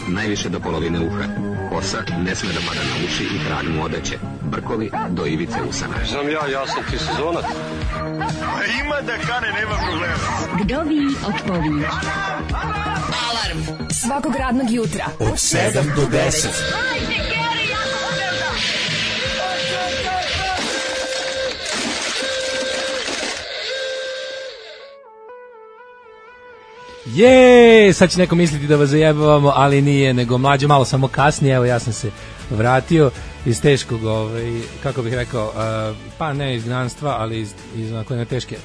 najviše do polovine uha. Kosa ne sme da pada na uši i krag mu odeće. Brkovi do ivice usana. Znam ja sam ti sezonac. Ima da kane, nema problema. Kdovi odpovi. Alarm svakog radnog jutra od 7 do 10. Sad će neko misliti da vas zajebavamo, ali nije, nego mlađe malo samo kasnije. Evo, ja sam se vratio iz teškog, kako bih rekao, pa ne izgnanstva, ali iz onako jedne teške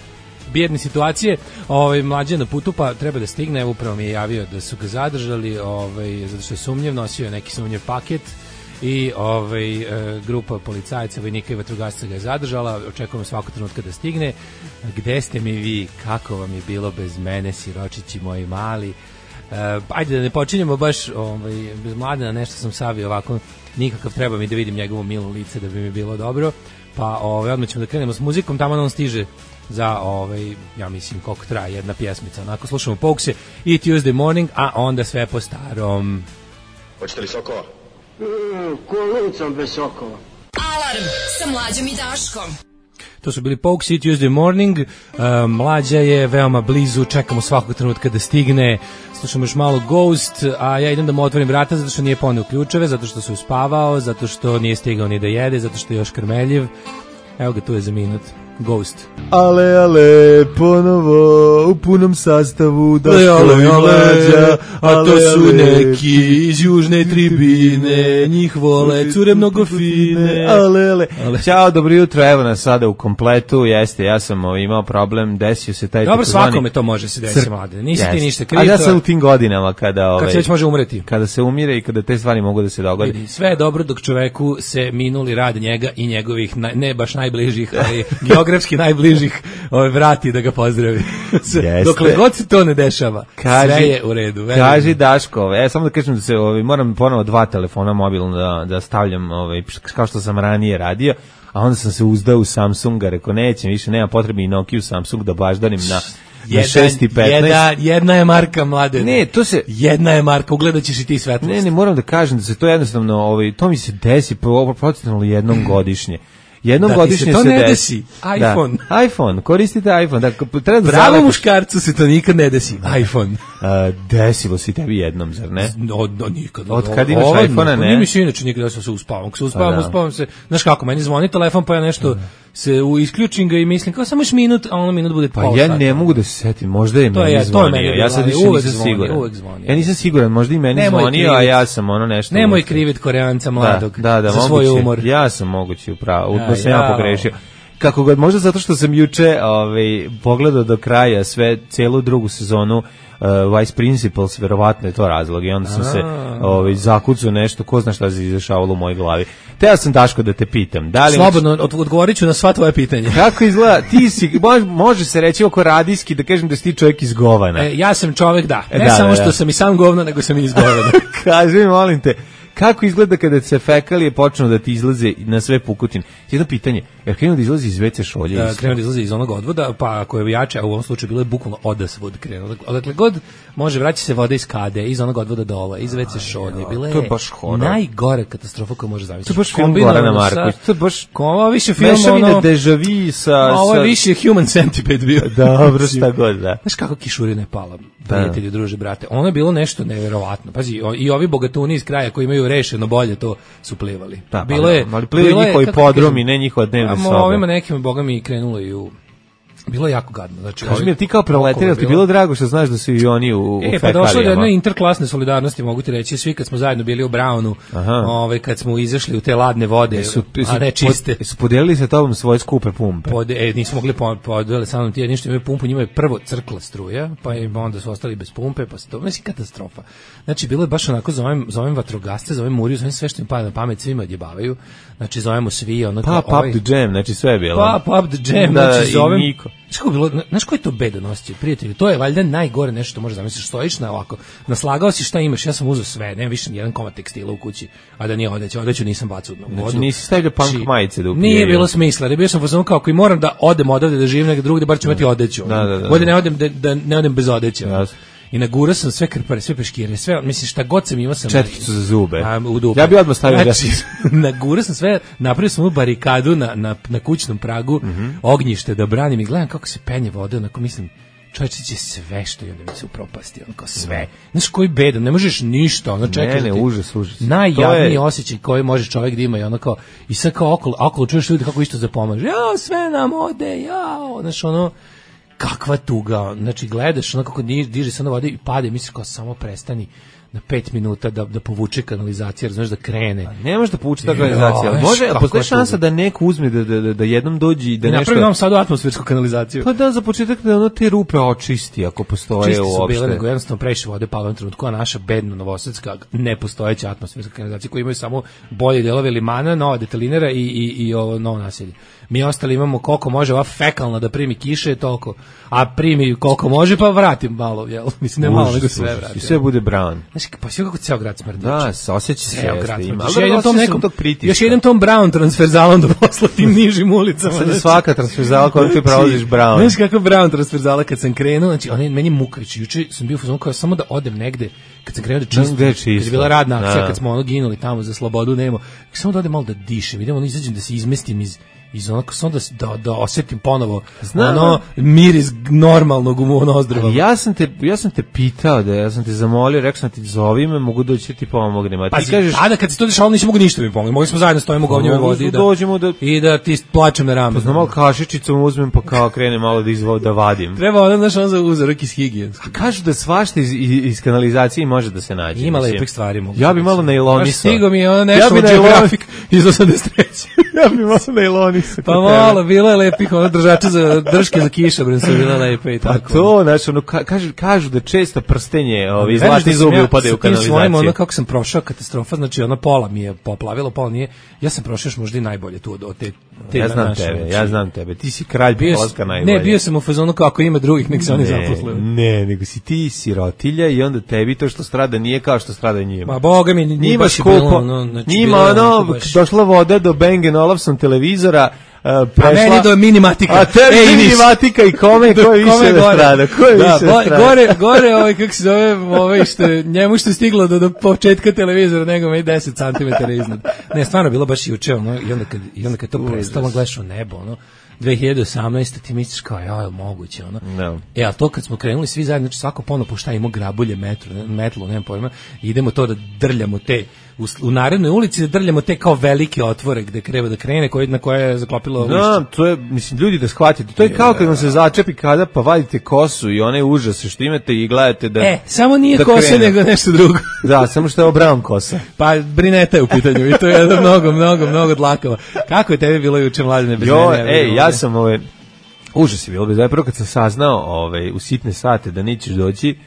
bijedne situacije. Mlađe na putu, pa treba da stigne. Evo, upravo mi je javio da su ga zadržali, zato što je sumnjiv, nosio je neki sumnjiv paket i grupa policajaca, vojnika i vatrogasca ga je zadržala. Očekujemo svakog trenutka da stigne. Gde ste mi vi? Kako vam je bilo bez mene, siročići moji mali? Ajde da ne počinjemo baš bez Mladena, nešto sam savio ovako, nikakav, treba mi da vidim njegovo milo lice da bi mi bilo dobro, pa odmah ćemo da krenemo s muzikom, tamo on stiže za, ja mislim koliko traje jedna pjesmica, onako slušamo Pokse i Tuesday Morning, a onda sve po starom. Hoćete li sokova? Kolicom bez sokova. Alarm sa Mlađom i Daškom. To su bili Pokes i Tuesday Morning. Mlađa je veoma blizu, čekamo svakog trenutka da stigne. Slušamo još malo Ghost, a ja idem da mu otvorim vrata zato što nije poneo ključeve, zato što se uspavao, zato što nije stigao ni da jede, zato što je još krmeljiv. Evo ga, tu je za minut. Ghost. Ale, ponovo u punom sastavu Daško i Mlađa, a to su neki iz južne tribine, njih vole, cure mnogo fine. Ale. Ćao, dobro jutro, evo nas sada u kompletu, jeste, ja sam imao problem, desio se taj... Dobro, svakome to može se desiti, Mlade, nisi ti ništa kriv. A ja sam u tim godinama kada... Kad se već može umreti. Kada se umire i kada te stvari mogu da se dogodi. Sve je dobro dok čoveku se minuli rad njega i njegovih, ne baš najbližih, ali geografski najbližih vrati da ga pozdravi. Dokle god se to ne dešava, sve je u redu. Kaži Daško, samo da kažem da se moram ponovo 2 telefona mobilno da stavljam, kao što sam ranije radio, a onda sam se uzdao u Samsunga, rekao nećem više, nema potrebe i Nokia Samsung da baždanim na 6,15. Jedna je marka, Mlade. Ne, to se... Jedna je marka, ugledat ćeš i ti svetlost. Ne, moram da kažem da se to jednostavno, to mi se desi procentualno jednom godišnje. Jednom da godišnje se ne desi. iPhone. Da, iPhone, koristite iPhone. Da, treba bravo muškarcu se to nikad ne desi. iPhone. Desilo se tebi jednom, zar ne? Nikad. Od kad imaš iPhone-a, ne? Nije mi se inače nikad da se uspavam se. Znaš kako, meni zvoni telefon, pa ja nešto se isključim ga i mislim, kao samo još minut, a ono minut bude pola sata. Pa ja ne mogu da se setim, možda je meni zvonio. Ja sad više nisam siguran. Ja nisam siguran, možda i meni zvonio, a ja sam nešto... Nemoj krivit Koreanca mladog za svoj umor. Ja sam mogući upravo, to sam ja pogrešio. Kako god, možda zato što sam juče pogledao do kraja celu drugu sezonu Vice Principals, verovatno je to razlog i onda sam se zakucao nešto, ko zna šta se izdešavalo u mojoj glavi. Te ja sam, Daško, da te pitam. Slobodno, odgovorit ću na sva tvoje pitanje. Kako izgleda, ti si, može se reći oko radijski da kažem da si ti čovjek iz Govana. Ja sam čovjek, da. Ne samo što sam i sam govno, nego sam i iz Govana. Kaži mi, molim te, kako izgleda kada se fekalije počnu da ti izlaze na sve pukotine? Jedno pitanje, jer krenuo da izlazi iz WC šolje? Krenuo da izlazi iz onog odvoda, pa ako je jače, a u ovom slučaju bilo je bukvalno odasvod krenuo. Odakle god može vraća se voda iz kade, iz onog odvoda dole, iz WC šolje. Bila je najgore katastrofa koju može zamisliti. To je baš film Gorana Marković. To je baš... Ovo više film, ono... Deja vu sa... Ovo je više Human Centipede bio. Dobro, šta god, da. Znaš kako kišurina je pala, prijatelji, druže, brate. Ono je bilo nešto neverovatno. Pazi, i ovi bogatuni iz kraja koji imaju rešeno bolje, to su plivali. Da, bilo je, ali plivali njihovi podromi, ne njihova dnevna soba. Ovima nekima, boga mi, krenulo i u... Bilo je jako gadno. Znači, kaži mi, ti kao proletirac, ti bilo drago što znaš da su i oni u fekalijama? Pa došlo je do jedne interklasne solidarnosti, mogu ti reći, svi kad smo zajedno bili u Brownu, kad smo izašli u te ladne vode, a ne čiste. Su podelili sa tobom svoje skupe pumpe? Nisu mogli podeliti sa mnom ti, ništa imaju pumpu, njima je prvo crkla struja, pa onda su ostali bez pumpe, pa se to, mislim, katastrofa. Znači, bilo je baš onako, zovem vatrogasce, zovem Muriju, zovem sve što im pada na pamet, svima odjebavaju, znači zovemo svi, onako... Pop the jam, znači sve je bilo. Pop the jam, znači zovem... Znaš koji je to bedan osjećaj, prijatelji? To je valjda najgore nešto što možeš zamisliti. Stojiš na ovako, naslagao si šta imaš, ja sam uzeo sve, nema više nijedan komad tekstila u kući, a da nije odeću nisam bacao u vodu. Znači nisi stavljao punk majice da upijaju. Nije bilo smisla, jer bio sam pozvano kao, ako i moram da odem odavde da živim negdje drugdje, bar ću imati odeću. Da. Bolje ne odem bez odeće. i nagurao sam sve krpare, sve peškire, sve, mislim šta god sam imao sam četkicu za zube. U dupe. Ja bih odmah stavio znači, nagurao sam sve, napravio sam barikadu na kućnom pragu, ognjište da branim i gledam kako se penje voda, onako mislim čovječe će sve što i onda mi se upropasti, onako sve. Znaš koji bedan, ne možeš ništa, ono čekaj. Ne, užas. Najjadniji osjećaj koji može čovjek da ima i ono kao, i sad kao okolo čuješ ljudi kako isto zapomaže, jao, sve nam ode, jao, znaš ono, kakva tuga, znači gledaš ono kako diže se na vode i pade, misliš kao samo prestani na 5 minuta da povuče kanalizacija, znaš da krene. Ne može da povuče ta kanalizacija, ali može, postoji šansa da neko uzme da jednom dođe i da nešto... Napravi nam sad atmosfersku kanalizaciju. Pa da, za početak da ono te rupe očisti, ako postoje čisti uopšte. Čisti su bile, nego jednostavno previše vode palo u trenutku, a naša bedna novosadska nepostojeća atmosferska kanalizacija koja imaju samo bolje delove limana, nova detalinera i ovo novo naselje. Mi ostali imamo koliko može ova fekalna da primi kiše, toliko, a primi koliko može, pa vratim malo, jel? Mislim, ne malo, nego sve vratim. I sve bude brown. Znači, pa sve kako ceo grad smrdi. Da, osjeća se. Ceo grad smrdi. Još jedem tom brown transverzalom da posla tim nižim ulicama. Sad je svaka transverzala koja ti prolaziš brown. Znaš kako brown transverzala kad sam krenuo, znači, meni mukavić, juče sam bio u fazonu kao samo da odem negde, kad sam krenuo da čistim, kad je bila radna akcija, kad smo ono ginuli tamo za slobodu, nemo, samo da odem malo da dišem, idemo, izađem da se izmestim iz onako sam da osjetim ponovo ono miris normalnog u nozdrava. Ja sam te pitao ja sam te zamolio, rekao sam ti zovi me, mogu doći ti pomognem. A ti kažeš tada kad se to dešavalo nisi mogu ništa mi pomoći. Mogli smo zajedno stojimo u govnjevoj vodi i da ti plačem na rame. Pa znam malo kašičicom uzmem pa kao krenem malo da vadim. Treba ono za uzorak iz higijenskog. Kažu da svašta iz kanalizacije može da se nađe. Ima lepih stvari mogu. Ja bi malo najlonisao. Stigo mi ono nešto Geographic iz 83. Ja bi malo najlonisao. Pa malo, bilo je lepih, ono držača za drške za kišobran su bila lepe i tako. Pa to, znači, ono, kažu da često prstenje, zlatni zubi upadaju u kanalizaciju. Svojim, ono, kako sam prošao katastrofa, znači, ono, pola mi je poplavilo, pola nije, ja sam prošao još možda i najbolje tu od te ja znam tebe, ti si kralj polaska najbolje. Ne, bio sam u fazonu kako ima drugih, nek se oni zaposle. Ne, nego si ti sirotilja i onda tebi to što strada nije kao što strada njima. Ma boga mi, nije baš bilo, njima, ono, došla voda do Bang & Olufsen televizora, prešla, a meni do minimatika. A tebi minimatika i ko je više da strada? Gore, kako se zove, njemu što je stiglo do početka televizora, nego me 10 cm iznad. Ne, stvarno bilo baš juče, ono, i onda kad to prestalo, gledaš u nebo, ono, 2018. ti misliš kao, je moguće, ono. No. A to kad smo krenuli svi zajedno, znači svako ponovno pušta, imamo grabulje, metlo, nemam pojma, i idemo to da drljamo te, u narednoj ulici da drljamo te kao velike otvore gde treba da krene, na koje je zaklopilo lišće. No, to je, mislim, ljudi da shvatite, to je kao kad vam se začepi kada pa vadite kosu i one užase što imate i gledate da... samo nije da kosa, nego nešto drugo. Da, samo što je brown kosa. Pa brineta je u pitanju i to je mnogo dlakava. Kako je tebi bilo juče, Mladene, bez mene? Ja sam, užas je bilo, prvo kad sam saznao u sitne sate da nećeš doći,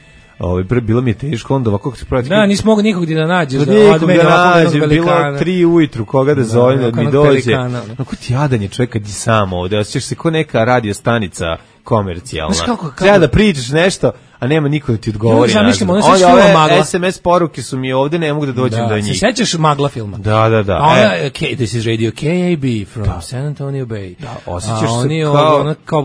bilo mi je teško, onda ovako se pravi... Da, nisi mogu nikog da nađeš. Nikog da nađeš, bilo 3 ujutru, koga da zovem, da mi dođe. Kako ti jadan je čovjek kad je sam ovde, osjećaš se ko neka radio stanica komercijalna. Treba da pričaš nešto, a nema niko da ti odgovori. Ove SMS poruke su mi ovde, ne mogu da dođem do njih. Se sećaš Magla filma? Da. This is radio KAB from San Antonio Bay. Da, osjećaš se kao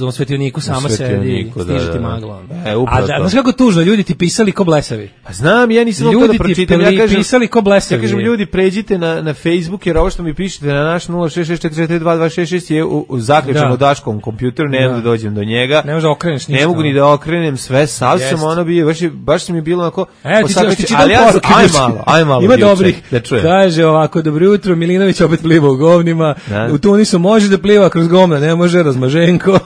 u svetioniku sama sedi, stiže ti Magla. Upravo to. Znaš kako tužno, ljudi ti pisali ko blesavi. Pa znam, ja nisam mogu da pročitam. Ljudi ti pisali ko blesavi. Ja kažem, ljudi, pređite na Facebook, jer ovo što mi pišete na naš 066442266 je zaključan u Daškovom kompjuteru, ne mogu da dođem do njega. Ne možeš da okreneš ništa. Ne mogu ni da okrenem sve, sav sam ono bio, baš mi je bilo onako... Ali aj malo. Ima dobrih. Kaže ovako, dobro jutro, Milinović opet pliva u govnima, u Tunisu može da pliva kroz govna, ne može, Razmaženko.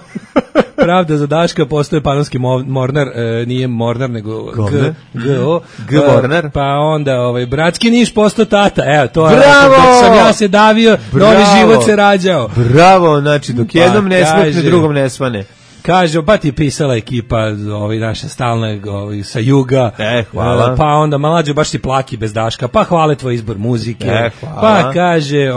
Pravda za Daška, postoje panonski Mornar, nije Mornar, nego G-Mornar. Pa onda, bratski Niš postao tata, evo, to je, dok sam ja se davio, novi život se rađao. Bravo, znači, dok jednom ne smekne, drugom ne svane. Kaže, pa ti je pisala ekipa naša stalna sa juga, hvala. Pa onda Mlađo baš ti plaki bez Daška, pa hvale tvoj izbor muzike, pa kaže,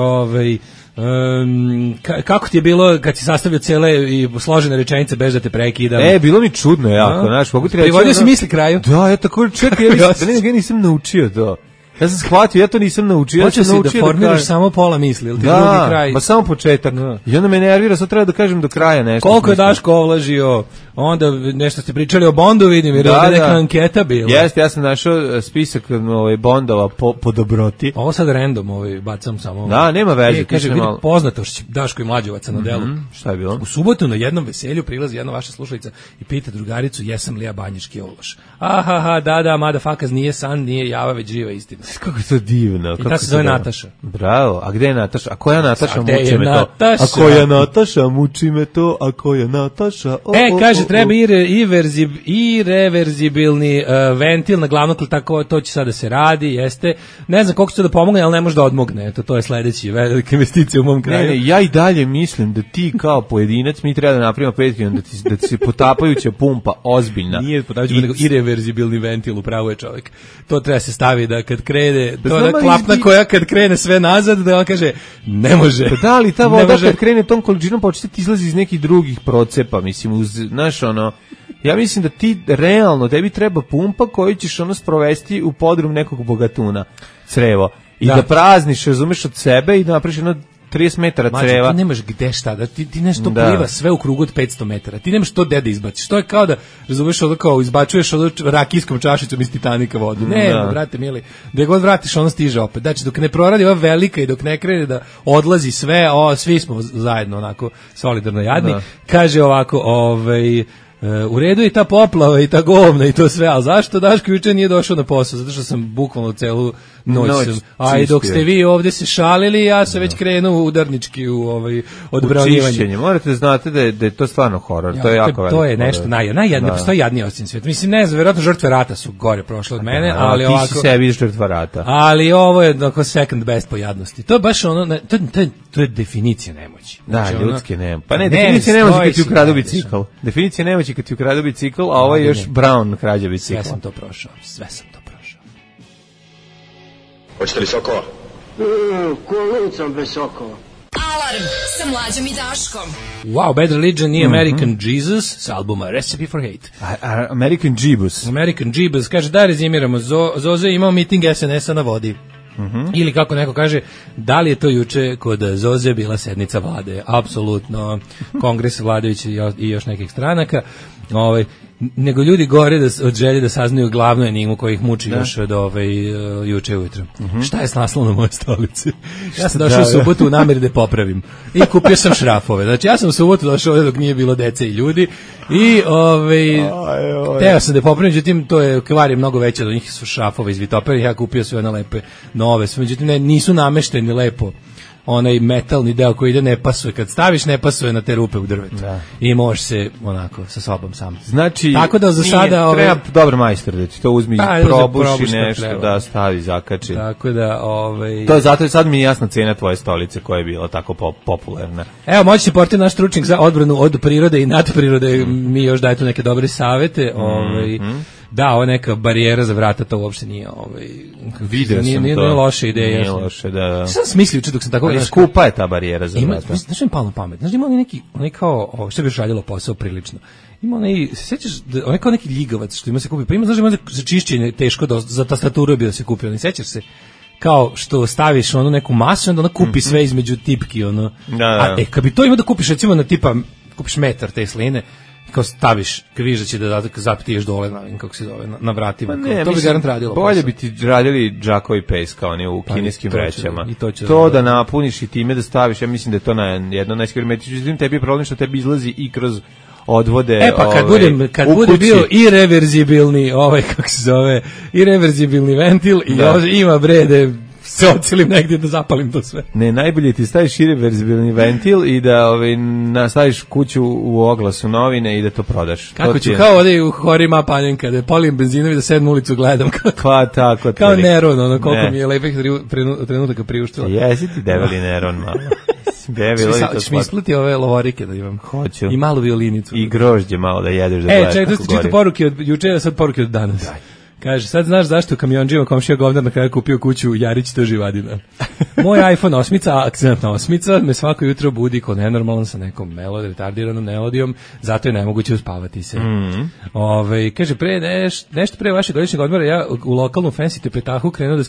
kako ti je bilo kad si sastavio cele i složene rečenice bez da te prekidam? Bilo mi čudno jako, znaš, mogu ti reći. Privodio si misli kraju? Da, ja tako čekaj, ja nisam naučio to. Ja sam shvatio, ja to nisam naučio. Hoće si da formiraš samo pola misli, ili ti drugi kraj? Da, samo početak. I onda me nervira, sad treba da kažem do kraja nešto. Koliko je Daško ovlažio, onda nešto ste pričali o Bondu, vidim, jer je neka anketa bila. Jeste, ja sam našao spisak Bondova po dobroti. Ovo sad random, bacam samo. Da, nema veze. Kaže, vidi poznatošć Daško i Mlađevaca na delu. Šta je bilo? U subotu na jednom veselju prilazi jedna vaša slušalica i pita drugaricu, jesam li ja banjički ovlaš? Ahaha, da, motherfuckers, nije san, nije java, već živa istina. Kako je to divno. I ta se zove Nataša. Bravo, a gde je Nataša? A koja Nataša muči me to? Nataša? A koja Nataša muči me to? A koja Nataša? Kaže, treba irreverzibilni ventil na glavnom tako, to će sada se radi, jeste. Ne znam koliko će to da pomogne, ali ne može da odmogne. Eto, to je sledeći velika investicija u mom kraju. Ne, ja i dalje mislim da ti kao pojedinac, mi treba da napravimo Patreon, da ti se potapajuća pumpa ozbiljna. Nije potapajuća, nego irreverzibilni ventil, upravo je čovjek. To treba se stavi da kad krene, to je klapna koja kad krene sve nazad, da on kaže, ne može. Pa da li ta voda kad krene tom količinom početi ti izlazi iz nekih drugih procepa, mislim, znaš, ja mislim da ti realno, tebi treba pumpa koju ćeš sprovesti u podrum nekog bogatuna, crevo, i da prazniš, razumeš, od sebe i da napraviš 30 metara creva. Ti nemaš gde šta, da ti nešto pliva sve u krugu od 500 metara. Ti nemaš to gde da izbaciš. To je kao da, razumeš, kao izbačuješ rakijskom čašicom iz Titanika vodu. Ne, brate mili, gde god vratiš, ono stiže opet. Znači, dok ne proradi ova velika i dok ne krene da odlazi sve, svi smo zajedno onako solidarno jadni. Kaže ovako, u redu je ta poplava i ta govna i to sve, ali zašto Daško juče nije došao na posao? Zato što sam bukvalno celu noć a i dok ste vi ovdje se šalili, ja sam već krenuo udarnički u odbranjivanje. Morate da znate da je to stvarno horor, to je jako veliko. To je nešto najjadnije, postoji jadniji osim svijeta. Mislim, ne znam, vjerojatno žrtve rata su gore prošle od mene, ali ovako... Ti si sebi žrtva rata. Ali ovo je second best po jadnosti. To je baš to je definicija nemoći. Da, ljudske nemoći. Pa ne, definicija nemoći kad ti ukradu bicikl. Definicija nemoći kad ti ukradu bicikl, a ovo je još Brown krađa bicikla. Sve sam to prošao. Hoćete li sokova? Kolicom bez sokova. Alarm sa Mlađom i Daškom. Wow, Bad Religion i American Jesus s albuma Recipe for Hate. American Jeebus. Kaže, da rezimiramo, Zoze imao miting SNS-a na vodi. Ili kako neko kaže, da li je to juče kod Zoze bila sednica vlade? Apsolutno, kongres vladajući i još nekih stranaka. Nego ljudi gore od želje da saznaju glavnu enigmu koja ih muči još od juče ujutro. Šta je s naslovom na moje stolici? Ja sam došao u subotu u nameri da popravim i kupio sam šrafove. Znači ja sam u subotu došao ovdje dok nije bilo dece i ljudi i teo sam da popravim, međutim to je kvar je mnogo veće, do njih su šrafove iz Vitopera i ja kupio sve one lepe nove, međutim nisu namešteni lepo. Onaj metalni deo koji ide ne pasuje, kad staviš ne pasuje na te rupe u drvetu i možeš se onako sa sobom sam. Znači, tako da za sada treba dobar majstor da ti to uzmi, probuši nešto da stavi, zakači. Tako da to je zato sad mi je jasna cena tvoje stolice koja je bila tako popularna. Evo, moći se portir naš stručnjak za odbranu od prirode i nadprirode, mi još daje tu neke dobre savete, da, ovo neka barijera za vrata, to uopšte nije video sam nije to. Nije loše ideja. Nije loše, da. Sam smislio dok sam tako... Ali skupa je ta barijera za vrata. Znaš mi palno pamet. Znaš, ima onaj kao, što bi još radilo posao prilično. Ima onaj, se sjećaš, onaj kao neki ljigavac što ima se kupi. Pa ima, znaš, ima za čišćenje teško, za tastaturu bi da se kupi. Ne sjećaš se? Kao što staviš onu neku masu, onda ona kupi sve između tipki, ono. Da. A kad bi to ima da kupiš, recimo na tipa, kupiš metar te sline, kao staviš križaće da zapitiješ dole kako se zove, na vratima. Ne, to bi garant radilo. Bolje bi ti radili džakovi pes kao oni u kineskim vrećama. To da napuniš i time da staviš, ja mislim da je to na jedno najskrimetrično. Tebi je problem što tebi izlazi i kroz odvode. Pa kad bude bio irreverzibilni, kako se zove, irreverzibilni ventil i ima brede se ocilim negdje da zapalim to sve. Ne, najbolje ti staviš irreverzibilni ventil i da nastaviš kuću u oglasu novine i da to prodaš. Kako ću, kao ovdje u Horima Panjenka, da polim benzinovi da sedem ulicu gledam. Tako. Kao Neron, koliko mi je lepih trenutaka priuštila. Jesi ti debeli Neron, malo. Ćeš mi isplati ove lovorike da imam. Hoću. I malu violinicu. I grožđe malo da jedeš da gledaš. Čekaj, to ste čitao poruke od juče, a sad poruke od danas. Kaže, sad znaš zašto kamionđima komšija govnar na kraju kupio kuću Jarić to živadina. Moj iPhone 8, akcentna 8, me svako jutro budi ko nenormalan sa nekom retardiranom melodijom, zato je nemoguće uspavati se. Kaže, nešto pre vašeg godišnjeg odmora, ja u lokalnu fancy tepetahu krenuo da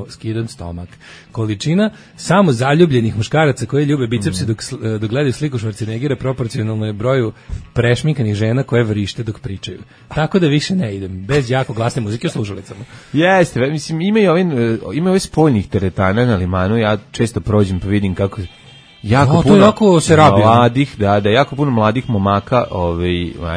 skidam stomak. Količina samo zaljubljenih muškaraca koji ljube bicepse dok gledaju sliku Schwarzeneggera proporcionalno je broju prešminkanih žena koje vrište dok pričaju. Tako da više ne idem, bez jako glasne muzike u slušalicama. Jeste, mislim, ima ove spoljnih teretana na limanu, ja često prođem pa vidim kako jako puno mladih, jako puno mladih momaka,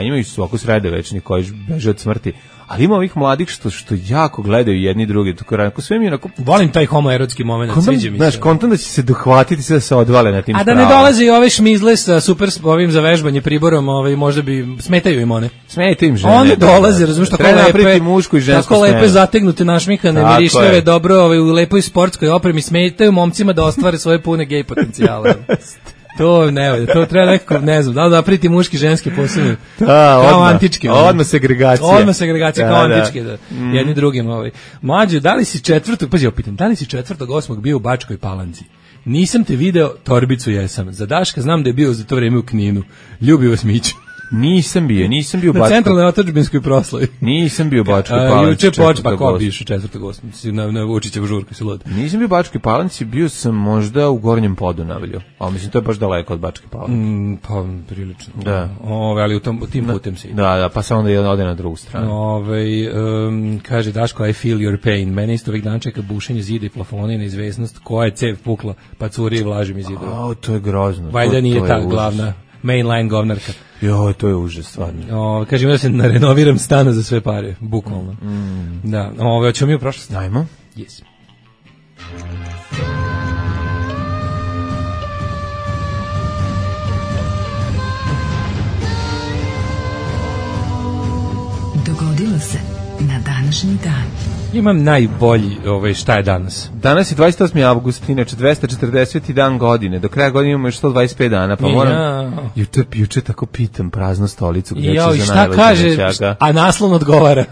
imaju su ovako sredovečni koji beže od smrti, ali ima ovih mladih što jako gledaju jedni drugi, tako sve mi je onako... Volim taj homoerotski moment, sviđa mi se. Znaš, kontam da će se dohvatiti sve da se odvale na tim sprava. A da ne dolaze i ove šmizle sa super ovim za vežbanje priborom, možda bi, smetaju im one. Smetaju im žene. One dolaze, razumiješ, tako lepe zategnute našmihane, mirišljave, dobro, u lepoj sportskoj opremi, smetaju momcima da ostvare svoje pune gej potencijale. To ne valja, to treba nekako, ne znam, da li napraviti muški, ženski posebno, kao antički. Odmah segregacija. Kao antički, jedni drugim. Mlađe, da li si 8. bio u Bačkoj Palanci? Nisam te video, torbicu jesam. Za Daška znam da je bio za to vreme u Kninu. Ljubi vas Mić. Nisam bio u Bačkoj. Na centralnoj otadžbinskoj proslavi. Nisam bio u Bačkoj Palanci. Juče pa ko biš u 4.8. na Vučićev žurku si lud. Nisam bio u Bačkoj Palanci, bio sam možda u Gornjem Podunavlju. A mislim to je baš daleko od Bačke Palanke. Pa prilično. Da. Ali u tim putem se ide. Da, pa samo onda ode na drugu stranu. Kaže Daško, I feel your pain. Mene isto ovih dana čeka bušenje zida i plafona i neizvesnost koja je cev pukla, pa curi i vlaži mi zidova. To je grozno. Valjda nije ta glavna mainline govnarka. Jo, to je užas, stvarno. Kažem da se renoviram stana za sve pare, bukvalno. Da, hoćemo mi u prošlost? Ajmo. Yes. Dogodilo se na današnji dan. Imam najbolji, šta je danas? Danas je 28. avgust, inače 240. dan godine. Do kraja godine imamo još 125 dana, pa moram... Juče tako pitam praznu stolicu gdje će za najvađe nećaka. A naslon odgovara.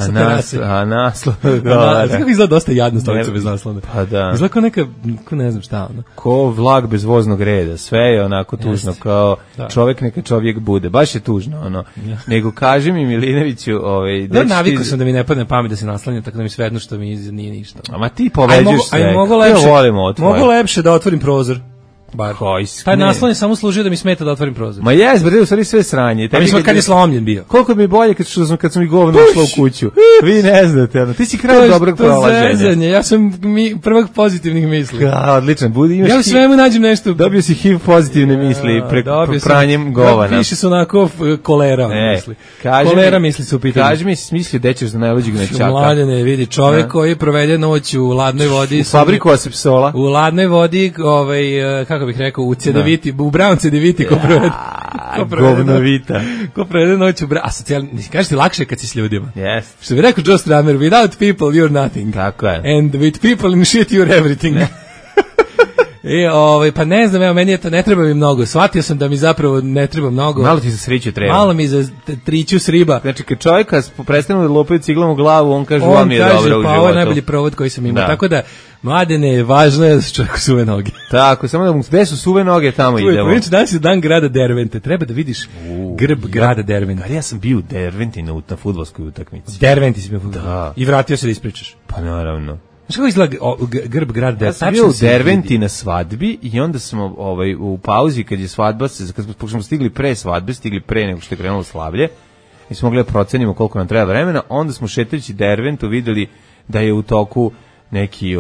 A naslon odgovara. Kako izgleda dosta jadna stolica bez naslona? Pa da. Izgleda kao neka, ne znam šta ono. Ko vlak bez voznog reda. Sve je onako tužno, kao čovjek neka čovjek bude. Baš je tužno, ono. Nego kaži mi, Milinoviću, navikao sam da mi ne padne pamet da se naslanja, tako da mi svejedno što mi nije ništa. Ama ti poveđuješ sve. Mogu lepše da otvorim prozor. Taj naslon je samo služio da mi smeta da otvorim prozor. Ma jes, bre, u stvari sve sranje. Kad je slomljen bio. Koliko mi je bolje kad sam i govno ušla u kuću. Vi ne znate, ti si kraj dobrog prolaženja. Ja sam prvog pozitivnih misli. Odličan, ja u svemu nađem nešto. Dobio si HIV pozitivne misli pranjem govana. Više su onako kolera misli. Kolera misli su u pitanju. Kaži mi, mislio da ćeš za najluđeg nečaka. Mladene, vidi, čovek koji provede noć u ladnoj vodi. U fabriku asepsola. U ladnoj vodi, kako bih rekao, u Cedeviti, u Brown Cedeviti ko provede noć u Brown. A socijalni, kažeš ti lakše kad si s ljudima. Yes. Što bi rekao Joe Strummer, without people you're nothing. Tako je. And with people in shit you're everything. Pa ne znam, meni je to, ne treba mi mnogo. Shvatio sam da mi zapravo ne treba mnogo. Malo ti za sriću treba. Malo mi za triću sriba. Znači, kad čovjeka prestanu da lopaju ciglom u glavu, on kaže, vam je dobro u životu. Pa ovo je najbolji provod koji sam imao. Da. Tako da, Mladene, važno je da se čovjeku suve noge. Tako, samo da mu gde su suve noge, tamo idemo. Znači, danas je dan grada Dervente. Treba da vidiš grb grada Dervente. Ja sam bio u Derventi na fudbalskoj utakmici. Derventi si bio fudbalskoj. I vratio se da ispričaš. Pa naravno. Znaš kako izgleda grb grad Dervente? Ja sam bio u Derventi na svadbi i onda smo u pauzi kad je svadba, kad smo stigli pre svadbe, stigli pre nego što je krenulo slavlje, i smo mogli da procenimo koliko nam treba vremena, onda smo šetajući Derventu videli da je u toku neki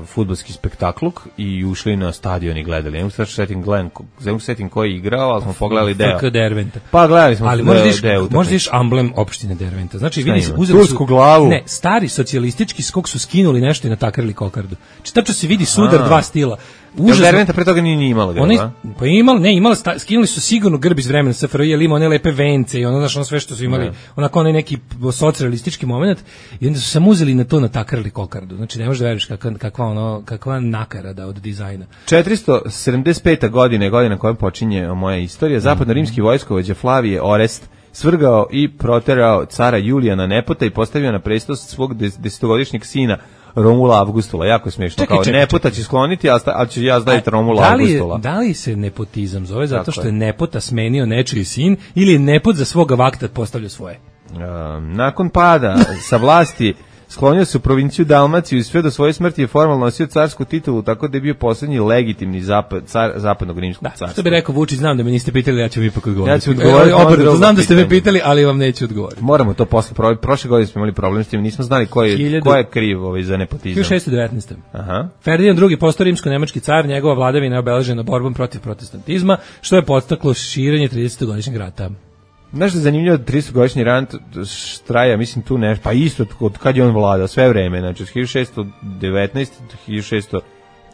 fudbalski spektakluk i ušli na stadion i gledali. Ne mogu setim ko je igrao, ali smo pogledali deo. Derventa. Pa gledali smo deo. Možda viš amblem opštine Derventa. Znači, vidi se, tursku glavu. Ne, stari socijalistički skok su skinuli nešto i natakarili kokardu. Tačno se vidi sudar dva stila. Derventa pre toga nije imala grba. Pa imala, skinuli su sigurno grb iz vremena SFRJ, ili ima one lepe vence i ono sve što su imali, onako onaj neki socijalistički moment, i onda su samo uzeli na to natakarili kokardu. Znači, ne možeš da veriš kakva nakarada od dizajna. 475. godina je godina kojom počinje moja istorija. Zapadno-rimski vojskovođa Flavije Orest svrgao i proterao cara Julijana Nepota i postavio na presto svog desetogodišnjeg sina Romula Avgustula. Jako je smiješno. Nepota će skloniti, ali će ja staviti Romula Avgustula. Da li se nepotizam zove zato što je Nepota smenio nečiji sin ili je Nepot za svoga vakta postavljao svoje? Nakon pada sa vlasti sklonio se u provinciju Dalmaciju i sve do svoje smrti je formalno nosio carsku titulu, tako da je bio poslednji legitimni car zapadnog rimskog carstva. Što bi rekao Vučić, znam da me niste pitali, ja ću mi ipak odgovoriti. Ja ću odgovoriti. Znam da ste me pitali, ali vam neću odgovoriti. Moramo to posle provjeriti. Prošle godine smo imali problem s tim, nismo znali ko je kriv za nepotizam. 1619. Aha. Ferdinand II. postao rimsko-nemački car, njegova vladavina je obeležena borbom protiv protestantizma, što je podstaklo širenje 30-godišnjeg rata. Znaš da je zanimljivo da 30-godišnji rat traja, mislim tu nešto, pa isto od kad je on vladao, sve vreme, znači 1619,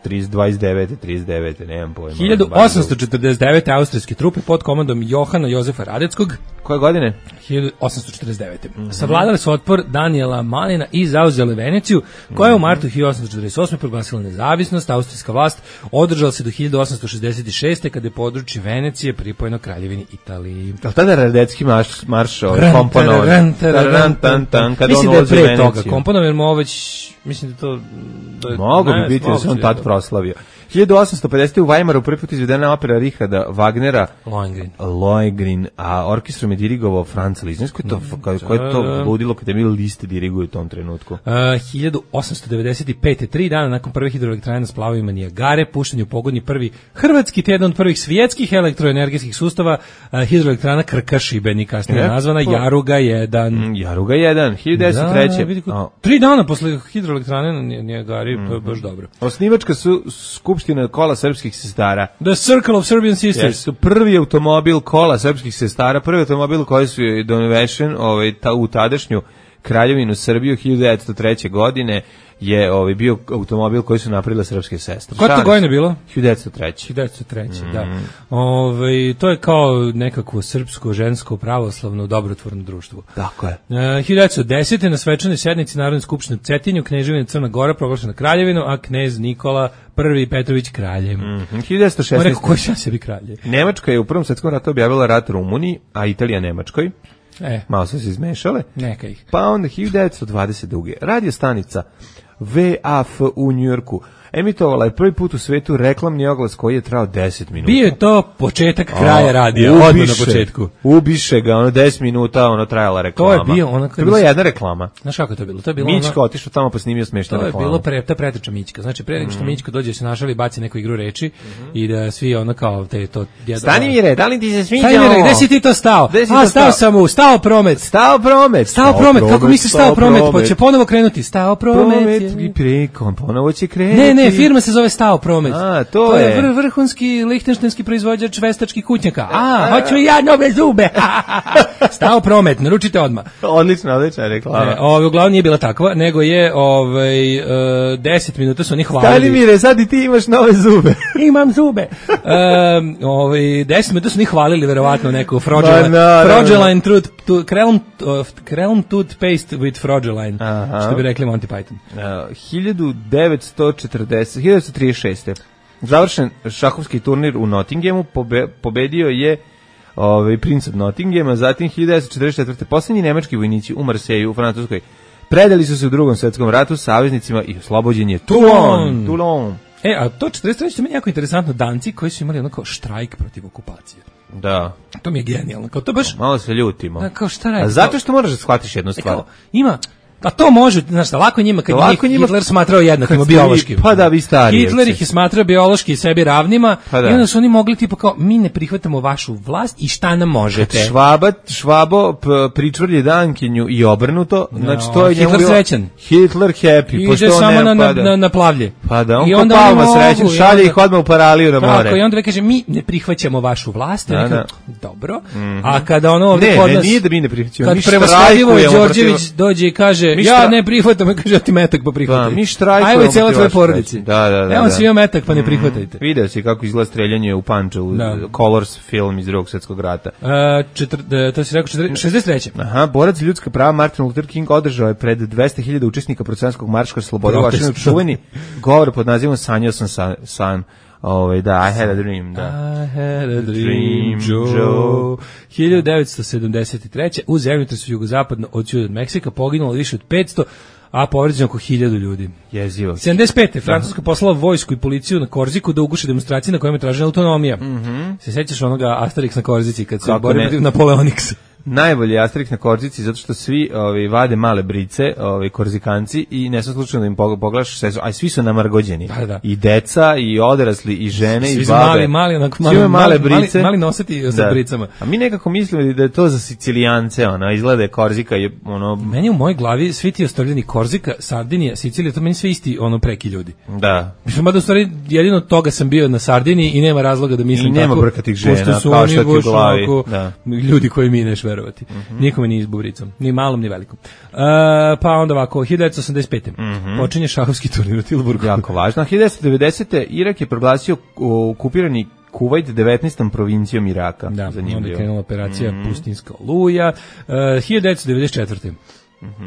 1629, nemam pojma. 1849. austrijske trupe pod komandom Johana Jozefa Radeckog. Koje godine? 1849. Savladali su otpor Daniela Malina i zauzeli Veneciju, koja je u martu 1848. proglasila nezavisnost. Austrijska vlast održala se do 1866. kada je područje Venecije pripojeno Kraljevini Italiji. Ali tada Radecki marš komponovan. Mislim da je pre toga komponovan, jer mu već... Mislim da to... Mogu bi biti da se on tad proslavio. 1850. u Weimaru prvi put izvedena opera Richarda Wagnera Lohengrin, a orkestrom je dirigovao Franz Liszt. Koje je to ludilo kada je Liszt diriguje u tom trenutku? 1895. 3 dana nakon prve hidroelektrane na splavovima Nijagare, pušten je u pogodni prvi hrvatski jedan od prvih svjetskih elektroenergetskih sustava, hidroelektrana Krka Šibenik, kasnije nazvana Jaruga 1. Jaruga 1, 1903. 3 dana posle hidroelektrane na Nijagari, to je baš dobro. Osnivačka su skupština kola srpskih sestara. The Circle of Serbian Sisters. Su prvi automobil kola srpskih sestara, prvi automobil koji su donesen u tadašnju Kraljevinu Srbiju 1903. godine je bio automobil koji su napravile srpske sestre. Koja to godina bilo? 1903. 1903, da. To je kao nekakvo srpsko, žensko, pravoslavno, dobrotvorno društvo. Tako je. 1910. na svečanoj sednici Narodne skupštine u Cetinju, kneževina Crna Gora proglašena kraljevinu, a knez Nikola I Petrović kraljem. 1916. On rekao, koji će sebi kralje? Nemačka je u Prvom svjetskom ratu objavila rat Rumuniji, a Italija Nemačkoj. Malo su se izmešale. Neka ih. Pa onda 1922. Radio stanica VAF u Njujorku emitovala je prvi put u svetu reklamni oglas koji je trajao 10 minuta. Bio je to početak kraja radija, odmah na početku. Ubiše ga, 10 minuta, trajala reklama. To je bio to je bila jedna reklama. Znaš kako je to bilo? To je bilo Mićka otišao tamo pa snimio smešnu reklamu. To je bilo ta preteča Mićka. Znači, pre nego što Mićka dođe se našali, baci neku igru reči i da svi kao to... Stani Mire, da li ti se sviđa? Stani Mire, gde si ti to stao? Stao sam stao promet. Stao promet, kako misliš stao promet? Pa će ponovo krenuti. Stao promet. I preko, ponovo će krenuti. Ne, firma se zove Stao promet. To je vrhunski lihtenštajski proizvođač veštačkih kućnjaka. Hoću i ja nove zube. Stao promet, naručite odmah. Odlična reklama. Uglavnom nije bila takva, nego je 10 minuta su oni hvalili. Stani Mire, sad i ti imaš nove zube. Imam zube. 10 minuta su oni hvalili verovatno neku Frogeline Krelm toothpaste with Frogeline. Što bi rekli Monty Python. 1936. Završen šahovski turnir u Nottinghamu, pobedio je princ od Nottinghama, zatim 1944. Posljednji nemački vojnici u Marseju u Francuskoj predali su se u Drugom svjetskom ratu saveznicima i oslobođen je Toulon. A to 43. je jako interesantno, Danci koji su imali onako štrajk protiv okupacije. Da. To mi je genijalno. Kao to baš... Malo se ljutimo. Da, kao šta radi? A zato što moraš da shvatiš jednu stvar. Ima... A to može, znaš, lako njima kad njih Hitler smatrao jednakima biološkim. Pa da, vi stari. Hitler ih je smatrao biološki sebi ravnima i onda su oni mogli tipa kao, mi ne prihvatamo vašu vlast i šta nam možete. Švabo pričvrlje Dankinju i obrnuto, znači to je Hitler srećan. Hitler happy. Ide samo na plavlje. Pa da, on ko Palma srećan, šalje ih odmah u paraliju na more. Tako, i onda kaže, mi ne prihvaćamo vašu vlast. Dobro. A kada ono ovdje kod nas... Ne, nije da mi ne prihvaćamo. Kad prevaslavljivo Đorđević dođe i kaže, ja ne prihvatam, kaže ti metak pa prihvataj. Mi štrajkujemo. Ajmo i cijela tvoja porodici. Da. Evo si imao metak pa ne prihvatajte. Video si kako izgleda streljanje u Pančevu, Colors film iz Drugog svjetskog rata. To si rekao 63. Aha, borac za ljudska prava Martin Luther King održao je pred 200.000 učesnika protestanskog marša slobode u Vašingtonu čuveni govor pod nazivom Sanjao sam san. Da, I had a dream, da. I had a dream, Joe. 1973. u zemljotresu jugozapadno od Meksika poginulo više od 500, a povređeno oko 1000 ljudi. Jezivo. 75. Francuska poslala vojsku i policiju na Korziku da uguše demonstracije na kojima je tražena autonomija. Se sećaš onoga Asterix na Korzici kad se bori protiv Napoleoniksa? Najbolji Asterix na Korzici zato što svi vade male brice, korzikanci i ne sam slučajno da im pogledaš sve, a svi su namargođeni. Da. I deca, i odrasli, i žene, svi i babe. Mali brice. Mali nosati sa bricama. A mi nekako mislimo da je to za Sicilijance, izgleda je Korzika je Meni u mojoj glavi svi ti ostavljeni Korzika, Sardinija, Sicilija, to meni sve isti preki ljudi. Da. Mislim da u stvari jedino toga sam bio na Sardiniji i nema razloga da mislim tako. I nema brkatih žena, kao što ti u glavi. Ljudi koji mi neš verovati. Nikome nije izbubricom, ni malom, ni velikom. Pa onda ovako, 1985. Počinje šahovski turnir u Tilburgu. Jako važno. 1990. Irak je proglasio okupirani Kuvajt 19. provincijom Iraka. Da, onda je krenula operacija Pustinska oluja. 1994.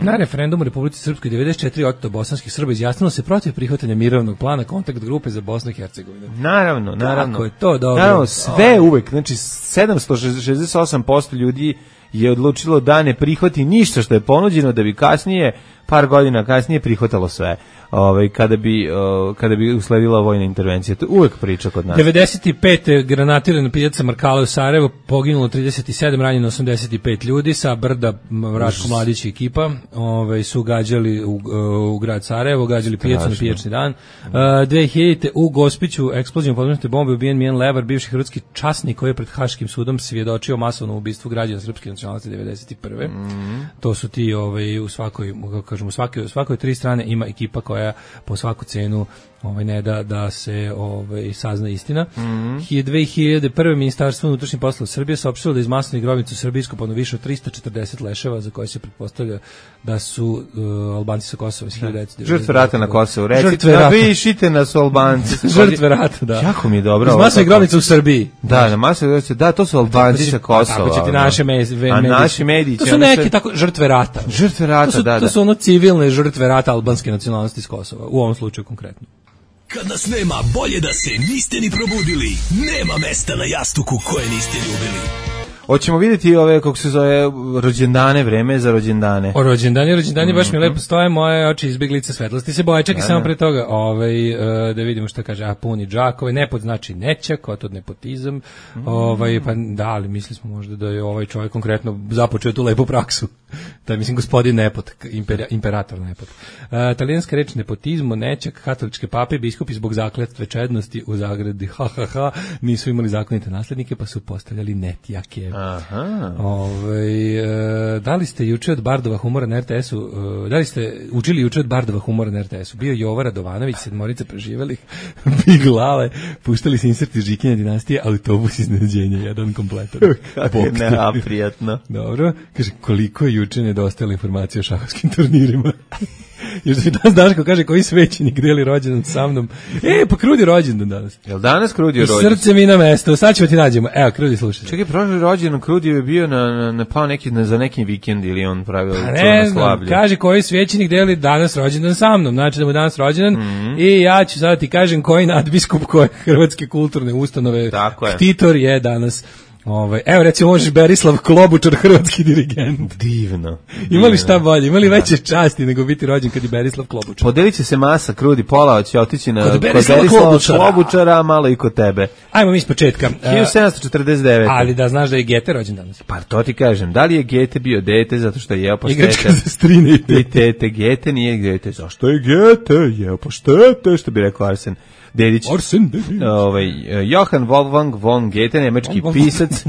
Na referendumu u Republici Srpskoj 94% bosanskih Srba izjasnilo se protiv prihvatanja mirovnog plana kontakt grupe za Bosnu i Hercegovinu. Naravno. Kako je to dobro. Naravno, sve uvek, znači 768% ljudi je odlučilo da ne prihvati ništa što je ponuđeno, da bi kasnije, par godina kasnije, prihvatalo sve. Kada bi usledila vojna intervencija. To je uvek priča kod nas. 95. granatir na pijaca Markala u Sarajevu, poginulo 37, ranjeno 85 ljudi, sa brda Raško Mladić i ekipa su gađali u grad Sarajevo, gađali pijacu na pijačni dan. 2000. u Gospiću eksplozijom podmetnute bombe ubijen Mijan Levar, bivši hrvatski časnik koji je pred Haškim sudom svjedočio masovnom ubistvu građana srpske nacionalnosti 91. To su ti u svakoj, kako kažemo, u svakoj tri strane ima ekipa koja po svaku cenu ne da se sazna istina. 2001. Ministarstvo unutrašnjih poslova Srbije saopštilo da iz masovnih grobnica u Srbiji iskopano više od 340 leševa za koje se pretpostavlja da su Albanci sa Kosova iz 1990. Žrtve rata na Kosovu. Recite, napišite nas Albanci. Žrtve rata, da. Jako mi je dobro. Iz masovnih grobnica u Srbiji. Da, na masovnih grobnica, da, to su Albanci sa Kosova. Tako će ti naše mediji. A naši mediji. To su neki tako žrtve rata. Žrtve rata, da. To su civilne žrtve rata albanske nacionalnosti iz Kosova. U ovom slučaju konkretno. Kad nas nema, bolje da se niste ni probudili. Nema mesta na jastuku koje niste ljubili. Hoćemo vidjeti kako se zove, rođendane, vreme za rođendane. O rođendani baš mi lepo stoje, moje oči izbjeglice svetlosti se boje. Čekaj samo pre toga, da vidimo šta kaže. Puni džakove, nepot znači nećak, otod nepotizam. Pa da, ali mislili smo možda da je ovaj čovjek konkretno započeo tu lepu praksu. Da je, mislim, gospodin Nepot, imperator Nepot. Talijanska reč nepotizmo, nećak, katoličke pape, biskupi zbog zakletve čednosti u zagradi, nisu imali zakonite naslednike, pa su postavljali netjake. Aha. Da li ste juče od Bardova humora na RTS-u, da li ste učili juče od Bardova humora na RTS-u? Bio Jova Radovanović, sedmorica preživelih, Big Lale, puštali se inserti Žikinja dinastije, autobus iznenađenja, jedan kompletan. Kako je neprijatno. Dobro, kaže, koliko je juče nedostajala informacija o šahovskim turnirima. Još da danas Daško kaže koji svećenik deli rođendan sa mnom. Pa Krudi rođendan danas. Jel danas Krudi rođendan? Srce mi na mesto, sad ćemo ti nađemo. Evo, Krudi, slušaj. Čekaj, prošli rođendan Krudi je bio za neki vikend ili on pravio ne znam, kaže koji svećenik deli danas rođendan sa mnom. Znači da mu danas rođendan i ja ću sada ti kažem koji nadbiskup koje hrvatske kulturne ustanove ktitor je danas. Evo recimo možeš Berislav Klobučar, hrvatski dirigent. Divno. Imali šta bolje, imali veće časti nego biti rođen kad je Berislav Klobučar. Podelit će se masa, Krudi, pola će otići kod Berislava Klobučara, malo i kod tebe. Ajmo mi iz početka. 1749. Ali da znaš da je Gete rođen danas. Pa to ti kažem, da li je Gete bio dete zato što je jeo paštete? Igračka za strine i tete. Gete nije Gete. Zašto je Gete jeo paštete, što bi rekao Arsen Dedić. Johann Wolfgang von Goethe, nemački pisac,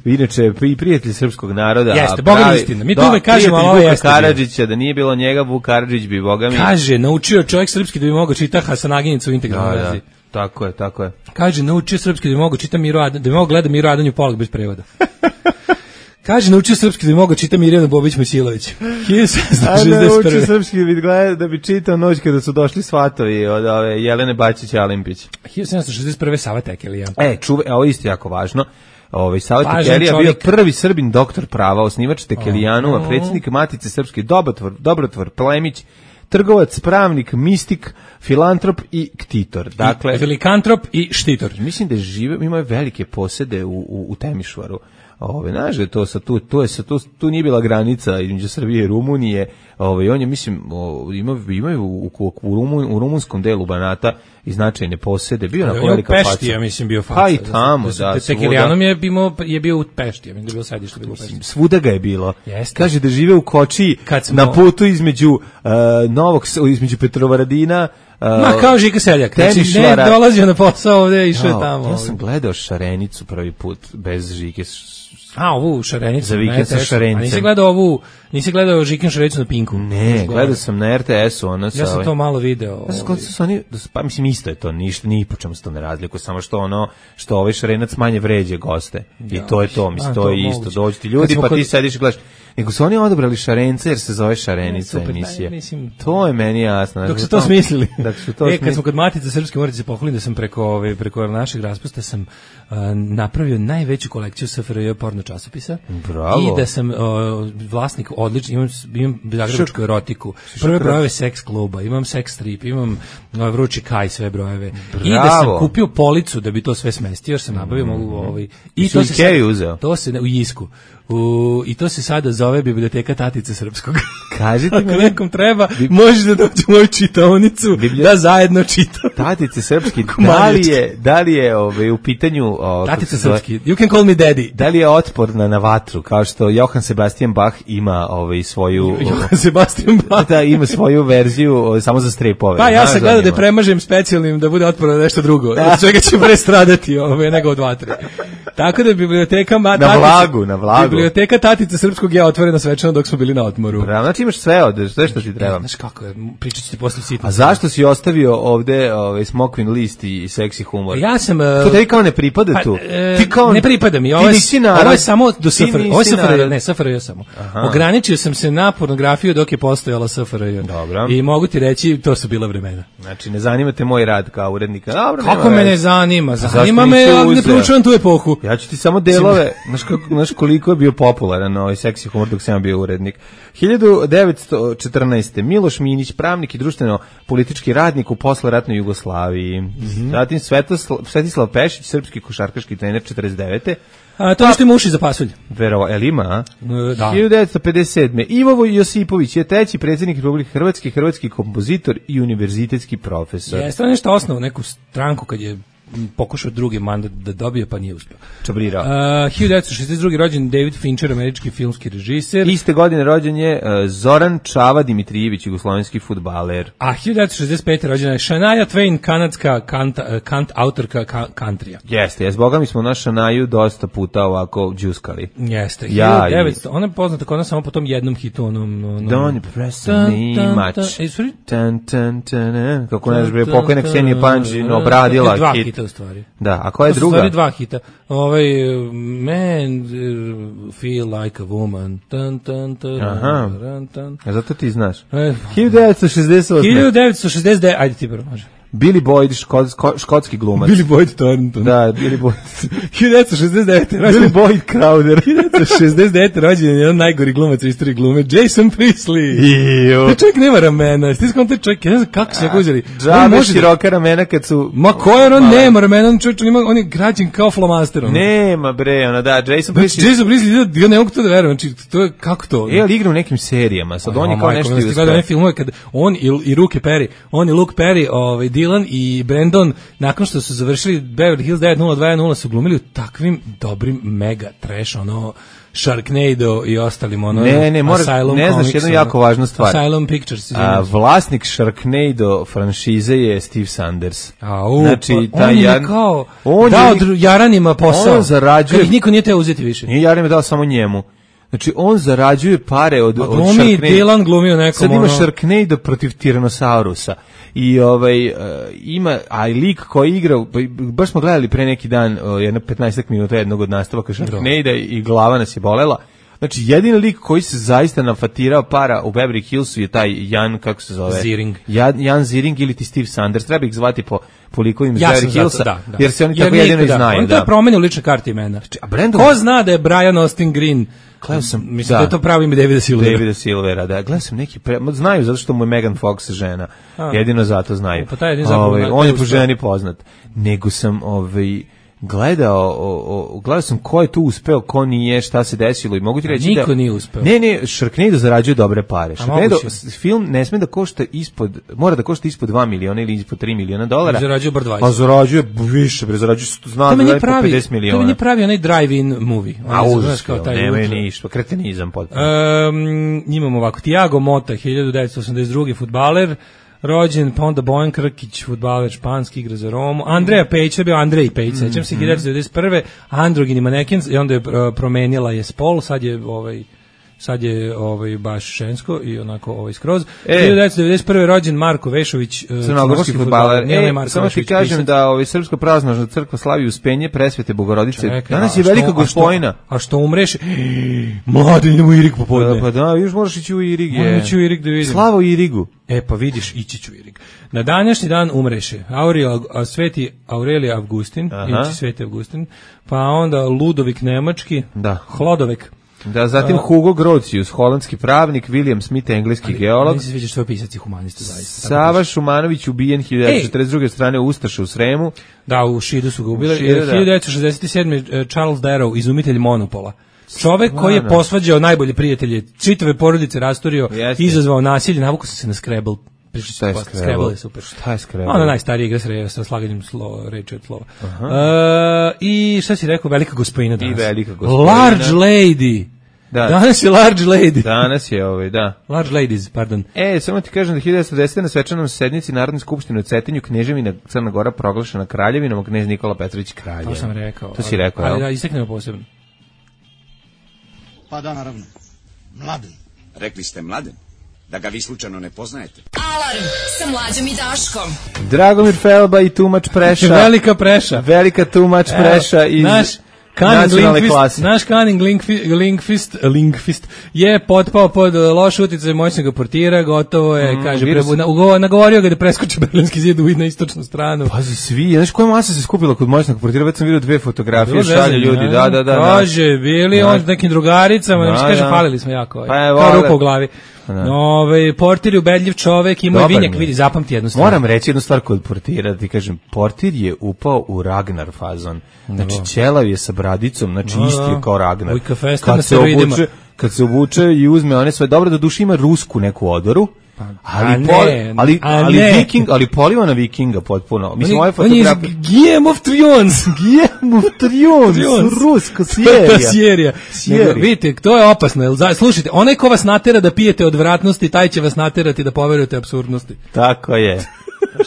inače i prijatelj srpskog naroda. Jeste, boga mi istina. Mi tu uvek kažemo, ali ovo jeste. Karadžića, da nije bilo njega, Vuk Karadžić bi, boga mi. Kaže, naučio čovjek srpski da bi mogao čita Hasanaginicu u integralnoj verziji. Tako je. Kaže, naučio srpski da bi mogao čita da bi mogao gleda Miro Adanju Polak bez prevoda. Kaže, naučio srpski da bi mogao čita Mirjana Bobić-Mojsilović. 1761. Naučio srpski da bi čitao Noć kada su došli svatovi od Jelene Bačić-Alimpić. 1761. Sava Tekelija. Ovo isto jako važno. Sava Tekelija bio prvi Srbin doktor prava, osnivač Tekelijanu, a predsjednik Matice Srpske Dobrotvor Plemić trgovac, pravnik, mistik, filantrop i ktitor. Dakle, velikantrop i štitor. Mislim da ima velike posede u Temišvaru. Znaš da to tu nije bila granica između Srbije i Rumunije. On je, mislim, imaju u rumunskom delu Banata i značajne posede. Bio na velika faca. Pešti, ja mislim, bio faca. Pa i tamo, da. Tekilijanom je bio u Pešti, ja mislim da je bilo sedište, bilo u Pešti. Svuda ga je bilo. Jeste. Kaže da žive u Kočiji na putu između između Petrovaradina, kao Žika Seljak. Znači, ne dolazio na posao ovde, išao je tamo. Ja sam gledao Šarenicu prvi put bez Žike. Ovu Šarenicu. Za vikend sa Šarenicem. Nisi gledao Žikin Šarenicu na Pinku? Ne, gledao sam na RTS-u. Ja sam to malo video. Pa mislim, isto je to, ništa, ni po čemu se to ne razlikuje, samo što ovaj Šarenac manje vređe goste. I to je to, mislim, to je isto. Dođu ti ljudi, pa ti sediš i gledaš. Nego su oni odabrali Šarenca jer se zove Šarenica emisija. To je meni jasno. Dok su to smislili. Kad smo kod Matice Srpske, morate se pohvaliti da sam preko našeg raspusta sam napravio najveću kolekciju SFRJ porno časopisa. Bravo. I da sam vlasnik odlično, imam zagrebačku erotiku, prve brojeve seks kluba, imam seks strip, imam vrući kaj, sve brojeve. Bravo. I da sam kupio policu da bi to sve smestio, jer sam nabavio i to se Ikea uzeo. To se u Jisku. I to se sada zove Biblioteka Tatice Srpskog. Kažite mi, ako nekom treba, možeš da dođe u moju čitaonicu da zajedno čitamo. Tatice Srpski, da li je u pitanju Tatice Srpski, you can call me daddy. Da li je otporna na vatru, kao što Johann Sebastian Bach ima svoju Johann Sebastian Bach da ima svoju verziju samo za strepove. Pa ja sam gledao da premažem specijalnim da bude otporno na nešto drugo. Od čega će pre stradati nego od vatre. Tako da biblioteka na vlagu. Biblioteka Tatice Srpskog je otvorena svečano dok smo bili na odmoru. Bravo, znači imaš sve što ti treba. Znaš kako je, pričat ću ti posle sitno. A zašto si ostavio ovde smokvin list i seksi humor? Ja sam... To tebi kao ne pripada tu? Ne pripada mi, ovo je samo do SFRJ. Ovo je SFRJ, ne, SFRJ samo. Ograničio sam se na pornografiju dok je postojala SFRJ. Dobro. I mogu ti reći, to su bila vremena. Znači, ne zanima te moj rad kao urednika. Dobro, kako me ne zanima? Zanima me, ja ne proučujem tu epohu. Ja ću ti samo delove, znaš koliko je bio popularan ovaj seksi humor dok sam bio urednik. 1914. Miloš Minić, pravnik i društveno-politički radnik u posleratnoj Jugoslaviji. Zatim Svetislav Pešić, srpski košarkaški trener 49. To što ima uši za pasulj. Verovo, ima, a? Da. 1957. Ivo Josipović je treći predsjednik Republike Hrvatske, hrvatski kompozitor i univerzitetski profesor. Jeste nešto osnovu neku stranku kad je pokušao drugi mandat da dobije, pa nije uspio. Čabrirao. 1962. rođen David Fincher, američki filmski režiser. Iste godine rođen je Zoran Čava Dimitrijević, jugoslovenski fudbaler. A 1965. rođena je Shania Twain, kanadska autorka countryja. Jeste, boga mi smo na Shanaju dosta puta ovako džuskali. Jeste. 1900. Ona je poznata kod nas samo po tom jednom hitu, Don't press me much. Kako ne bre, pokojna Ksenija Panđin obradila hit. U stvari. Da, a koja je druga? To su stvari dva hita. Man feel like a woman. Aha. A zato ti znaš. 1968. Ajde ti prvo, može. Billy Boyd, škotski glumac. Billy Boyd Thornton. Da, Billy Boyd. 1969. Billy Boyd Crowder. 1969. rođen je jedan najgori glumac u istoriji glume, Jason Priestley. Taj čovjek nema ramena. Ti znam taj čovjek, ja ne znam kako se ga uzeli. Džabe široka ramena kad su... Ma koje on nema ramena, on je građen kao flomaster. Nema bre, Jason Priestley. Jason Priestley, ja ne mogu to da verujem, to je kako to? Ali igra u nekim serijama, sad on je kao nešto uspeo. Gledao one filmove kad on i Luke Perry, Dylan i Brandon, nakon što su završili Beverly Hills 90210 su glumili u takvim dobrim mega trash, Sharknado i ostalim, Asylum ne znaš jednu jako važnu stvar. Asylum Pictures. Vlasnik Sharknado franšize je Steve Sanders. Znači, on je kao dao Jaranima posao, kad ih niko nije teo uzeti više. Nije Jaranima dao samo njemu. Znači, on zarađuje pare od Sharknado. Dylan glumio nekom. Sad ima Sharknado protiv Tyrannosaurusa. I ima, a i lik koji igra, baš smo gledali pre neki dan, jedno 15 minuta jednog od nastavaka Sharknado i glava nas je bolela. Znači, jedini lik koji se zaista nafatirao para u Beverly Hillsu je taj Jan, kako se zove? Ziering. Jan Ziering ili ti Steve Sanders. Treba ih zvati po likovima iz Ja Beverly Hillsa, da. jer se oni tako jedino i znaju. On to je promenio lične karte imena. A Brandon... Ko zna da je Brian Austin Green? Gledao sam, mislim da je to pravo ime Davida Silvera. Da. Gledao sam neki, znaju zato što mu je Megan Fox žena. Jedino zato znaju. Pa taj jedin zapravo on je po ženi poznat. Nego sam gledao sam ko je tu uspeo, ko nije, šta se desilo i mogu ti reći niko nije uspeo. Ne, Sharknado zarađuje dobre pare. Sharknado film ne sme da košta mora da košta ispod 2 miliona ili ispod $3 miliona. Zarađuje bar 20. Pa zarađuje više, zarađuje zna da je po 50 miliona. To mi pravi onaj drive-in movie. Nemaju ništa, kretenizam potpuno. Imamo ovako, Tiago Mota, 1982. fudbaler, rođen, pa onda Bojan Krkić, fudbaler španski, igra za Romu. Andreja Pejić, to je bio Andrej Pejić, sećam se, 1991. Androgini maneken, i onda je promenila je spol, sad je baš žensko i onako skroz. 1991. rođen Marko Vešović, crnogorski fudbaler. Samo ti kažem da Srpska pravoslavna crkva slavi Uspenje Presvete Bogorodice. Danas je velika Gospojina. A što umreš? Mladi, idemo u Irig popodne. Pa da, još moraš ići u Irig. Moram ići u Irig da vidim. Slava u Irigu. Pa vidiš, ići ću u Irig. Na današnji dan umreše Sveti Aurelije Avgustin, inače Sveti Avgustin, pa onda Ludovik Nemački, Hlodovek. Da, zatim Hugo Grotius, holandski pravnik, William Smith, engleski geolog. Mi se sviđa što je pisac i humanista, zaista. Sava Šumanović ubijen 1942. strane Ustaša u Sremu. Da, u Šidu su ga ubili. 1967. Charles Darrow, izumitelj Monopola. Čovek koji je posvađao najbolje prijatelje, čitave porodice rasturio, izazvao nasilje, navukao se na Scrabble. Šta je Scrabble je super. Šta je Scrabble? Ona najstarija igra sa slaganjem reči od slova. I šta si rekao, velika Gospojina danas. I velika Gospojina. Large Lady. Da. Danas je Large Lady. Danas je da. Large Ladies, pardon. Samo ti kažem da 1910. na svečanom sednici Narodne skupštine u Cetinju Kneževina Crna Gora proglašena kraljevinom, a knez Nikola Petrović kraljem. To sam rekao. To si rekao, ali da, isteknemo posebno. Pa da, naravno. Mladen. Rekli ste Mladen? Da ga vi slučajno ne poznajete. Alarm sa Mlađom i Daškom. Dragomir Felba i Tumač Preša. Velika Preša. Velika Tumač Preša iz nacionalne klase. Naš Cunning Linkfist je potpao pod loš uticaj moćnog portira, gotovo je, kaže, nagovorio ga da preskoči Berlinski zid na istočnu stranu. Pazi, svi, znaš koja masa se skupila kod moćnog portira, već sam vidio 2 fotografije, šalje ljudi, da. Kaže, bili on s nekim drugaricama, znači kaže, falili smo jako, kao rupa u glavi. Portir je ubedljiv čovek, ima i vinjak, vidi, zapamti jednu stvar. Moram reći jednu stvar kod portira, ti kažem, portir je upao u Ragnar fazon. Znači, ćelav je sa bradicom, znači isti je kao Ragnar. Kad se obuče i uzme one sve, dobro da duši ima rusku neku odoru, ali poliva na vikinga potpuno. Mislim, ovaj fotograf... On je Game of Thrones. Ruska serija. Vidite, to je opasno. Slušajte, onaj ko vas natera da pijete odvratnosti, taj će vas naterati da poverujete apsurdnosti. Tako je.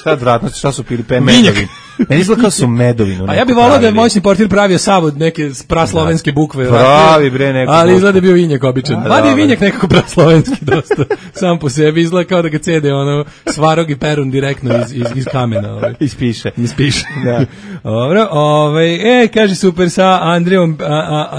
Šta je odvratnosti, šta su pili medovi? Meni izgleda kao su medovinu. A ja bih volao da je moćni portir pravio savod neke praslovenske bukve. Pravi bre neko. Ali izgleda bio vinjak običan. Mada je vinjak nekako praslovenski dosta. Sam po sebi izgleda kao da ga cede Svarog i Perun direktno iz kamena. Ispiše. Da. Dobro, kaže super sa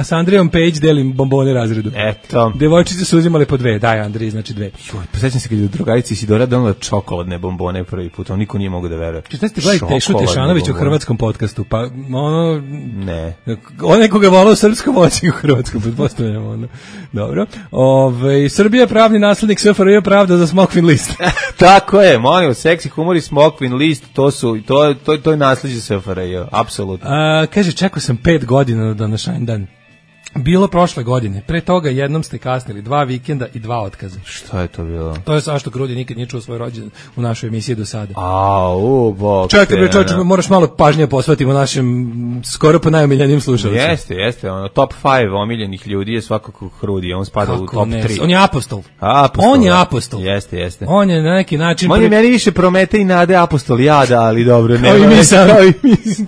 Andrijom Page delim bombone razredu. Eto. Devojčice su uzimali po 2. Daj Andriji, znači 2. Posećam se kad je u drugarici Isidora donala čokoladne bombone prvi put. On niko nije mogu da veruje. Šta ste gledali Tešu Tešanović u hrvatskom podcastu? Pa ne. On nekoga volao u srpskom moći u hrvatskom, pretpostavljamo. Dobro. Srbija je pravni naslednik SFRJ, pravda za Smokvin list. Tako je, molim, seksi humor i Smokvin list, to je nasleđe SFRJ, apsolutno. Kaže, čekao sam 5 godina na današnji dan. Bilo prošle godine. Pre toga jednom ste kasnili 2 vikenda i 2 otkaza. Šta je to bilo? To je Sašo Krudi nikad nije čuo svoj rođendan u našoj emisiji do sada. Bok. Čekaj, moraš malo pažnje posvetiti našem skoro pa najomiljenijim slušalicima. Jeste, top 5 omiljenih ljudi je svakako Krudi, on spada u top 3. On je apostol. On je apostol. Jeste. On je na neki način... On je meni više Promete i Nade apostol jada, ali dobro.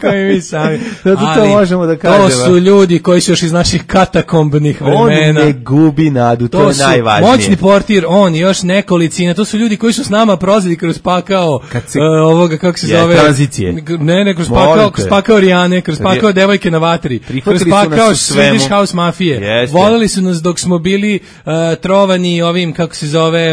Kao i mi sami. Zato to možemo da kažemo. To su ljudi koji su još iz naših katakombnih vremena. On ne gubi nadu, to je najvažnije. Moćni portir, on i još nekolicina, to su ljudi koji su s nama prozili kroz pakao ovoga, kako se zove? Tranzicije. Ne, kroz pakao Rijane, kroz pakao devojke na vatri, kroz pakao Swedish House mafije. Voleli su nas dok smo bili trovani ovim, kako se zove,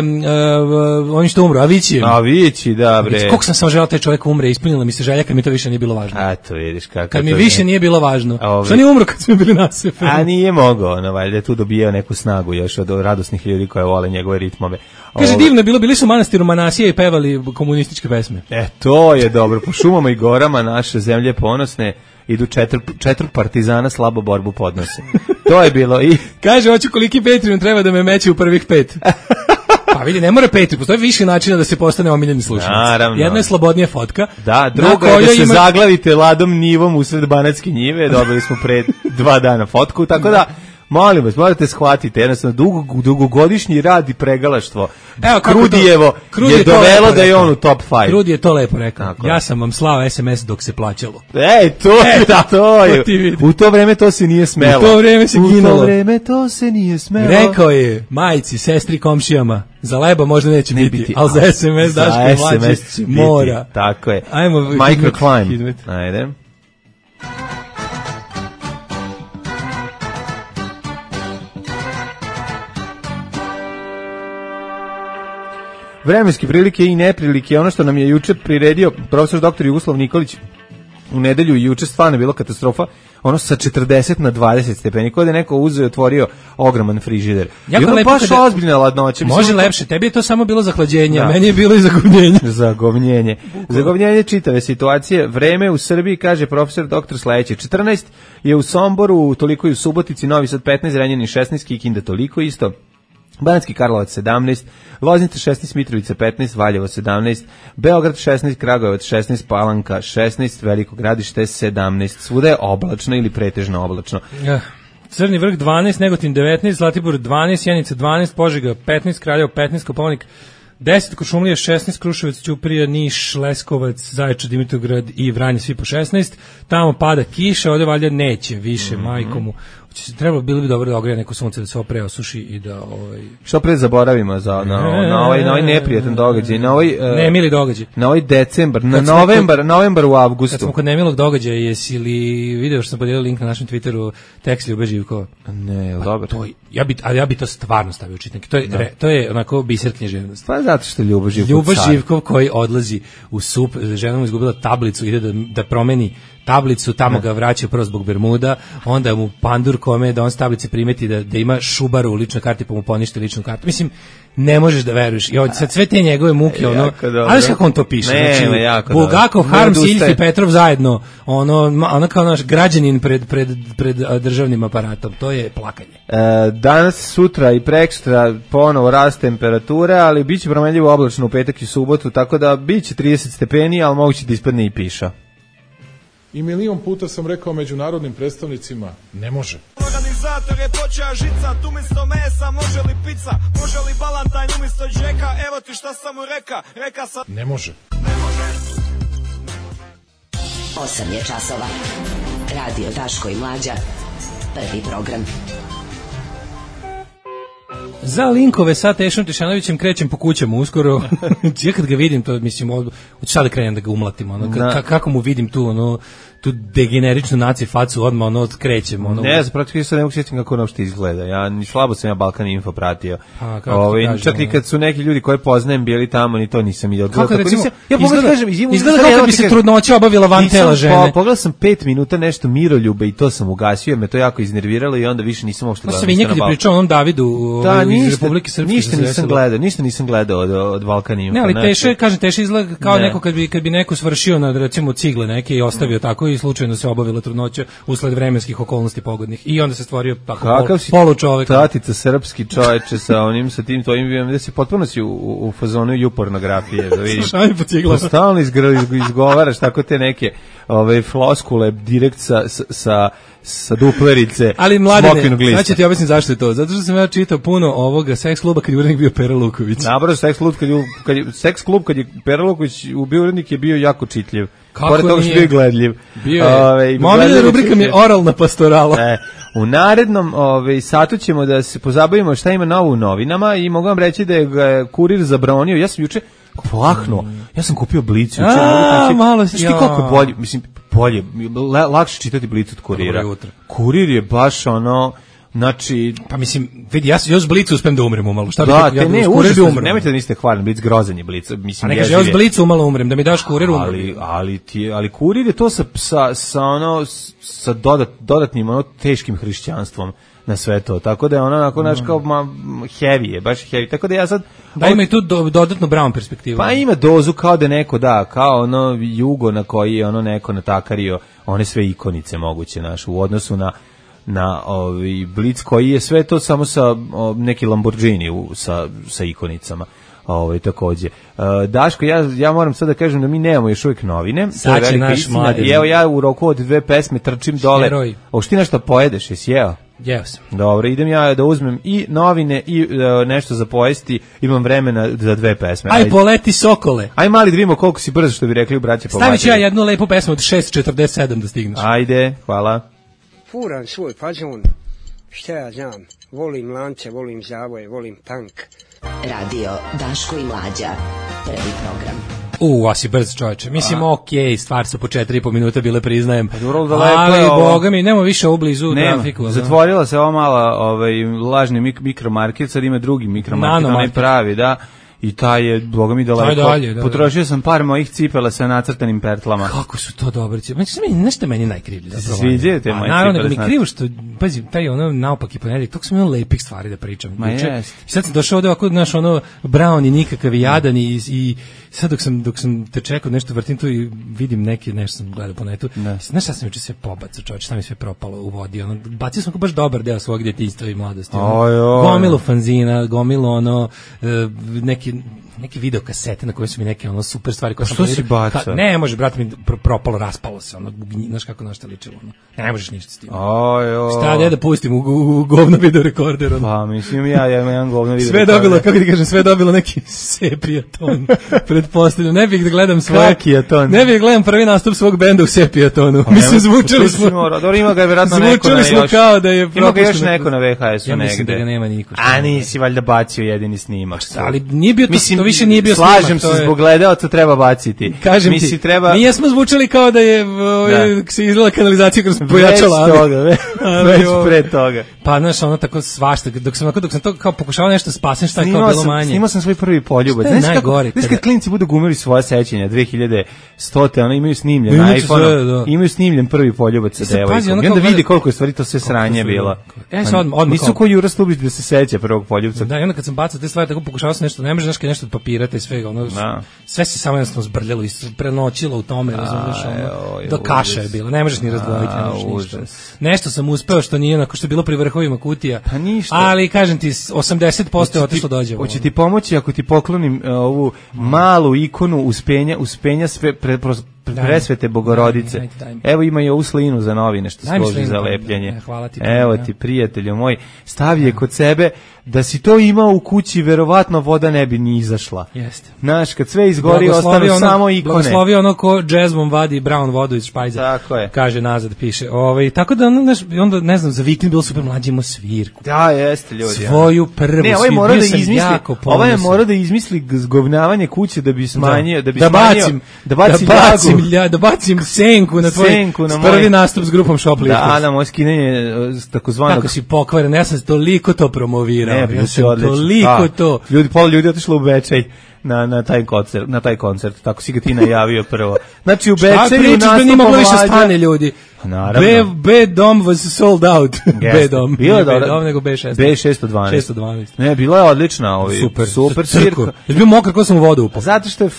ovim što umro, Avićijem. Avići, da bre. Koliko sam samo želao taj čovjek umre, ispunila mi se želja kad mi to više nije bilo važno. A to vidiš kako. Kad mi više nije bilo važno. Što nije umro kad smo bili nasepeni. A nije mogao, valjda tu dobijao neku snagu još od radosnih ljudi koji vole njegove ritmove. Kaže, divno je bilo, bili su u manastiru Manasije i pevali komunističke pesme. To je dobro, po šumama i gorama naše zemlje ponosne idu četvrt partizana slabo borbu podnose. To je bilo i... Kaže, hoću koliki Patreon treba da me meće u prvih 5. Pa vidi, ne mora Patreon, postoji više načina da se postane omiljeni slušalac. Naravno. Jedna je slobodnija fotka. Da, druga je da se zaglavite ladom nivom usred Banatske njive, dobili smo pre 2 dana fotku, tako da... Molim vas, morate shvatiti, jednostavno dugogodišnji rad i pregalaštvo Krudijevo je dovelo da je on u top 5. Krudi je to lepo rekao. Ja sam vam slao SMS dok se plaćalo. To je. U to vreme to se nije smelo. U to vreme se ginulo. U to vreme to se nije smelo. Rekao je majci, sestri, komšijama, za leba možda neće biti, ali za SMS Daško i Mlađe mora. Tako je. Ajmo, Microclimb. Ajde. Vremenske prilike i neprilike, ono što nam je juče priredio profesor dr. Jugoslav Nikolić u nedelju i juče stvarno je bilo katastrofa, ono sa 40 na 20 stepeni, kod je neko uzeo i otvorio ogroman frižider. I ono baš ozbiljna ladnoća. Može lepše, tebi je to samo bilo zahlađenje, a meni je bilo i zagovnjenje. Zagovnjenje čitave situacije. Vreme u Srbiji, kaže profesor dr. sledeće, 14 je u Somboru, toliko i u Subotici, Novi Sad 15, Renjanin 16, Kikinda toliko isto. Banatski Karlovac 17, Loznica 16, Mitrovica 15, Valjevo 17, Beograd 16, Kragujevac 16, Palanka 16, Veliko Gradište 17. Svuda je oblačno ili pretežno oblačno. Crni vrh 12, Negotin 19, Zlatibor 12, Sjenica 12, Požega 15, Kraljevo 15, Kopaonik 10, Kuršumlija 16, Kruševac, Ćuprija, Niš, Leskovac, Zaječar, Dimitrovgrad i Vranje svi po 16. Tamo pada kiša, ovdje valjda neće više, majkomu. Trebalo bilo bi dobro da ogreje neko sunce da se opre osuši i da što pre zaboravimo na ovaj neprijatan događaj, na ovaj nemili događaj, na ovaj decembar, na novembar u avgustu. Kad smo kod nemilog događaja, jesi li video što sam podijelio link na našem Twitteru, tekst Ljube Živkova? Ne, dobro. Ja bi to stvarno stavio u čitnik. To je onako biser književnosti. Pa zato što Ljubo Živkov koji odlazi u SUP, žena mu izgubila tablicu, ide da promeni tablicu, tamo ga vraćaju prvo zbog Bermuda, onda mu pandur kome da on s tablice primeti da ima Šubaru u ličnoj karti pa mu poništi ličnu kartu. Mislim, ne možeš da veruješ. I sad sve te njegove muke, ali kako on to piše? Znači, Bulgakov, Harms, Iljf i Petrov zajedno, ono kao naš građanin pred državnim aparatom. To je plakanje. Danas, sutra i preksutra ponovo rast temperature, ali bit će promenljivo oblačno u petak i subotu, tako da bit će 30 stepeni, ali moguće da ispadne i piša. I milion puta sam rekao međunarodnim predstavnicima, ne može. Organizator je počeo žicat, umjesto mesa može li pizza, može li balantajn umjesto džeka, evo ti šta sam mu reka sam... Ne može. 8 je časova. Radio Daško i Mlađa. Prvi program. Za linkove sa Tešom Tešanovićem krećem po kućama uskoro. Ja kad ga vidim, to mislim, hoću sad da krenem da ga umlatim. Kako mu vidim tu degeneričnu naci facu, odmah krećem. Ne, zapravo se ne mogu sjetiti kako ono što izgleda. Slabo sam Balkan Info pratio. Čak i kad su neki ljudi koje poznajem bili tamo, ni to nisam vidio. Kako recimo, izgleda kao kad bi se trudnoća obavila van tela žene. Pogledao sam 5 minuta nešto Miroljube i to sam ugasio, jer me to jako iznerviralo i onda više nisam uopšte gledao. Sam i nekad pričao onom Davidu iz Republike Srpske. Ništa nisam gledao od Balkan Info. Ne, ali Teša izgleda kao neko kad bi neko svršio na recimo cigle neke i ostavio tako i slučajno se obavila trudnoća usled vremenskih okolnosti pogodnih i onda se stvorio tako polučovek. Tatica srpski čoveče sa tim tvojim, da si potpuno si u fazonu jupornografije, da vidim. Stalno izgovaraš tako te neke floskule direkt sa duplerice. Ali mladine, znači ti objasnim zašto je to. Zato što sam ja čitao puno ovoga seks kluba kad je urednik bio Pera Luković. Naravno, seks klub kad je Pera Luković bio urednik je bio jako čitljiv. Pored toga što je bio gledljiv. Moja rubrika mi je oralna pastorala. U narednom satu ćemo da se pozabavimo šta ima novo u novinama i mogu vam reći da je Kurir zabranio. Ja sam juče plahnuo. Ja sam kupio Blic juče. Malo si kako je bolje, mislim bolje, lakše čitati Blic od Kurira. Kurir je baš ono, znači, pa mislim, vidi, ja s Blicu uspem da umrem umalo. Šta da, te ne, nemojte da niste hvalni, Blic grozan je Blic. Mislim, a ne kaže, ja s Blicu umalo umrem, da mi daš Kurir umrem. Ali Kurir je to sa dodatnim ono teškim hrišćanstvom na sve to, tako da je ono onako naš kao heavy je, baš heavy, tako da ja sad... Da ima i tu dodatnu Brown perspektivu. Pa ima dozu kao da neko kao ono jugo na koji je ono neko natakario one sve ikonice moguće u odnosu na Blic koji je sve to samo sa neki Lamborghini sa ikonicama. Takođe. Daško, ja moram sad da kažem da mi nemamo još uvijek novine. Sad će naš mladi. I evo ja u roku od 2 pesme trčim dole. Heroj. Hoćeš ti nešto pojedeš, jesi jeo? Jeo sam. Dobro, idem ja da uzmem i novine i nešto za pojesti. Imam vremena za 2 pesme. Aj poleti sokole. Aj mali da vidimo koliko si brzo, što bi rekli u braće po Stavit ću ja jednu lepu pesmu od 6:47 da stigneš. Ajde, hvala. Furam svoj fazon, šta ja znam, volim lance, volim zavoje, volim punk. Radio Daško i Mlađa, prvi program. A si brz čovječe. Mislim, okej, stvar su po 4,5 minuta bile, priznajem. Ali, boga mi, nema više u blizu trafiku. Zatvorila se ova mala lažni mikromarket, sad ima drugi mikromarket, onaj pravi, da. I taj je, boga mi, daleko. Potrošio sam par mojih cipela sa nacrtanim pertlama. Kako su to dobre cipele? Nešto meni najkrivlje. Sviđaju te moje cipele? Naravno, da mi krivo što, pazi, taj ono naopaki ponedjeljak, toko sam imao lepih stvari da pričam. Ma jest. I sad sam došao ovdje ovako, znaš, ono, brown i nikakav i jadan i sad dok sam te čekao nešto vrtim tu i vidim nešto sam gledao po netu. Znaš šta sam juče sve pobacao, čovječ, šta mi sve propalo u vodi. Ono, bacio sam baš dobar deo svog djetinjstva i mladosti. Gomilu fanzina, gomilu ono, neke videokasete na koje su mi neke ono super stvari koje sam što si bacao? Ne, može, brate mi propalo, raspalo se, ono, znaš kako našta ličilo, ono. Ne možeš ništa s tim. Šta da pustim u govno video rekorder, ono. Pa, mislim, ja imam jedan govno video rekorder. Sve dobilo, kako ti kažem, sve dobilo neki sepija ton, pretpostavljam. Ne bih da gledam svoje... Kakija ton? Ne bih da gledam prvi nastup svog benda u sepija tonu. Mislim, zvučali smo... Dobro, ima ga je vjerojatno neko na... Zvučali smo kao da je... Ima ga još neko na VHS-u negde. Ja mislim da ga nema niko. A nisi valjda bacio jedini snimak. Ali nije bio to više nije bio slažem se, zbog gledaoca treba baciti. Kažem ti, mi jesmo zvučali kao da je se izgleda kanalizacija kroz pojačala. Već pre toga. Pa znaš, ono tako svašta, dok sam to kao pokušavao nešto spasem, šta je kao bilo manje. Snimao sam svoj prvi poljubac. Znaš kad klinci budu gumili svoje sećanja 2100, ono imaju snimljen na iPhone-u, imaju snimljen prvi poljubac sa devojkom. I onda vidi koliko je stvari to sve sranje bilo. Nisu ko Jura Stubić da se seća prvog poljubca. Da, i onda kad sam bacao te stvari, tako pokušavao sam nešto, ne može nešto od papira i svega, ono, sve se samo jednostavno zbrljalo i prenoćilo u tome, razumiješ, ono, do kaša je bilo, ne možeš ni razdvojiti, nešto sam uspeo što nije onako što je bilo pri vrhovima kutija, ali kažem ti, 80% je otišlo dođe. Hoće ti pomoći ako ti poklonim ovu malu ikonu uspenja presvete Bogorodice. Evo ima i ovu slinu za novine što složi za lepljenje. Evo ti, prijatelju moj, stavi je kod sebe. Da si to imao u kući, verovatno voda ne bi ni izašla. Jeste. Znaš, kad sve izgori, ostanu samo ikone. Blagoslovi ono ko džezmom vadi brown vodu iz špajza. Tako je. Kaže nazad, piše. Tako da, onda, ne znam, za vikend bilo super, mlađi imao svirku. Da, jeste, ljudi. Svoju prvu svirku. Ne, ovaj je morao da izmisli zgovnavanje kuće da bi smanjio, da bacim senku na tvoj prvi nastup s grupom Shoplifters. Da, na moje skinanje takozvanog. Kako si pokvaren, ja sam toliko to promovirao. Ja sam toliko to. Pola ljudi otišlo u Bečej na taj koncert. Tako si ga ti najavio prvo. Znači u Bečeju nastup Mlađa. Šta pričaš da nije moglo više stane ljudi? Naravno. B-dom was sold out. B-dom. Bilo je B-dom nego B6. B612. Ne, bila je odlična. Super svirka. Je bio mokar ko sam u vodu upao. Zato što je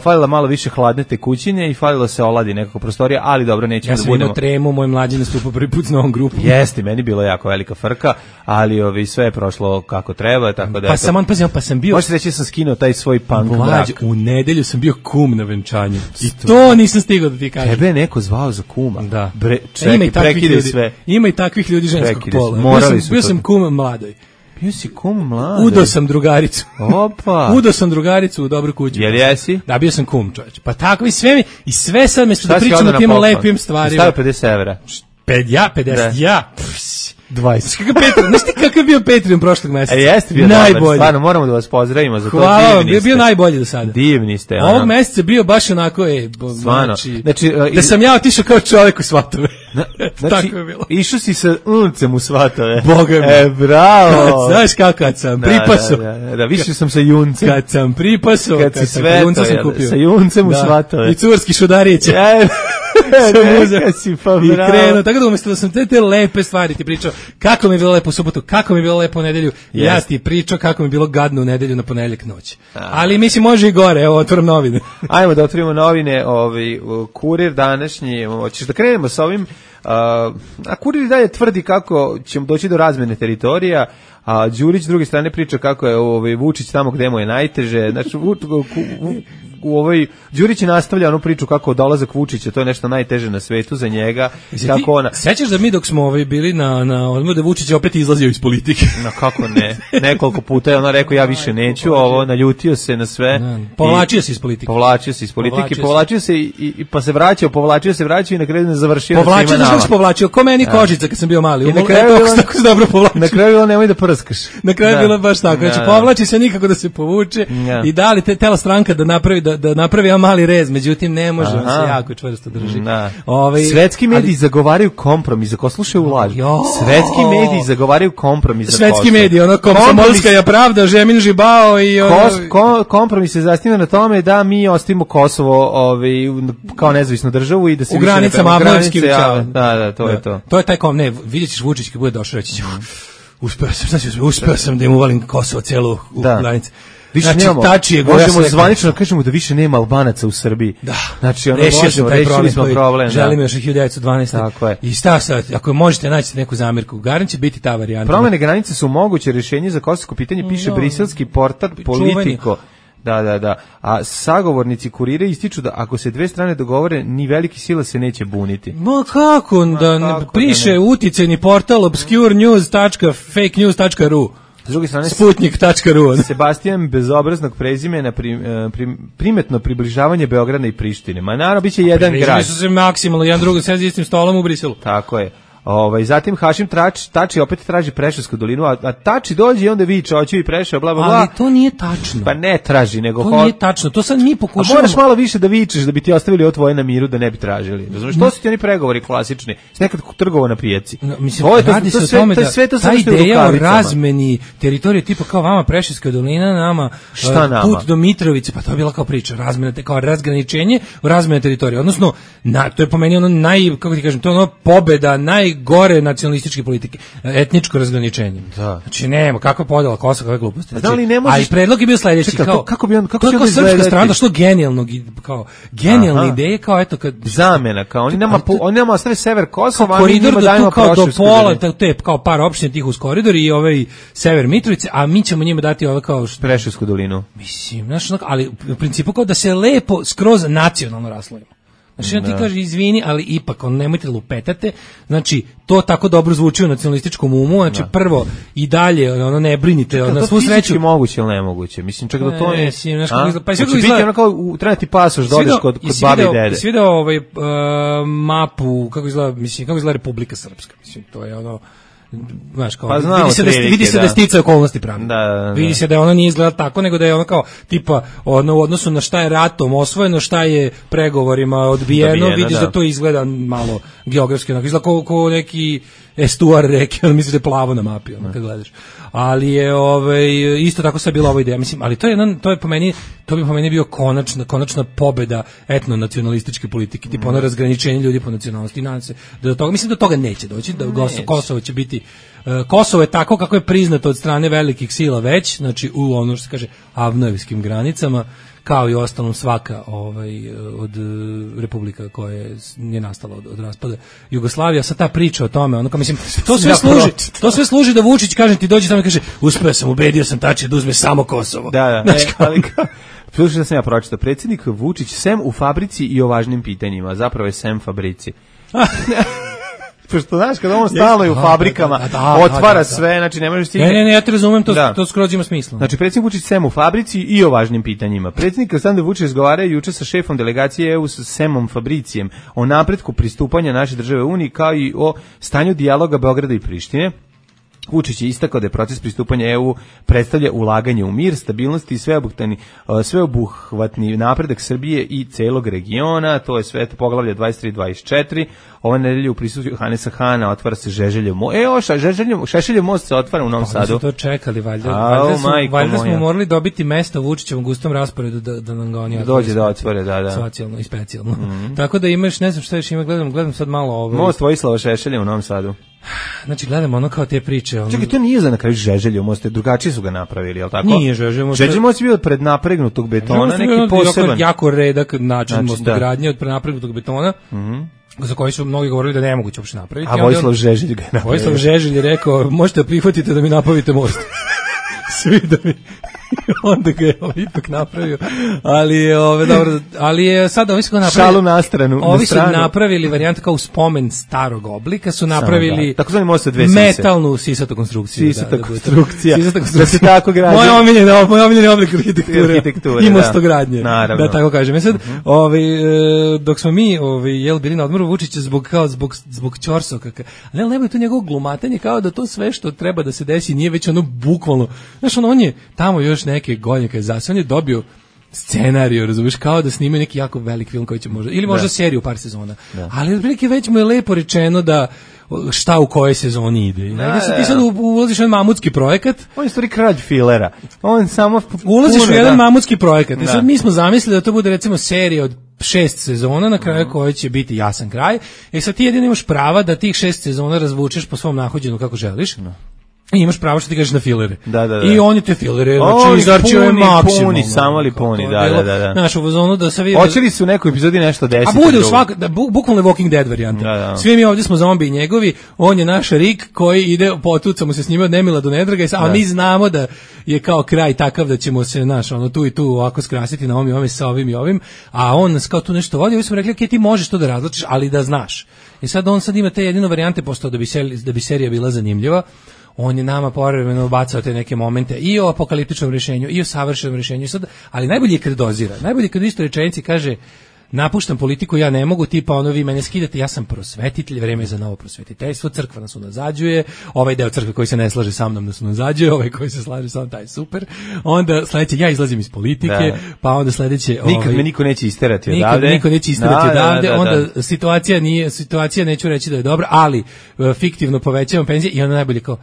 falila malo više hladne tekućine i falilo se oladi nekako prostorija, ali dobro, nećemo da budemo. Ja sam imao tremu, moj mlađi nastupao prvi put s novom grupom. Jeste, meni bilo jako velika frka, ali sve je prošlo kako treba, tako da... Pa sam bio... Možete reći da sam skinuo taj svoj punk brak. U nedelju sam bio kum na venčanju. I to nisam stigao da ti kažem. Tebe je neko zvao za kuma. Da. Prekidaj sve. Ima i takvih ljudi ženskog pola. Bio sam kum mladoj. Bio si kum mladoj? Udo sam drugaricu. Opa. Udo sam drugaricu u dobru kuću. Jel jesi? Da, bio sam kum, čovječ. Pa tako i sve sad mesto da pričam o tim lepim stvarima. Stavio 50 evra. 50, 20. Znaš ti kakav je bio Patreon prošlog meseca? Jeste bio dobar, stvarno, moramo da vas pozdravimo za to. Hvala vam, bio najbolji do sada. Divni ste. Ovog meseca bio baš onako, znači, da sam ja otišao kao čovjek u svatove. Znači, tako je bilo. Išao si sa uncem u svatove. Boga mi. Bravo. Znaš kako kad sam pripasao. Da, više sam sa juncem. Kad sam pripasao, kad si sveto, sa juncem u svatove. I curski Šudarić. Si pa i krenuo, tako da umjesto da sam te lepe stvari ti pričao, kako mi je bilo lepo u subotu, kako mi je bilo lepo u nedelju, ja ti pričao kako mi je bilo gadno u nedelju na ponedeljak noć. Ali mislim može i gore, evo otvorim novine. Ajmo da otvorimo novine, Kurir današnji, hoćeš da krenemo sa ovim, a Kurir dalje tvrdi kako ćemo doći do razmene teritorija, a Đurić s druge strane priča kako je Vučić tamo gde mu je najteže, znači u ovoj Đurić nastavlja onu priču kako dolazak Vučića, to je nešto najteže na svetu za njega. Kako ona. Sećaš da mi dok smo bili na odmoru da Vučić opet izlazio iz politike? No kako ne? Nekoliko puta je ona rekao ja više neću, ovo naljutio se na sve. Povlačio se iz politike. Povlačio se i pa se vraćao, vraćao i na kraju ne završio. Povlačio, ko meni kožica kad sam bio mali. I na kraju tako se dobro povlačio. Na kraju bilo nemoj da prskaš. Na kraju bilo baš tako. Znači povlači se nikako da se povuče i da li tela stranka da napravi jedan mali rez, međutim ne može, on se jako čvrsto drži. Svetski mediji zagovaraju kompromis, ako slušaju laž. Svetski mediji zagovaraju kompromis za Kosovo. Svetski mediji, ono komsomolska je pravda, Žemin Žibao i kompromis se zasniva na tome da mi ostavimo Kosovo kao nezavisnu državu i da se u granicama Avnovskih. Da, to je to. To je taj vidjet ćeš Vučić kad bude došao reći ću. Uspeo sam da im uvalim Kosovo celu u granice. Više nemamo, možemo zvanično kažemo da više nema Albanaca u Srbiji. Da. Znači, rešili smo problem. Želimo još 1912. Tako je. I šta sad, ako možete naći neku zamjerku, garan će biti ta varijanta. Promene granice su moguće rješenje za kosovsko pitanje, piše briselski portal Politico. Da. A sagovornici Kurira ističu da ako se dve strane dogovore, ni veliki sila se neće buniti. Ma kako piše uticajni portal obscurenews.fakenews.ru. S druge strane, Sputnik.ru. Sebastijan bezobraznog prezimena primetno približavanje Beograda i Prištine. Ma naravno, bit će jedan grad. Približili su se maksimalno, jedan drugo sedi istim stolom u Briselu. Tako je. Zatim Hašim Tači opet traži Preševsku dolinu, a Tači dođe i onda viče, hoću i Preševo, bla, bla, bla. Ali to nije tačno. Pa ne traži, nego... To nije tačno, to sad mi pokušavamo... A moraš malo više da vičeš, da bi ti ostavili ovo tvoje na miru, da ne bi tražili. Razumiješ, to su ti oni pregovori klasični, s nekad trgovao na pijaci. Mislim, radi se o tome da ta ideja o razmeni teritorije, tipa kao vama Preševska dolina, nama put do Mitrovice, pa to je bila kao priča, razmena, kao razgraničenje u razmene teritorije. Odnosno, to je po meni ono kako ti kažem, to je ono pobeda, najgore nacionalističke politike, etničko razgraničenje. Da. Znači nema kakva podela Kosova, kakve gluposti. Znači, ali predlog je bio sledeći, kako bi on srpska strana što genijalne ideje, kao eto kad zamena, kao oni nama ostave sever Kosova, koridor do kao do pola, te kao par opština tih uz koridor i ovaj sever Mitrovice, a mi ćemo njima dati ove kao Preševsku dolinu. Mislim, znači, ali u principu kao da se lepo skroz nacionalno raslojimo. Znači, ti kaže, izvini, ali ipak, nemojte lupetate, znači, to tako dobro zvuči u nacionalističkom umu, znači, prvo i dalje, ne brinite, na svu sreću. To fizički moguće ili nemoguće? Mislim, čak da to je... Pa će biti ono kao, treba ti pasoš da odeš kod babi i dede. I video mapu, kako izgleda Republika Srpska, mislim, to je ono... Znaš, kao, vidi se da je sticaj okolnosti pravne. Vidi se da je ona nije izgleda tako, nego da je ona kao tipa u odnosu na šta je ratom osvojeno, šta je pregovorima odbijeno, vidiš da to izgleda malo geografski, izgleda kao neki estuar reke, ali misliš da je plavo na mapi, kad gledaš. Ali je isto tako sad bila ova ideja, mislim, ali to bi po meni bio konačna pobeda etno-nacionalističke politike, tipa ono razgraničenje ljudi po nacionalnosti. Nadam se da do toga, mislim da do toga neće doći, da Kosovo će biti Kosovo je tako kako je priznato od strane velikih sila već, znači u ono što se kaže avnojevskim granicama, kao i ostalom svaka od republika koja je nastala od raspada Jugoslavija. Sad ta priča o tome, ono kao mislim, to sve služi da Vučić, kažem ti, dođe tamo i kaže, uspeo sam, ubedio sam Tači da uzme samo Kosovo. Da. Slušaj da sam ja pročitao, predsjednik Vučić sem u fabrici i o važnim pitanjima, zapravo je sem fabrici. pošto znaš kada on stalno je u fabrikama, otvara sve, znači ne možeš stići. Ne, ja te razumem, to skroz ima smisla. Znači predsjednik Vučić sem u fabrici i o važnim pitanjima. Predsjednik Aleksandar Vučić razgovarao juče sa šefom delegacije EU sa Semom Fabricijem o napretku pristupanja naše države Uniji kao i o stanju dijaloga Beograda i Prištine. Vučić je istakao da je proces pristupanja EU predstavlja ulaganje u mir, stabilnost i sveobuhvatni napredak Srbije i celog regiona. To je sve poglavlje 23-24. Ove nedelje u prisustvu Hanesa Hana otvara se Žeželjev most. Šešeljev most se otvara u Novom Sadu. Pa to čekali, valjda smo morali dobiti mesto u Vučićevom gustom rasporedu da nam ga oni dođe da otvore, da. Socijalno i specijalno. Tako da imaš, ne znam šta još ima, gledam sad malo ovo. Most Vojislava Šešelja u Novom Sadu. Znači gledamo ono kao te priče. Čekaj, to nije za na kraju Žeželjev most, drugačije su ga napravili, je li tako? Nije Žeželjev most. Žeželjev most je bio pred napregnutog betona, neki poseban. Jako redak način mostogradnje od prenapregnutog betona. Za koji su mnogi govorili da ne moguće uopšte napraviti. A Vojislav Žeželj ga je napravio. Vojislav Žeželj je rekao, možete prihvatiti da mi napravite most. Svi da mi... Onda ga je ipak napravio. Ali je sada ovi su napravili... Šalu na stranu. Ovi su napravili varijant kao spomen starog oblika, su napravili tako zvani most sa dve metalnu sisatu konstrukciju. Sisata konstrukcija. Da se tako gradi. Moj omiljeni oblik arhitekture i mostogradnje. Naravno. Da tako kažem. Sad, dok smo mi bili na odmoru Vučića zbog ćorsoka, ali nema tu njegovo glumatanje kao da to sve što treba da se desi nije već ono bukvalno. Znaš, on je tamo još neke godine kad je zasvan je dobio scenariju, razumiješ, kao da snimaju neki jako velik film koji će možda, ili možda seriju par sezona. Ali otprilike već mu je lepo rečeno da šta u kojoj sezoni ide. I ti sad ulaziš u jedan mamutski projekat. On je stvari kralj filera. On samo ulaziš u jedan mamutski projekat. I sad mi smo zamislili da to bude recimo serija od 6 sezona na kraju koje će biti jasan kraj. I sad ti jedino imaš prava da tih 6 sezona razvučeš po svom nahođenu kako želiš. I imaš pravo što ti kažeš na filere. I oni te filere, znači izarčio je maksimum. Puni, samo li puni, da. Znaš, u zonu da se vidi... Hoće li su u nekoj epizodi nešto desiti? A bude u svakoj, bukvalno Walking Dead varijanta. Svi mi ovdje smo zombi njegovi, on je naš Rick koji ide, potucamo se s njima od nemila do nedraga, a mi znamo da je kao kraj takav da ćemo se, znaš, tu i tu ovako skrasiti na ovim sa ovim i ovim, a on nas kao tu nešto vodi, ovi smo rekli, ok, ti možeš to da razlačiš, ali da znaš. I sad on sad ima te jedino varijante, postao da bi serija bila zanimljiva. On je nama povremeno bacao te neke momente i o apokaliptičnom rješenju i o savršenom rješenju, ali najbolje je kad dozira. Najbolje je kad u istoj rečenici kaže napuštam politiku, ja ne mogu, tipa ono vi mene skidate, ja sam prosvetitelj, vreme je za novo prosvetiteljstvo, crkva nas unazađuje, ovaj deo crkve koji se ne slaže sa mnom nas unazađuje, ovaj koji se slaže sa mnom, taj je super. Onda sledeće, ja izlazim iz politike, pa onda sledeće... Nikad me niko neće isterati odavde. Niko neće isterati odavde, onda situacija neću reći da je dobra, ali fiktivno povećavam penzije i onda najbolje kao...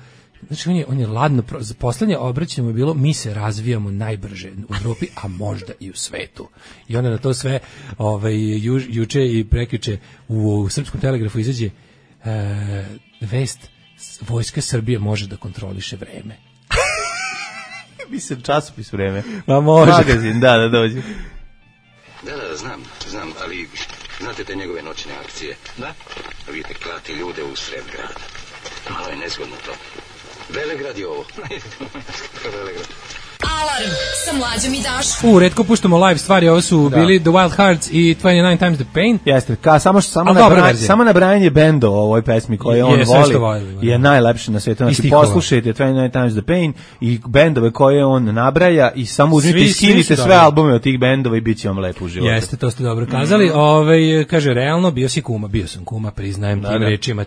Znači, on je ladno, poslednje obraćanje mu je bilo, mi se razvijamo najbrže u Evropi, a možda i u svetu. I onda na to sve juče i prekjuče u Srpskom telegrafu izađe vest, Vojska Srbije može da kontroliše vreme. Mislim, časopis Vreme. Ma može. Magazin, da, dođe. Da, znam, ali znate te njegove noćne akcije? Da. Vidite, klati ljude u sred grada. Malo je nezgodno to. Velegrad je ovo. Velegrad. Alarm sa Mlađom i Daškom. Retko puštamo live stvari, ovo su bili The Wild Hearts i 29 Times the Pain. Jeste, samo nabrajanje bendova o ovoj pesmi koje on voli je najlepše na svijetu. Znači poslušajte 29 Times the Pain i bendove koje on nabraja i samo uzmite i skinite sve albume od tih bendova i bit će vam lepo u životu. Jeste, to ste dobro kazali. Kaže, realno, bio sam kuma, priznajem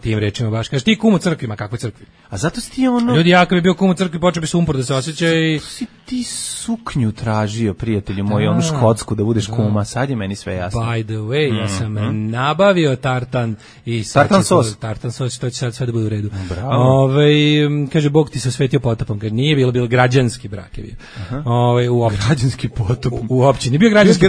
tim rečima baš. Kaže, ti kum u crkvi, ma kakve crkvi? A zato si ti ono... Ljudi, ja kad bi bio kum u crkvi, počeo bi sumpor da se osjeća i... Ti suknju tražio, prijatelju moj, onu škotsku da budeš kuma, sad je meni sve jasno. By the way, ja sam nabavio tartan i tartan sos, to će sad sve da bude u redu. Kaže, Bog ti se osvetio potopom, kaže, nije bilo građanski brak je bio. U građanski potop. U općini, bio građanski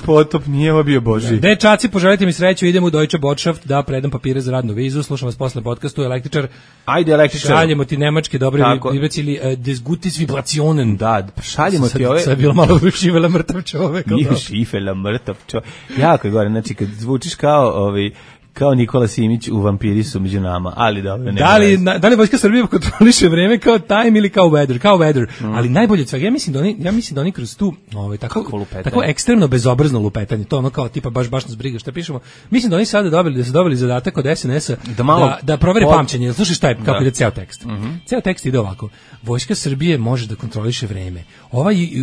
potop, nije ovo bio Božji. Dečaci, poželite mi sreću, idemo u Deutsche Botschaft da predam papire za radnu vizu, slušam vas posle podcastu, Električar. Ajde, Električar. Šaljemo ti nemačke dobre vibracije ili des gutes Vibrationen. Da, šaljemo ti ove... Sad je bilo malo šivela mrtav čovek. Nije šivela mrtav čovek. Jako je gore, znači kad zvučiš kao kao Nikola Simić u Vampiri su među nama, ali dobro. Da li Vojska Srbije kontroliše vreme kao time ili kao weather, ali najbolje od svega, ja mislim da oni kroz tu tako ekstremno bezobrazno lupetanje, to ono kao tipa baš nas briga šta pišemo, mislim da oni sada dobili zadatak od SNS-a da provere pamćenje. Slušaj šta je, kako ide ceo tekst. Ceo tekst ide ovako: Vojska Srbije može da kontroliše vreme.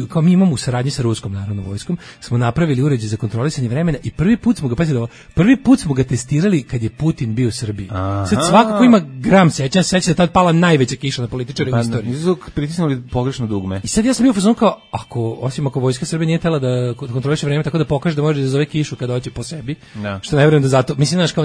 Kao mi imamo u saradnji sa ruskom narodnom vojskom, smo napravili uređaj za kontrolisanje vremena i prvi put smo ga testirali kad je Putin bio u Srbiji. Sad svako ko ima gram seća da tad pala najveća kiša na političare u istoriji. Nisu pritisnuli pogrešno dugme. I sad ja sam bio u fazonu kao, ako Vojska Srbije nije htela da kontroliše vreme tako da pokaže da može da zove kišu kada hoće po sebi, što ne vjerujem da zato, mislim, znaš, kao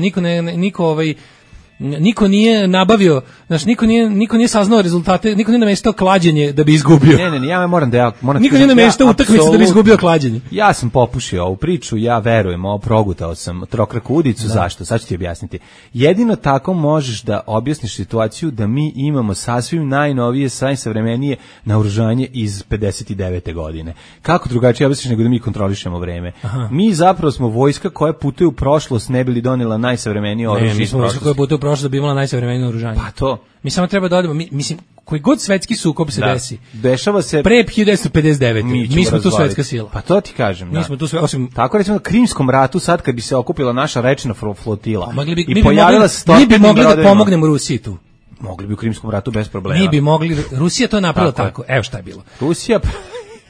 niko nije nabavio, znači niko nije saznao rezultate, niko nije nameštao klađenje da bi izgubio. Ne, ja moram niko nije nameštao utakmicu da bi izgubio klađenje. Ja sam popušio ovu priču, ja verujem, progutao sam trokraku udicu, zašto? Sad ću ti objasniti. Jedino tako možeš da objasniš situaciju da mi imamo sasvim najnovije, najsavremenije naoružanje iz 59. godine. Kako drugačije objasniš nego da mi kontrolišemo vreme? Mi zapravo smo vojska koja putuje u prošlost, ne bi li donela najsavremenije oružje. Mi smo vojska koja putuje u prošlost da bi imala najsavremenije naoružanje. Pa to. Mi samo treba da odemo, mislim, koji god svetski sukob se desi. Dešava se pre 1959. Mi smo tu svetska sila. Pa to ti kažem, Mi smo tu sve, osim tako recimo na Krimskom ratu sad kad bi se okupila naša rečna flotila. Mi bi mogli da pomognemo Rusiji tu. Mogli bi u Krimskom ratu bez problema. Mi bi mogli, Rusija to napravila tako. Evo šta je bilo.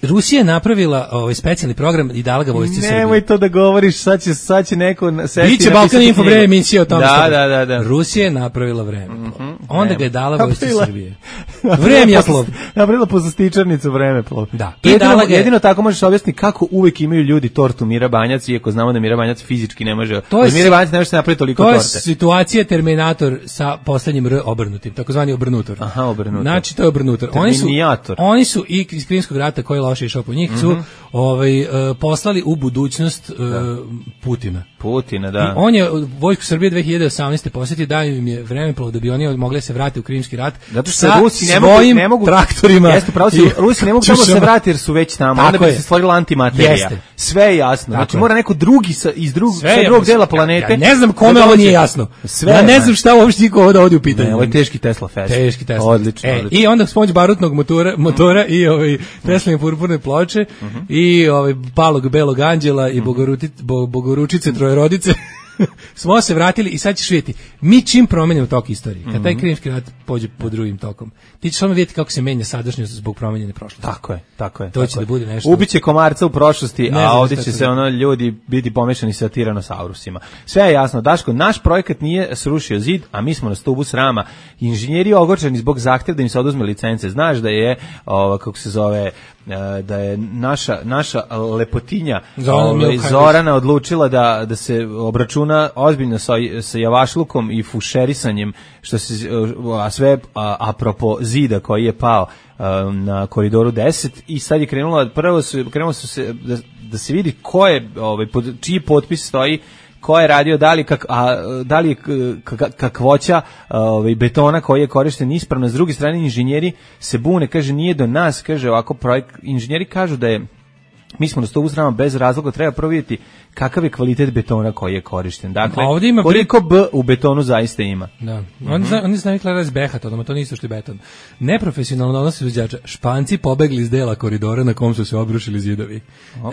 Rusija je napravila specijalni program i dala ga vojsci Srbije. Nemoj to da govoriš, sad će neko sesti. Biće Balkan Info vreme emisija o tome. Da. Rusija je napravila vreme. Onda ga je dala vojsci Srbije. Vremeplov. Napravila poslastičarnicu vremeplov. Da. Jedino tako možeš objasniti kako uvek imaju ljudi tortu Mira Banjac, iako znamo da Mira Banjac fizički ne može. Mira Banjac ne može se napraviti toliko torte. To je situacija Terminator sa poslednjim R obrnutim, takozvani obrnutor. Aha, obrnutor. Znači to je obrnutor. Oni su i iz Krimskog rata koji loše išao po njih su poslali u budućnost Putina, da. I on je vojsku Srbije 2018. posjetio, dao im je vremeplov da bi oni mogli se vratiti u Krimski rat. Zato što Rusi ne mogu traktorima. Jeste, pravo si, Rusi ne mogu tamo se vratiti jer su već tamo. Onda bi se stvorila antimaterija. Jeste. Sve je jasno. Znači mora neko drugi iz drugog dela planete. Ja ne znam kome ovo nije jasno. Ja ne znam šta uopšte niko ovdje ovdje u pitanju. Ovo je teški Tesla fest. Odlično. I onda s pomoć barutnog motora i Tesla purpurne ploče i palog belog anđela i bogoručice trojerodice smo se vratili i sad ćeš vidjeti, mi čim promenimo tok istorije, kad taj Krimski rat pođe po drugim tokom, ti ćeš samo vidjeti kako se menja sadašnjost zbog promenjene prošlosti. Tako je. To će da bude nešto. Ubiće komarca u prošlosti, a ovdje će se ljudi biti pomešani sa tiranosaurusima. Sve je jasno, Daško, naš projekat nije srušio zid, a mi smo na stubu srama. Inženjeri ogorčeni zbog zahtjeva da im se oduzme licence. Znaš da je, kako se zove, da je naša lepotinja Zorana odlučila da se obračuna ozbiljno sa javašlukom i fušerisanjem, a sve apropo zida koji je pao na koridoru 10 i sad je krenulo su se da se vidi ko je, čiji potpis stoji, ko je radio, da li je kakvoća betona koji je korišten ispravno. S druge strane, inženjeri se bune, kaže, nije do nas, kaže ovako projekt, inženjeri kažu da je, mi smo na stubu srama bez razloga, treba provjeriti kakav je kvalitet betona koji je korišten. Dakle, koliko B u betonu zaista ima. Da. Oni su navikli raz behat, to nisu što je beton. Neprofesionalno odnos izvođača. Španci pobegli iz dela koridora na kom su se obrušili zidovi.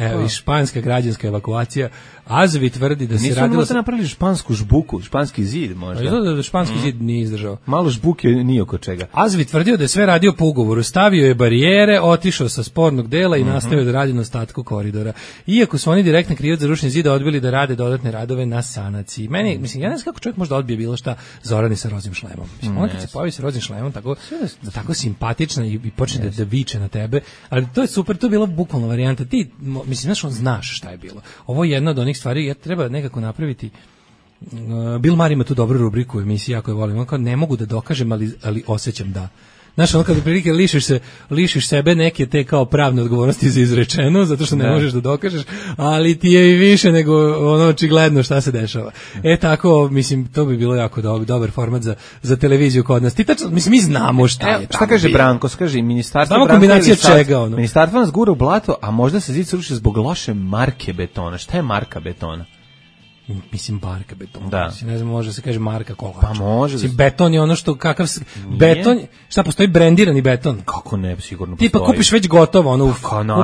Evo, i španska građanska evakuacija. Azovi tvrdi da se radilo... Nisu napravili špansku žbuku, španski zid možda. Da španski zid nije izdržao. Malo žbuke nije oko čega. Azovi tvrdio da je sve radio po ugovoru. Stavio je barijere, otišao sa spornog dela i nastavio da radi na ostatku koridora. Iako su oni direktno krivac za rušenje zida, odbili da rade dodatne radove na sanaciji. Meni, mislim, ja ne znam kako čovjek može da odbije bilo šta Zorani sa rozim šlemom. Mislim, ona kad se pojavi sa rozim šlemom, tako simpatična i počne da viče na tebe, ali to je super, to je bila bukvalno varijanta. Ti, mislim, znaš šta je bilo. Ovo je jedna od onih stvari, treba nekako napraviti. Bill Maher ima tu dobru rubriku u emisiji, jako je volim. On kao, ne mogu da dokažem, ali osjećam da. Znaš, ono kada prilike lišiš sebe neke te kao pravne odgovornosti za izrečeno, zato što ne možeš da dokažeš, ali ti je i više nego ono očigledno šta se dešava. Tako, mislim, to bi bilo jako dobar format za televiziju kod nas. Mislim, mi znamo šta je. Šta kaže Branko? Kaže, ministarstvo Branko kombinacija čega, ono? Ministarstvo nas gura u blato, a možda se zid sruši zbog loše marke betona. Šta je marka betona? mislim marka betona. Da. Mislim, ne znam, može se kaže marka kola. Pa može. Mislim, beton je ono što kakav beton, šta postoji brendirani beton? Kako ne, sigurno postoji. Tipa kupiš već gotovo, ono,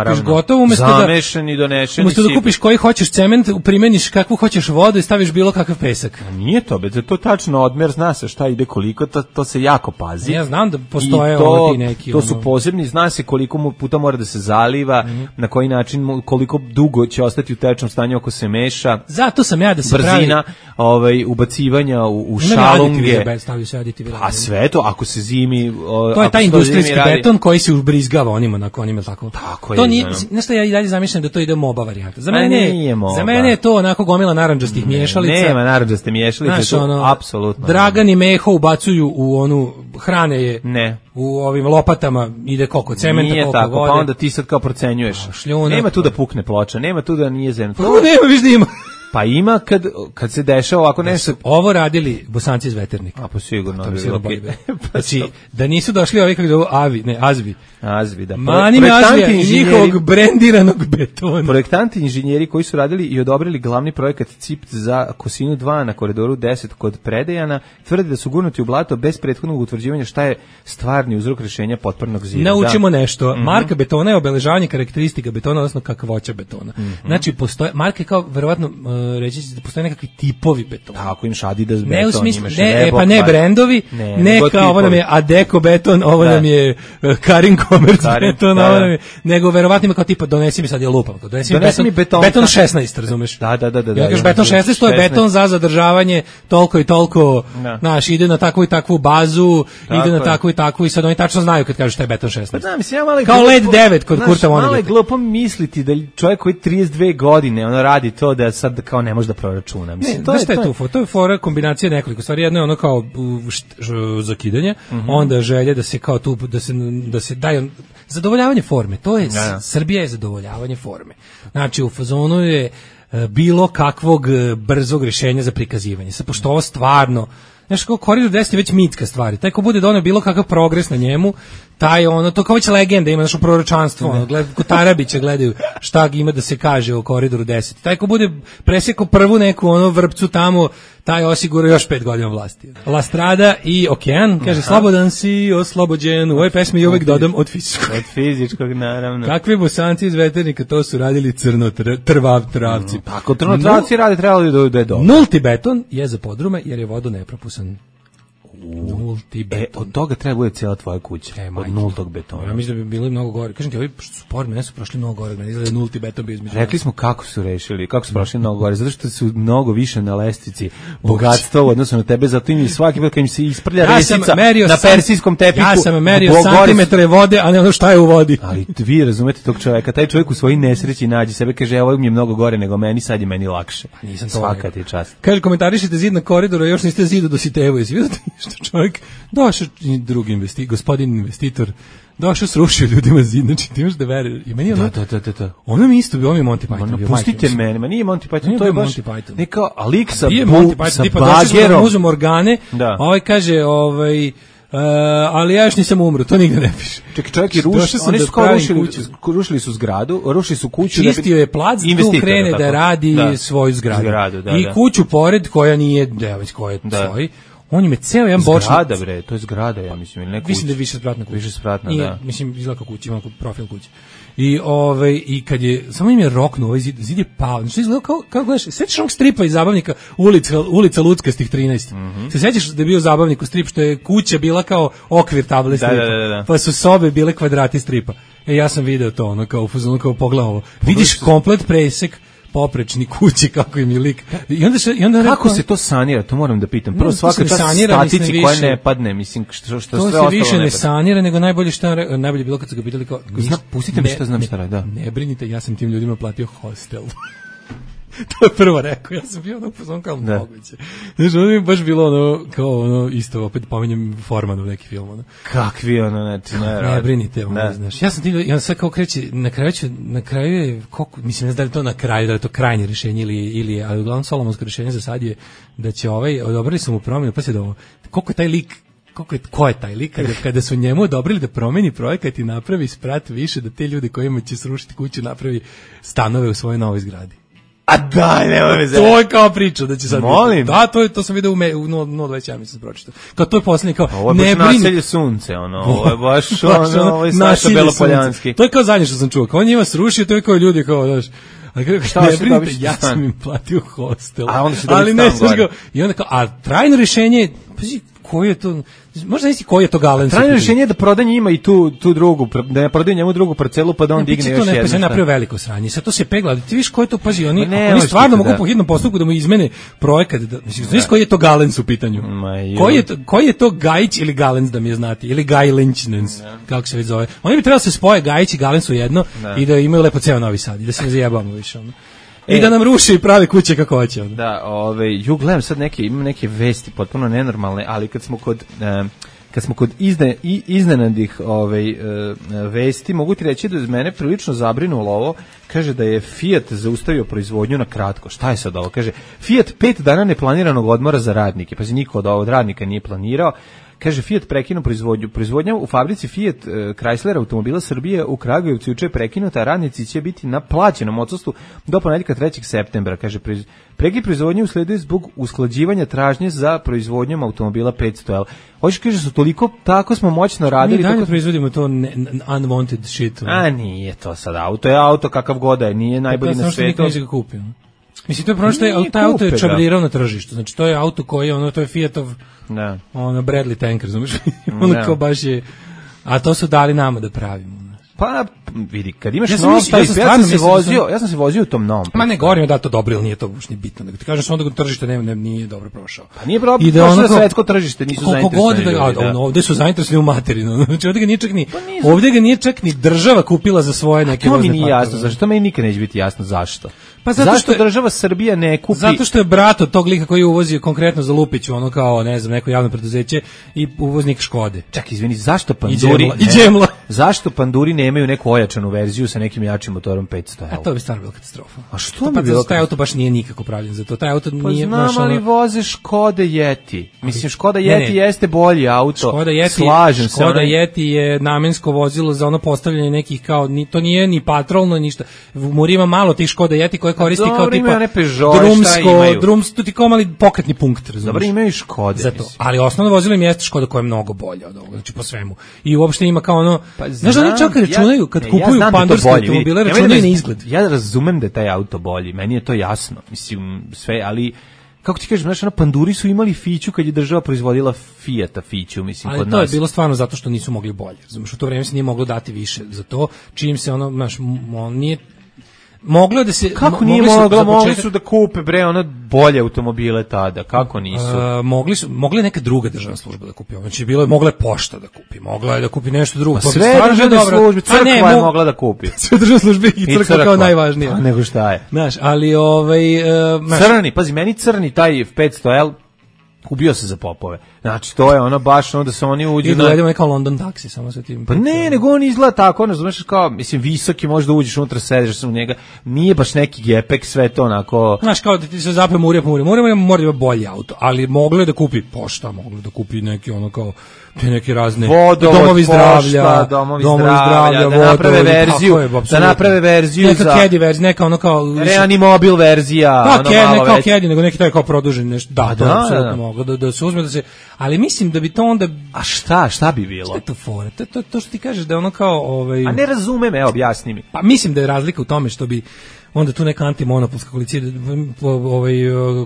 kupiš gotovo umesto zamešani, donešeni. Umesto da kupiš koji hoćeš cement, primeniš kakvu hoćeš vodu i staviš bilo kakav pesak. Nije to, to tačno odmer, zna se šta ide koliko, to se jako pazi. Ja znam da postoje ti neki. To su posebni, zna se koliko puta mora da se zaliva, na koji način, koliko dugo će ostati u tečnom stanju ako se meša. Zato sam ja da se brzina ubacivanja u šalunge. Stavio se aditivi. A sve to, ako se zimi... To je taj industrijski beton koji se ubrizgava onima tako. Tako to je. Nije, nešto ja i dalje zamišljam da to ide MOBA varijanta. Za za mene je to onako gomila narandžastih miješalica. Nema narandžaste miješalice, to apsolutno. Dragan i Meho ubacuju u onu hrane je. Ne. U ovim lopatama ide koliko cementa, nije koliko tako, vode. Pa onda ti sad kao procenjuješ. Nema tu da pukne ploča, nema tu da nije zemlja. Nema, viš da ima. Pa ima kad se dešava ovako nešto. Ovo radili Bosanci iz Veternika. A pa sigurno. Znači, da nisu došli ovi kako zovu Azvi. Azvi, da. Manime Azvija i njihovog brendiranog betona. Projektanti inženjeri koji su radili i odobrili glavni projekat CIP za Kosinu 2 na koridoru 10 kod Predejana, tvrde da su gurnuti u blato bez prethodnog utvrđivanja šta je stvarni uzrok rešenja potpornog zida. Naučimo nešto. Marka betona je obeležavanje karakteristika betona, odnosno kakvoća betona. Znači, postoje, marke kao, verovatno, reći da postoje nekakvi tipovi betona. Tako, imaš Adidas beton, imaš Reebok. Pa ne brendovi, ne kao ovo nam je Adeko beton, ovo nam je Karin Commerce beton, ovo nam je, nego verovatno ima kao tipa, donesi mi sad je lupam, donesi mi beton 16, razumeš? Da. Ja kažeš beton 16, to je beton za zadržavanje toliko i toliko, znaš, ide na takvu i takvu bazu, ide na takvu i takvu i sad oni tačno znaju kad kažeš šta je beton 16. Kao LED 9 kod Kurta Vonegeta. Malo je glupo misliti da čovjek koji 32 godine ono radi to da sad kao ne može da proračuna. Mislim, to je fora kombinacija nekoliko stvari. Jedno je ono kao zakidanje, onda želje da se kao tu da se daje zadovoljavanje forme. To je Srbija je zadovoljavanje forme. Znači u fazonu je bilo kakvog brzog rješenja za prikazivanje. Sad pošto ovo stvarno, znaš, kao Koridor 10 je već mitska stvari. Taj ko bude doneo bilo kakav progres na njemu, taj ono, to kao već legenda ima, znaš, proročanstvo, ono, kod Tarabića gledaju šta ima da se kaže o Koridoru 10. Taj ko bude presjekao prvu neku ono vrpcu tamo, taj osigura još 5 godina vlasti. La Strada i Okean, kaže, slobodan si, oslobođen, u ovoj pesmi i uvek dodam od fizičkog. Od fizičkog, naravno. Kakvi Bosanci iz Veternika, to su radili travci. Tako, travci rade, trebalo da je dobro. Nulti beton je za podrume, jer je vodo nepropusan. Nulti beton. Od toga treba bude cijela tvoja kuća. Od nultog betona. Ja mislim da bi bili mnogo gore. Kažem ti, ovi sport mene su prošli mnogo gore. Meni izgleda nulti beton bio između. Rekli smo kako su rešili, kako su prošli mnogo gore. Zato što su mnogo više na lestvici bogatstva u odnosu na tebe. Zato im svaki put kad im se isprlja resica na persijskom tepiku. Ja sam merio santimetre vode, a ne ono šta je u vodi. Ali vi razumete tog čovjeka. Taj čovjek u svojoj nesreći nađe sebe, kaže, ovo mi je mnogo gore nego meni, sad je meni lakše. Svaka ti čast. Kaže, komentarišite zid na koridoru, još niste zidu do Sitevo. Jesi vidio što čovjek došao drugi gospodin investitor, došao srušio ljudima zid, znači ti imaš da veruješ. I meni ono, da. Ono mi isto bio, on je Monty Python. Pustite mene, ma nije Monty Python, to je baš neka alik sa bagerom. Uzem organe, ovaj kaže, ali ja još nisam umro, to nigde ne piše. Čekaj, čovjek je oni su kao rušili su zgradu, rušili su kuću. Čistio je plac, tu krene da radi svoju zgradu. I kuću pored, koja nije, već koja je svoji. On je ceo jedan bočni. Zgrada, bre, to je zgrada, ja mislim, ili ne kuća. Mislim da je višespratna kuća. Višespratna, da. Mislim, izgleda kao kuća, ima profil kuće. I kad je, samo im je roknuo ovaj zid je pao. Znači, izgleda kao gledaš, sećaš onog stripa iz zabavnika ulica Luckastih 13. Se sećaš da je bio zabavnik u strip, što je kuća bila kao okvir table stripa. Pa su sobe bile kvadrati stripa. Ja sam video to, ono kao pogledao ovo. Vidiš komplet presek poprečni kući, kako im je lik. I onda kako se to sanira, to moram da pitam. Prvo svaka ta statici koja ne padne, mislim, što sve ostalo ne padne. To se više ne sanira, nego najbolje bilo kad su ga pitali kao... Pustite mi što znam šta radi, da. Ne brinite, ja sam tim ljudima platio hostel. To je prvo rekao, ja sam bio ono pozvan kao moguće. Znaš, ono mi je baš bilo ono, kao ono, isto, opet pominjem Formanu u neki film, ono. Kakvi ono, znači, ne brinite, ono, znaš. Ja sam tim, ja sad kao kreći, na kraju je, mislim, ne znam da li to na kraju, da li to krajnje rješenje ili ali uglavnom solomonsko rješenje za sad je da će odobrili su mu promjenu, pa se da ovo, koliko je taj lik, ko je taj lik kada su njemu odobrili da promeni projekat i napravi sprat više, da te ljudi kojima će srušiti kuću napravi stanove u svojoj novoj zgradi. A daj, nemoj me To je kao priča da će sad... Molim? Da, to sam vidio u 0.21, mislim, pročitao. Kao to je posljednji, kao, ovo je baš naselje sunce, ovo je baš ovo je Saša Belopoljanski. To je kao zadnje što sam čuo, kao on njima srušio, to je kao ljudi, kao, znaš, šta ne brinite, ja sam im platio hostel. A onda se ali ne, i onda kao, a trajno rješenje, pazi, koji je to, možda nisi koji je to Galen. Trajno rješenje je da proda njima i tu drugu, da ne prodaju njemu drugu parcelu pa da on digne još jednu. Ne, pa se napravio veliko sranje. Sad to se pegla, ti viš koji to, pazi, oni stvarno mogu po hitnom postupku da mu izmene projekat, mislim, znaš koji je to Galens u pitanju? Koji je to Gajić ili Galens, da mi je znati, ili Gajlenčnens, kako se već zove. Oni bi trebali se spoje Gajić i Galens u jedno i da imaju lepo ceo Novi Sad i da se ne zajebamo više ono. I da nam ruši i pravi kuće kako hoće. Da, gledam sad imam neke vesti potpuno nenormalne, ali kad smo kod iznenadih vesti, mogu ti reći da je mene prilično zabrinulo ovo. Kaže da je Fiat zaustavio proizvodnju na kratko. Šta je sad ovo? Kaže, Fiat 5 dana neplaniranog odmora za radnike. Pa niko od radnika nije planirao. Kaže, Fiat prekinuo proizvodnju. Proizvodnja u fabrici Fiat Chrysler automobila Srbije u Kragujevcu juče je prekinuta, a radnici će biti na plaćenom odsustvu do ponedjeljka 3. septembra. Kaže, prekid proizvodnje usleduje zbog usklađivanja tražnje za proizvodnjom automobila 500L. Hoćeš kaže su toliko, tako smo moćno radili. Mi dalje proizvodimo to unwanted shit. A nije to sad auto, je auto kakav god je, nije najbolji na svijetu. Nikad ga kupio. Mislim, to je prvo što je, taj auto je čabrirao na tržištu. Znači, to je auto koji je, to je Fiatov, Bradley tanker, znaš, kao baš je, a to su dali nama da pravimo. Pa vidi, kad imaš nov, ja sam se vozio u tom novom. Ma ne govorim da to dobro ili nije to uopšte bitno, nego ti kažeš onda tržište nije dobro prošao. Pa nije prošao svetsko tržište, nisu zainteresovani. Ovde su zainteresovani u materinu. Znači ovde ga nije čak ni država kupila za svoje neke vozne parkove. To mi nije jasno, zašto meni nikad neće biti jasno zašto. Pa zašto država Srbija ne kupi? Zato što je brat od tog lika koji uvozi konkretno za Lupiću, ono kao, ne znam, neko javno preduzeće i uvoznik Škode. Čak, izvini, zašto Panduri zašto Panduri nemaju neku ojačanu verziju sa nekim jačim motorom 500L? A to bi stvarno bila katastrofa. A što bi bilo? Taj auto baš nije nikako pravljen za to. Taj auto nije znam, ali voze Škode Yeti. Mislim, Škoda Yeti jeste bolji auto. Slažem se. Škoda Yeti je namensko vozilo za ono postavljanje nekih kao, to nije ni patrolno, ništa. U Muri ima malo tih Škoda Yeti koje koristi kao tipa drumsko, ti kao mali pokretni punkt, razumiješ? Dobro, imaju Škode. Zato. Ali osnovno vozilo im jeste Škoda koja je mnogo bolja od ovoga, znači po svemu. I uopšte ima kao ono, znaš da oni čak računaju, kad kupuju pandurske automobile, računaju na izgled. Ja razumem da je taj auto bolji, meni je to jasno, mislim, sve, ali kako ti kažeš, znaš, Panduri su imali Fiću kad je država proizvodila Fijata Fiću, mislim, kod nas. Ali to je bilo stvarno zato što nisu mogli bolje. Znaš, u to vreme se nije moglo dati više za to, čim se ono, znaš, on nije moglo je da se kako nije mogli su da kupe bre ono bolje automobile tada, kako nisu? Mogla neka druga državna služba da kupi. Znači mogla je pošta da kupi, mogla je da kupi nešto drugo. Pa sve državne službe, crkva je mogla da kupi. Sve državne službe i crkva kao najvažnije. Pa nego šta je? Znaš, ali crni, pazi, meni crni taj 500L ubio se za popove. Znači, to je ono baš ono da se oni uđu... I dovedemo neka London taksi, samo sa tim... Pa ne, nego on izgleda tako, ono, znaš, kao, mislim, visoki, možda uđeš unutra, sediš u njega, nije baš neki gepek, sve to onako... Znaš, kao da ti se zape Murija, mora da ima bolji auto, ali moglo je da kupi pošta, moglo da kupi neki ono kao... te neke razne domovi zdravlja, da naprave verziju neka Caddy verzija, neka ono kao Reanimobil verzija, ne kao Caddy, nego neki taj kao produžen nešto, to apsolutno moglo da se uzme, da se, ali mislim da bi to onda, a šta bi bilo? Šta je to fora? To što ti kažeš da ono kao, a ne razumem, evo objasni mi. Pa mislim da je razlika u tome što bi onda tu neka antimonopolska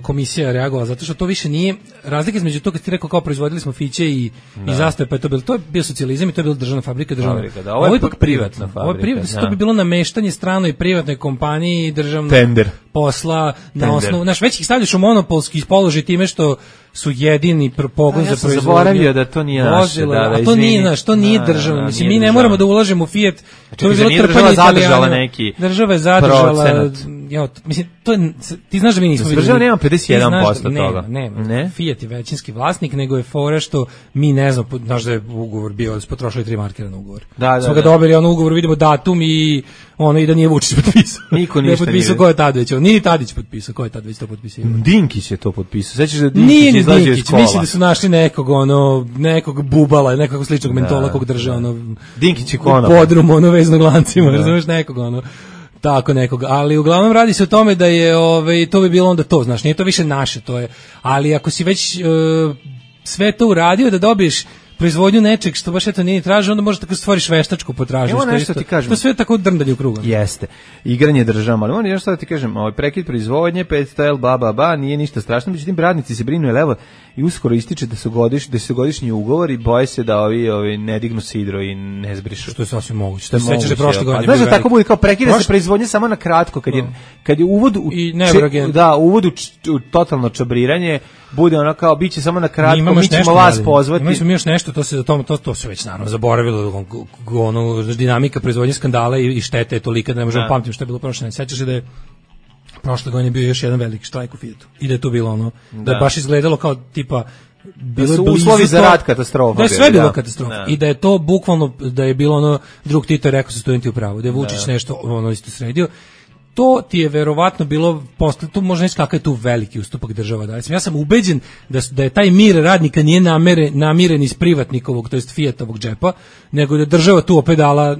komisija reagovala, zato što to više nije razlika između toga kad ti rekao kao proizvodili smo Fiće i zastave, pa to je bio socijalizam i to je bila državna fabrika, ovo je ipak privatna fabrika. To bi bilo nameštanje stranoj privatnoj kompaniji, državnog posla, na osnovu, znaš, već ih stavljaš u monopolski položaj time što su jedini pogon za proizvodnju. Zaboravio da to nije naše, a to nije naš, to nije državno. Mislim, mi ne moramo da ulažemo u Fiat. To je bilo trpanje Italijana. Država je zadržala, mislim, to je, ti znaš da mi nismo... Država nema 51% toga. Ne, Fiat je većinski vlasnik, nego je fora što mi ne znam, znaš da je ugovor bio, potrošili 3 markera na ugovor. Smo ga dobili, ono ugovor, vidimo datum i ono i da nije Vučić potpisao. Niko ništa nije. Potpisao ko je tad već, nije Tadić potpisao, ko je tad već to potpisao. Dinkić je to potpisao. Sećaš da Dinkić izlazio iz škola? Mislim da su našli nekog bubala, nekog sličnog mentola kog drže, Dinkić je konop. Podrum, veznog lancima, razumeš, nekog, tako nekoga, ali uglavnom radi se o tome da je to bi bilo onda to, znaš, nije to više naše, to je, ali ako si već sve to uradio da dobiješ proizvodnju nečeg što baš eto nije traži, onda možeš tako stvoriš veštačku potražnju. Evo nešto ti kažem. To sve tako drndanje u krugu. Jeste. Igranje državama, ali on nešto da ti kažem, prekid proizvodnje, 500 L, nije ništa strašno, međutim radnici se brinu, jer evo i uskoro ističe da su godišnji ugovori i boje se da ovi ne dignu sidro i ne zbrišu. Što je sasvim moguće. Što sećaš da prošle godine. Znaš da tako bude kao prekida se proizvodnje samo na kratko kad je uvod uvod u totalno čabriranje bude ono kao biće samo na kratko, mi ćemo vas pozvati. Mi smo još nešto, to se već naravno zaboravilo, ono dinamika proizvodnje skandala i štete je tolika da ne možemo pamtiti što je bilo prošle. Sećaš se da je prošle godine bio još jedan veliki štrajk u Fiatu i da je to bilo ono, da je baš izgledalo kao tipa bilo su uslovi za rad katastrofa. Da je sve bilo katastrofa i da je to bukvalno, da je bilo ono, drug Tito je rekao su studenti u pravu, da je Vučić nešto ono isto sredio. To ti je verovatno bilo posle, tu možda nisi kakav je tu veliki ustupak država. Ja sam ubeđen da je taj mir radnika nije namiren iz privatnikovog, to jest Fiatovog džepa, nego da je država tu opet dala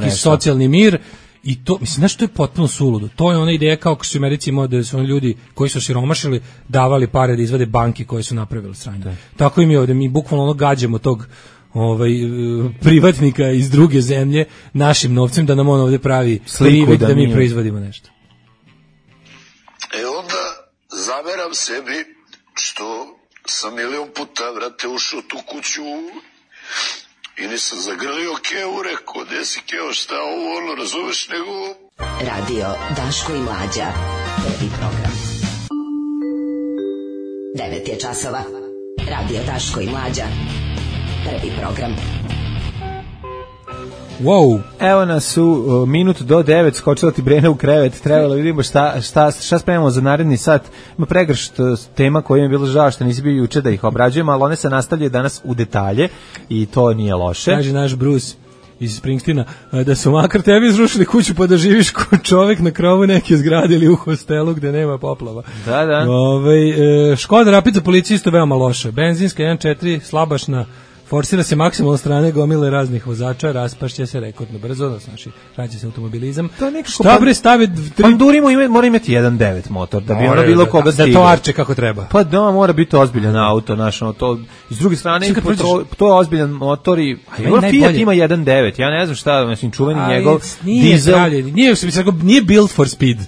neki socijalni mir. I to, mislim, znaš, to je potpuno suludo. To je ona ideja kao što su u Americi imali da su oni ljudi koji su siromašili davali pare da izvade banke koje su napravili sranje. Tako i mi ovdje, mi bukvalno ono gađamo tog privatnika iz druge zemlje našim novcem da nam on ovdje pravi sliku da mi proizvodimo nešto. Onda zameram sebi što sam milion puta, vrate, ušao tu kuću i nisam zagrlio Keo, rekao, gde si Keo, šta ovo, ono, razumeš, nego... Radio Daško i Mlađa, prvi program. 9 je časova. Radio Daško i Mlađa, prvi program. Wow. Evo nas u minut do 9, skočila ti Brena u krevet, trebalo vidimo šta spremamo za naredni sat. Ima pregršt tema koja je bilo žao što nisi bio juče da ih obrađujemo, ali one se nastavljaju danas u detalje i to nije loše. Kaže naš Bruce iz Springsteena da su makar tebi izrušili kuću pa da živiš ko čovek na krovu neke zgrade ili u hostelu gde nema poplava. Da. Škoda Rapid za policiju isto veoma loša. Benzinska 1.4 slabašna. Forsira se maksimalno strane gomile raznih vozača, raspašće se rekordno brzo, znači vraća se automobilizam. Šta bre stave... Panduri mora imati 1.9 motor, da bi ono bilo koga stigao. Da to arče kako treba. Pa da, mora biti ozbiljan auto, znaš, to, s druge strane, to je ozbiljan motor i... Fiat ima 1.9, ja ne znam šta, mislim, čuveni njegov dizel... Nije built for speed.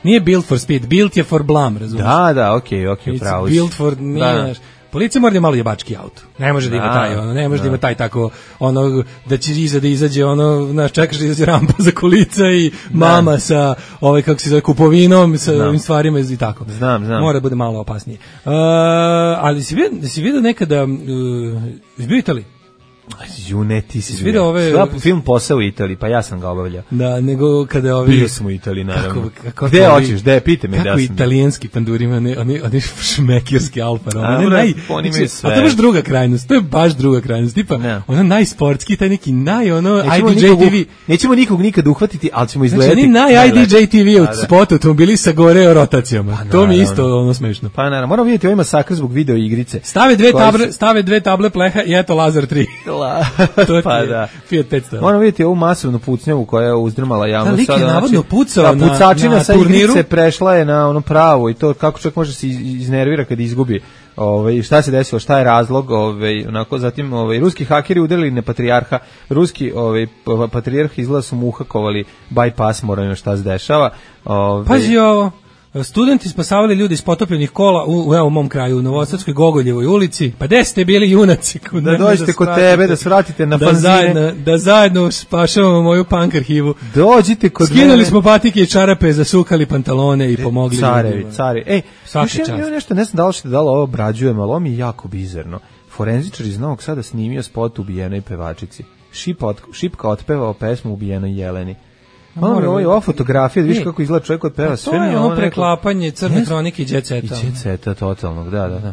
Nije built for speed, built je for blam, razumiješ? Da, okej, pravo. It's built for... Policija mora da je malo jebački auto. Ne može da ima taj, ne može da ima taj tako, da će iza da izađe, čekaš da izađe rampa za kolica i mama sa, kako se zove, kupovinom, sa ovim stvarima i tako. Znam. Mora da bude malo opasnije. Ali si vidio nekada, izbio Italiji? Ne, ti si vidio film Posao u Italiji, pa ja sam ga obavljao. Da, nego kada bio sam u Italiji, naravno. Gde hoćeš, gde, pite me. Kako italijanski panduri ima, oni šmekirski Alfa Romeo. Oni imaju sve. A to je baš druga krajnost, tipa, najsportski, taj neki IDJ TV. Nećemo nikog nikad uhvatiti, ali ćemo izgledati. Znači, IDJ TV od spota automobili sa gore rotacijama. To mi isto smešno. Pa naravno, moramo vidjeti ovaj masakr zbog video igrice. Stave dve table pleha i eto Lazar 3. Pa da. Fiat 500. Moramo vidjeti ovu masovnu pucnjavu koja je uzdrmala javnost. Lik je navodno pucao na pucačina sa turniru. Igrice prešla je na ono pravo i to kako čak može se iznervira kad izgubi. Šta se desilo, šta je razlog, zatim ruski hakeri udarili na patrijarha, ruski patrijarh izgleda su mu uhakovali bypass, moramo šta se dešava. Pazi ovo. Studenti spasavali ljudi iz potopljenih kola u mom kraju, u Novosadskoj Gogoljevoj ulici. Pa gde ste bili junaci? Da dođete kod tebe, da svratite na fanzine. Da zajedno spašavamo moju punk arhivu. Dođite kod mene. Skinuli smo patike i čarape, zasukali pantalone i pomogli. Carevi. Ej, ja nešto ne znam da li ćete da li ovo obrađujem, ali ovo mi je jako bizarno. Forenzičar iz Novog Sada snimio spot ubijenoj pevačici. Šipka otpevao pesmu ubijenoj Jeleni. Ova fotografija, vidiš kako izgleda čovjek od peva. To je ono preklapanje Crne kronike i Jet Seta. I Jet Seta, totalnog, da.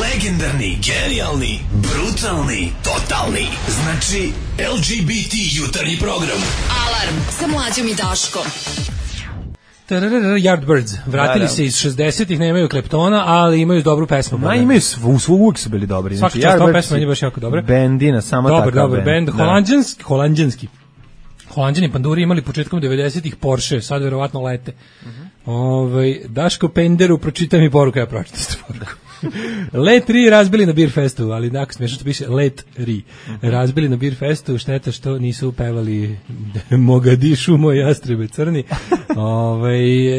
Legendarni, genijalni, brutalni, totalni. Znači, LGBT jutarnji program. Alarm sa Mlađom i Daškom. Yardbirds. Vratili se iz 60-ih, nemaju Kleptona, ali imaju dobru pesmu. Imaju uvijek su bili dobri. Svaki čast ova pesma je baš jako dobra. Bendina, samo takav bend. Dobar bend. Holanđanski. Holanđani panduri imali početkom 90-ih Porsche, sad verovatno lete. Daško Penderu, pročitaj mi poruku, ja pročitam poruku. Let 3 razbili na Beer Festu, ali tako smiješno što piše Let 3. Razbili na Beer Festu, šteta što nisu pevali Mogadišu, moj jastrebe crni.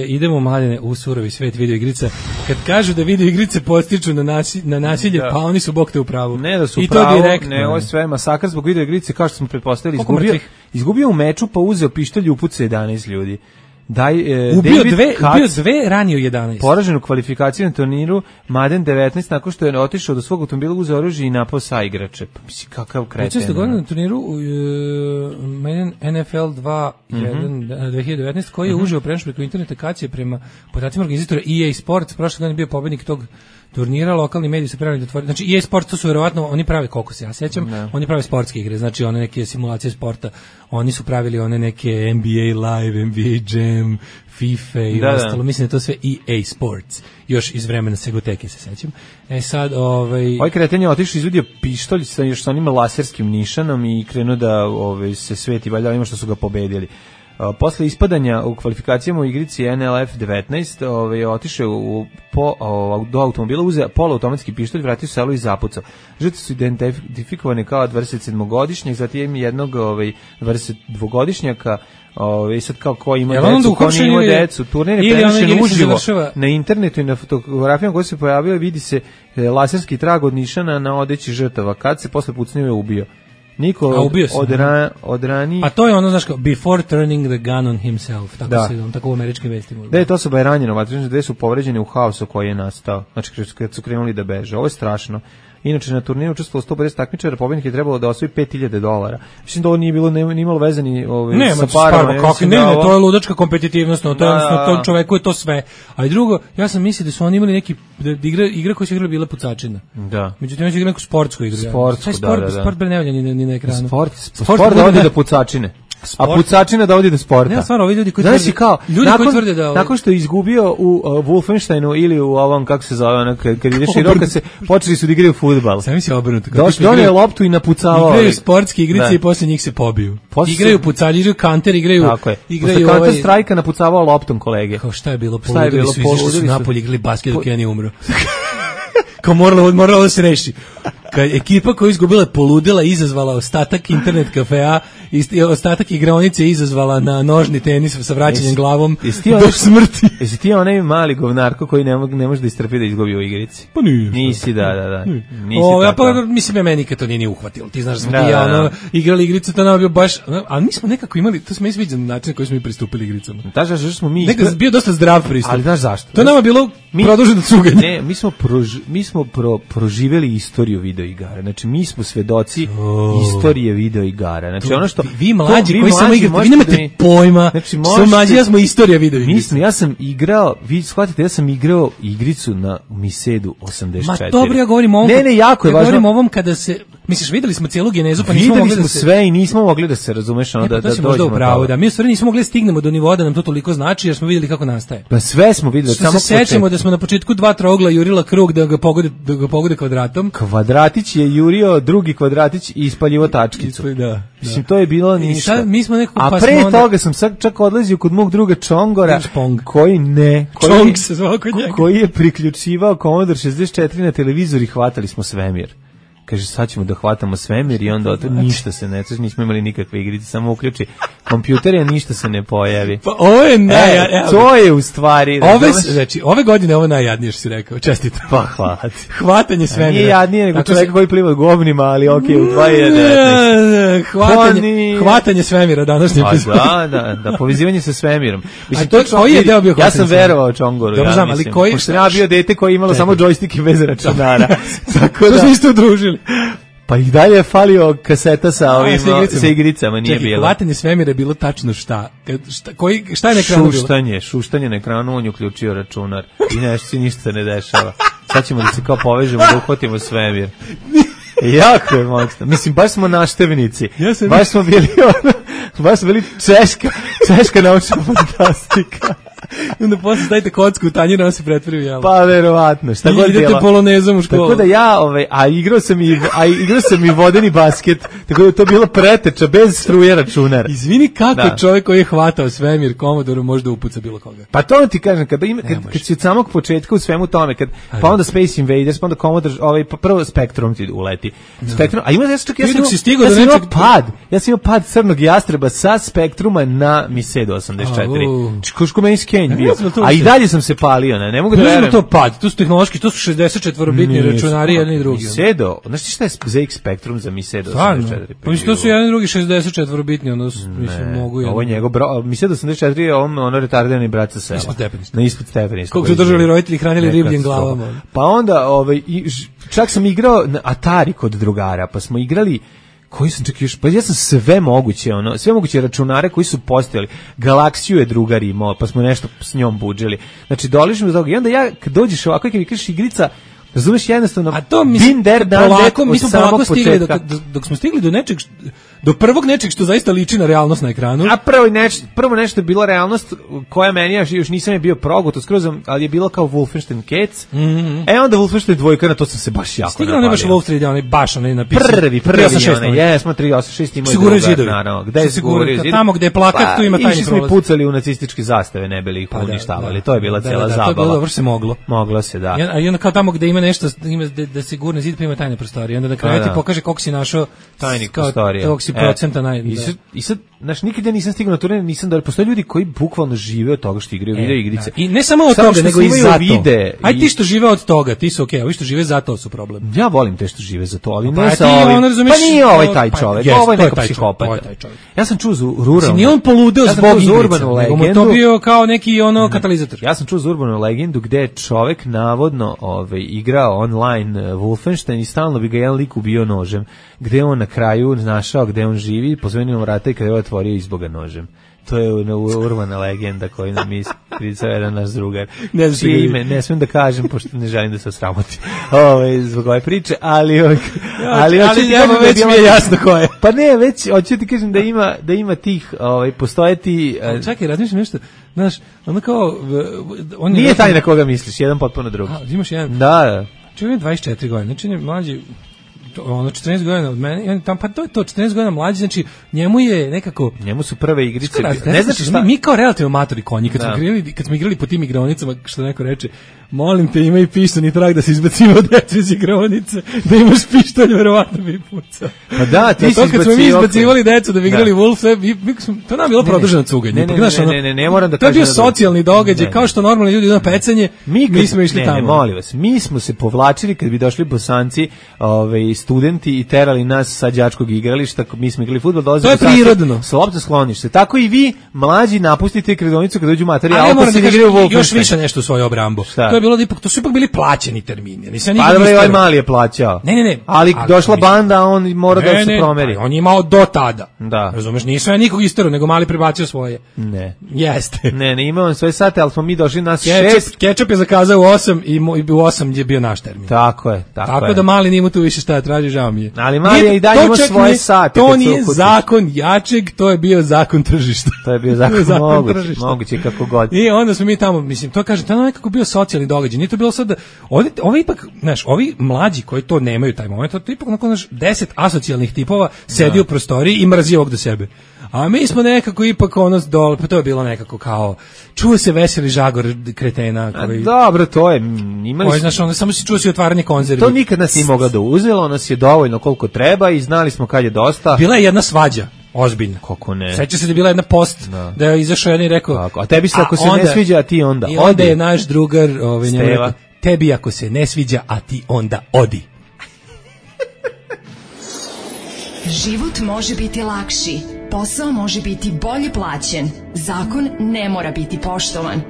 Idemo, Mladene, u surovi svet videoigrica. Kad kažu da videoigrice podstiču na nasilje, pa oni su bog te u pravu. Ne da su i pravo, to direktno. ne, ovo je sve masakr zbog videoigrice, kao što smo pretpostavili, izgubio u meču, pa uzeo pištolj i upucao 11 ljudi. Ubio dve, ranio 11. Poražen u kvalifikaciji na turniru Madden 19 nakon što je otišao do svog automobila, uzeo oružje i napao saigrače. Mislim, kakav kreten. 16. godina na turniru Madden NFL 2019 koji je užio prenoš preko internet akacije prema podacima organizatora EA Sports. Prošle godine bio pobednik tog turnira, lokalni mediji su pravili da otvore. Znači EA Sports to su verovatno, oni prave, koliko se ja sećam, oni prave sportske igre, znači one neke simulacije sporta. Oni su pravili one neke NBA Live, NBA Jam, FIFA i ostalo. Mislim da to sve EA Sports. Još iz vremena Segoteke se sećam. Sad, Ovaj kreten je otišao, izvadio pištolj sa još sa onim laserskim nišanom i krenuo da se sveti valjda onima što su ga pobedili. Posle ispadanja u kvalifikacijama u igrici NLF 19, je otišao do automobila, uzeo poluautomatski pištolj, vratio se selo i zapucao. Žrtve su identifikovane kao 27-godišnjak, zatim jednog 22-godišnjaka, i sad kao ko ima decu, ko nije ima decu. Turnir je prenošen uživo na internetu i na fotografijama koje se pojavile, vidi se laserski trag od nišana na odeći žrtava. Kad se posle pucnio je ubio. Niko od ranije... A to je ono, znaš kao, before turning the gun on himself, tako u američkim vestima. Da, to osoba je ranjeno, gde su povređeni u haosu koji je nastao, znači kad su krenuli da beže. Ovo je strašno. Inače, na turniru učestvovalo 150 takmičara, pobednik je trebalo da osvoji $5.000. Mislim da ovo nije bilo nimalo vezani sa parama. Ne, to je ludačka kompetitivnost, to čoveku je to sve. Ali drugo, ja sam mislio da su oni imali neki, da igra koja se igrala bila pucačina. Da. Međutim, ja su igrali neku sportsku igru. Sport bre ne valja ni na ekranu. Sport da odi do pucačine. A pucačina da odi do sporta. Ne, stvarno, ovi ljudi koji tvrde da... Nakon što je izgubio u Wolfensteinu ili u ovom, kako se zove, kad ideš i roka se, počeli su da igraju fudbal. Sam misli obrnuto. Donio loptu i napucavao. Igraju sportske igrice i posle njih se pobiju. Igraju pucalji, igraju kanter, igraju... Tako je. Posle Counter Strike-a napucavao loptom kolege. Kao šta je bilo? Poludili su, izašli su napolje, igrali basket dok ja nije umro. Kao moralo da se reši. Kad ekipa koja je izgubila poludela, izazvala ostatak internet kafea, ostatak igraonice izazvala na nožni tenis sa vraćanjem glavom do smrti. Jesi ti onaj mali govnarko koji ne može da istrpi da izgubi u igrici? Pa nije. Nisi, da. Mislim, ja meni nikad to nije uhvatilo. Ti znaš da smo igrali igrice, to nam je bio baš... Ali mi smo nekako imali, to smo i sviđali način koji smo mi pristupili igricama. Nekad bio dosta zdrav pristup. Ali znaš zašto? To je nama bilo produženo cuganje. Ne, mi smo proživeli istoriju videoigara. Znači, mi smo svedoci istorije videoigara. Znači, ono što... Vi mlađi koji samo igrate, vi nemate pojma. Znači, mlađi, ja smo istorija videoigara. Ja sam igrao, vi shvatite, ja sam igrao igricu na Misedu 84. Ma dobro, ja govorim o ovom... Ne, jako je važno. Ja govorim o ovom kada se... Misliš, videli smo cijelu genezu, pa nismo mogli da se... Videli smo sve i nismo mogli da se, razumeš, ono da dođemo upravo, da. Mi u stvari nismo mogli da stignemo do nivoa da nam to toliko znači, jer smo videli kako nastaje. Pa sve smo videli. Samo se sećamo da smo na početku 2 trougla jurila krug da ga pogode kvadratom. Kvadratić je jurio drugi kvadratić i ispaljivo tačkicu. Da. Mislim, to je bilo ništa. Sad, mi smo nekako... A pre toga sam čak odlazio kod mog druga Čongora, koji je priključivao Commodore 64 na televizor i hvatali smo svemir. Kaže, sad ćemo da hvatamo svemir i onda ništa se ne čuje, nismo imali nikakve igrice, samo uključi kompjuter i ništa se ne pojavi. Pa ovo je to je u stvari... Ove godine ovo najjadnije što si rekao, čestitam. Pa hvala ti. Hvatanje svemira. Nije jadnije nego čovjeka koji pliva govnima, ali okej, u 2019. Hvatanje svemira današnje epizode. Da, povezivanje sa svemirom. Koji je deo bio ja sam verovao Čongoru, ja mislim. Pošto ja bio dete koje je imalo samo džojstike bez računara. Tako da smo isto udružili. Pa i dalje je falio kaseta sa igricama, nije bilo. Hvatanje svemira je bilo tačno šta? Šta je na ekranu bilo? Šuštanje na ekranu, on je uključio računar i ništa se ne dešava. Sad ćemo da se kao povežemo, da uhvatimo svemir. Jako je moćno. Mislim, baš smo naštevnici. Baš smo bili češka naučna fantastika. Onda posle stavite kocku u tanjir, on se pretvori u jelo. Pa verovatno, šta god idete polonezom u školu. Tako da ja, a igrao sam i vodeni basket, tako da je to bila preteča bez struje računara. Izvini, kako čovjek koji je hvatao svemir Commodore može da upuca bilo koga? Pa to ti kažem, kad si od samog početka u svemu tome, pa onda Space Invaders, pa onda Commodore, pa prvo Spectrum ti uleti. Spectrum, a ima ja sam imao pad crnog jastreba sa Spektruma na Misedu 84. Koško meni skenj bio. A i dalje sam se palio, ne mogu da verujem. To pad, to su tehnološki, to su 64-bitni računari, jedni i drugi. Misedo, znaš ti šta je ZX Spectrum za Misedo 84? Pa mislim, to su jedni i drugi 64-bitni, ono mislim, mogu jedno. Ovo je njegov, Misedo 84 je ono retardirani brat sa sela. Na ispod stepeni. Koliko su držali roditelji, hranili ribljim glavama. Pa onda, čak sam igrao na Atari kod drugara, pa smo igrali koji sam čak još, pa ja sam sve moguće računare koji su postojali. Galaksiju je drugar imao, pa smo nešto s njom budžili. Znači, dolišimo do toga. I onda ja, kad dođeš ovako i kad mi kažeš igrica, razumeš jednostavno, a to mi smo polako stigli, dok smo stigli do nečeg, do prvog nečeg što zaista liči na realnost na ekranu. A prvo nešto je bila realnost koja meni još nisam je bio progoto skroz, ali je bilo kao Wolfenstein Cats. Onda Wolfenstein 2, na to sam se baš jako stigao, ne baš Wolfenstein, onaj baš onaj napisan. Prvi, jesmo 386 imao drugar, naravno. Gde je Sigurno? Tamo gde je plakat, tu ima tajni prolaz. Išli smo i pucali u nacističke zastave, ne bili ih uništavali. To je bila cijela zabava. To je bilo, se moglo. Moglo se, da. I onda kao tamo gde ima nešto, ima da sigurno zid pa ima tajne prostorije. Onda na kraju ti pokaže koliko si našao tajnih prostorija. Koliko si procenta I sad, znaš, nikad ja nisam stigao na turne, nisam da postoje ljudi koji bukvalno žive od toga što igraju video igrice. I ne samo od toga, nego i zato. Aj ti što žive od toga, ti su okej, ovi što žive zato su problem. Ja volim te što žive za to, ali ne sa ovim. Pa nije ovaj taj čovjek, ovo je neka psihopata. Ja sam čuo za ruralnu. Nije on poludeo zbog igrice, nego mu to bio kao neki katalizator. Ja sam čuo za urbanu legendu gde je čovek navodno igrao online Wolfenstein i stalno bi ga jedan lik ubio nožem. Gde on na kraju našao gde on živi, pozvenio mu vrata i kada je otvorio izboga nožem. To je urbana legenda koju nam ispričao jedan naš drugar. Ne smijem da kažem, pošto ne želim da se osramotim zbog ove priče, ali već mi je jasno ko je. Pa ne, već hoću ti kažem da ima tih, postoje ti... Čekaj, razmišljam nešto, znaš, ono kao... Nije taj na koga misliš, jedan potpuno drugi. Imaš jedan? Da. Čovjek 24 godine, znači mlađi... 14 godina od mene, pa to je to, 14 godina mlađi, znači njemu je nekako... Njemu su prve igrice... Ne znači šta... Mi kao relativno matori konji, kad smo igrali po tim igraonicama, što neko reče, molim te, ima i pištolj i trag da se izbacimo od dece iz igraonice, da imaš pištolj, verovatno bi pucao. Pa da, ti si kad smo mi izbacivali decu da bi igrali Wolf, to nam je bilo produženo cuganje. Ne, moram da kažem... To je bio socijalni događaj, kao što normalni ljudi na pecanje, mi smo išli tamo. Ne, molim vas, mi smo se povlačili kad bi došli Bosanci, studenti i terali nas sa đačkog igrališta, mi smo igrali fudbal, dolazili to je prirodno. Sa lopta sklonište. Tako i vi, mlađi, napustite igronicu kad dođu materi, a opet se igraju u Wolfenstein. Još više nešto u svoju obrambu. To je bilo to su ipak bili plaćeni termini. Pa dobro, ovaj mali je plaćao. Ne. Ali došla banda, on mora da se promeri. On je imao do tada. Da. Razumeš, nisu ja nikog isterao, nego mali prebacio svoje. Ne. Jeste. Ne, imao on svoje sate, ali smo mi došli nas 6. Ketchup je zakazao u 8 i u 8 je bio naš termin. Tako je. Tako da mali nima tu više šta traži, žao mi je. Ali mali je i dalje ima svoje sate. To nije zakon jačeg, to je bio zakon tržišta. To je bio zakon moguće kako god. I onda smo mi tamo, mislim, to kaže, to je nekako bio socijalni događaj. Nije to bilo sad da ovi ipak, znaš, ovi mlađi koji to nemaju taj moment, to ipak nakon 10 asocijalnih tipova sedi u prostoriji i mrzi ovog do sebe. A mi smo nekako ipak dole, pa to je bilo nekako kao, čuo se veseli žagor kretena. Dobro, to je, imali smo... Znaš, samo si čuo si otvaranje konzervi. To nikad nas nije mogla da uzelo, nas je dovoljno koliko treba i znali smo kad je dosta. Bila je jedna svađa. Ozbiljno. Kako ne? Seća se da je bila jedna post da je izašao jedan i rekao... A tebi se ako se ne sviđa, a ti onda odi. I onda je naš drugar njemu rekao, tebi ako se ne sviđa, a ti onda odi. Život može biti lakši, posao može biti bolje plaćen, zakon ne mora biti poštovan.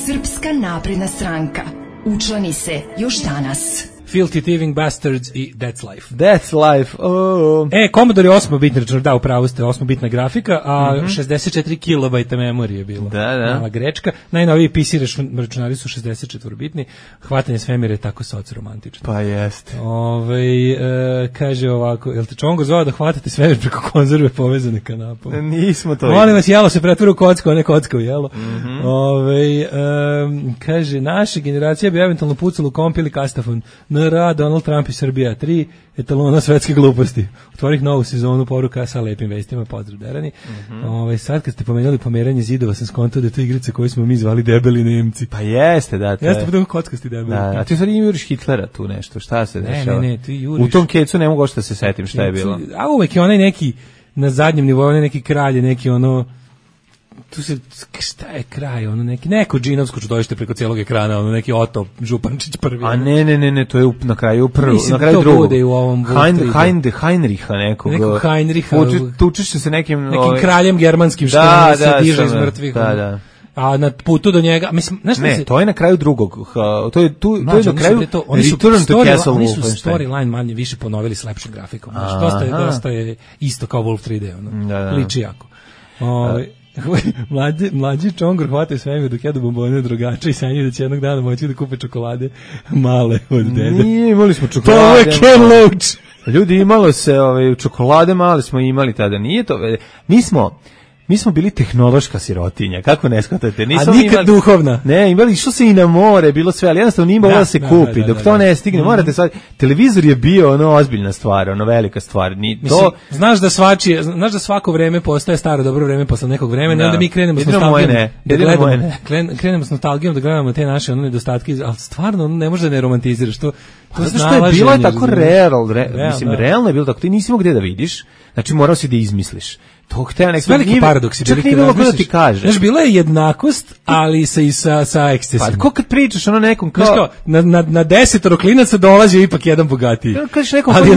Srpska napredna stranka. Učlani se još danas. Filthy Thieving Bastards i That's Life. That's Life, oh. Commodore je 8-bitni računar, da, upravo ste, 8-bitna grafika, a 64 kilobajta memorije je bilo. Da. Mala grečka. Najnoviji PC računari su 64-bitni. Hvatanje svemira je tako soc-romantično. Pa jeste. Kaže ovako, jel te Čongo zvao da hvatate svemir preko konzerve povezane kanapom? Nismo to. Molim vas, jelo se pretvori u kocku, a ne kocka u jelo. Kaže, naša generacija bi eventualno pucala u komp ili kastafon. NR, Donald Trump i Srbija 3, etalona svetske gluposti. Otvorih novu sezonu, poruka sa lepim vestima, pozdrav Derani. Sad kad ste pomenuli pomeranje zidova, sam skontao da je to igrica koju smo mi zvali debeli Nemci. Pa jeste, da. Jeste pa kockasti debeli. Da, a ti sad juriš Hitlera tu nešto, šta se dešava? Ne, ti juriš. U tom kecu ne mogu što se setim šta je bilo. A uvek je onaj neki na zadnjem nivou, onaj neki kralj, neki ono tu se, šta je kraj, ono neko džinovsko čudovište preko cijelog ekrana, ono neki Oto Župančić prvi. A ne, to je na kraju prvo, na kraju drugog. Heinricha nekog. Nekog Heinricha. Tučeš se nekim kraljem germanskim što se diže iz mrtvih. Da. A na putu do njega, mislim, znaš ne, to je na kraju drugog. To je na kraju Return to Castle Wolfenstein. Oni su storyline manje više ponovili s lepšim grafikom. Dosta je isto kao Wolf 3D, ono. Liči jako. Mlađi čongor hvata svemir dok jedu bombone drogača i sanjaju da će jednog dana moći da kupe čokolade male od dede. Nije, imali smo čokolade. To je Ken Loach. Ljudi, imalo se čokolade male smo imali tada. Nije to, mi smo bili tehnološka sirotinja, kako ne shvatate? A nikad duhovna. Ne, išlo se i na more, bilo sve, ali jednostavno nije moglo da se kupi. Dok to ne stigne, morate sad, televizor je bio ozbiljna stvar, velika stvar. Mislim, znaš da svako vreme postaje staro dobro vreme posle nekog vremena, onda mi krenemo s nostalgijom. Krenemo s nostalgijom da gledamo te naše nedostatke, ali stvarno ne može da ne romantiziraš to. Što je bilo je tako realno je bilo tako, ti nisi mogao gde da vidiš, znači morao si da izmisliš. To hteo neki veliki paradoks. Čak nije bilo da ti kaže. Znaš, bila je jednakost, ali sa ekscesima. Pa ko kad pričaš nekom kao na 10 klinaca dolazi ipak jedan bogatiji. Kažeš nekom, ali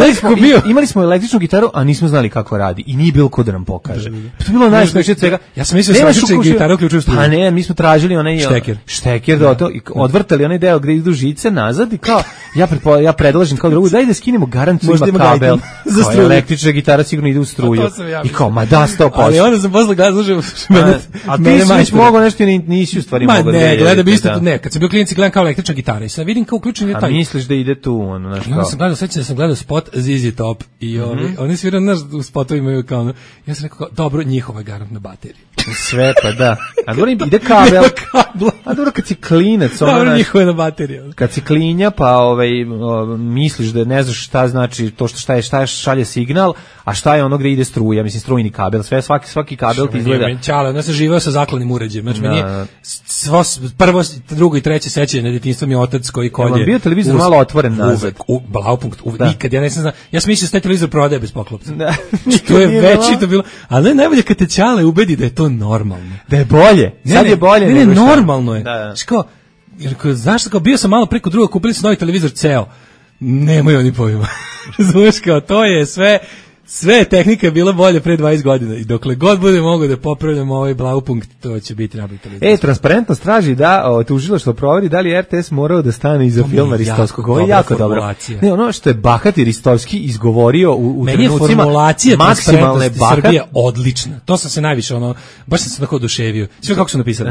imali smo električnu gitaru, a nismo znali kako radi i nije bilo ko da nam pokaže. To je bilo najsmešnije svega. Ja sam mislio da električna gitara uključuje struju. A ne, mi smo tražili onaj šteker da odvrtali onaj deo gde idu žice nazad i kao ja predlažem kao drugu daj da skinemo garanciju ima kabel. Za električna gitara sigurno ide u struju. I kao ma 100%. Ali onda sam posle gledao a ti si već mogao nešto nisi u stvari mogao da ne, gledam isto ne, kad sam bio klinici gledam kao električna gitara i sad vidim kao uključen je taj. A misliš da ide tu znaš kao. Ja sam gledao spot ZZ Top i oni sviraju u spotovima imaju kao ja sam rekao dobro, njihova je garantna baterija. Sve pa da. A dobro ide kabel. A dobro kad si klinac dobro, njihova je baterija. Kad si klinja pa misliš da ne znaš šta znači to šta šalje signal, a šta je ono gde ide struja, mislim strujni kabel, sve svaki kabel ti izgleda. Ja sam živeo sa zakladnim uređajem. Znači meni prvo, drugo i treće sećanje na detinjstvo mi je otac koji kolje. Je bio televizor malo otvoren nazad. Blaupunkt, nikad ja ne znam. Ja sam mislio da taj televizor prodaje bez poklopca. To je veći to bilo. Ali najbolje kad te Ćale ubedi da je to normalno. Da je bolje. Sad je bolje. Ne, normalno je. Zašto kao bio sam malo preko druga, kupili su novi televizor ceo. Nemaju oni pojma. Razumeš kao to je sve tehnika je bila bolje pre 20 godina i dokle god bude mogo da popravljamo ovaj Blaupunkt, to će biti najbolji televizor. Transparentnost traži da tužilaštvo proveri da li RTS morao da stane iza filma Ristovskog. Ovo je jako dobro. Ne, ono što je bahati Ristovski izgovorio u trenucima formulacija maksimalne Srbije odlična. To sam se najviše baš sam se tako oduševio. Sve kako su napisali.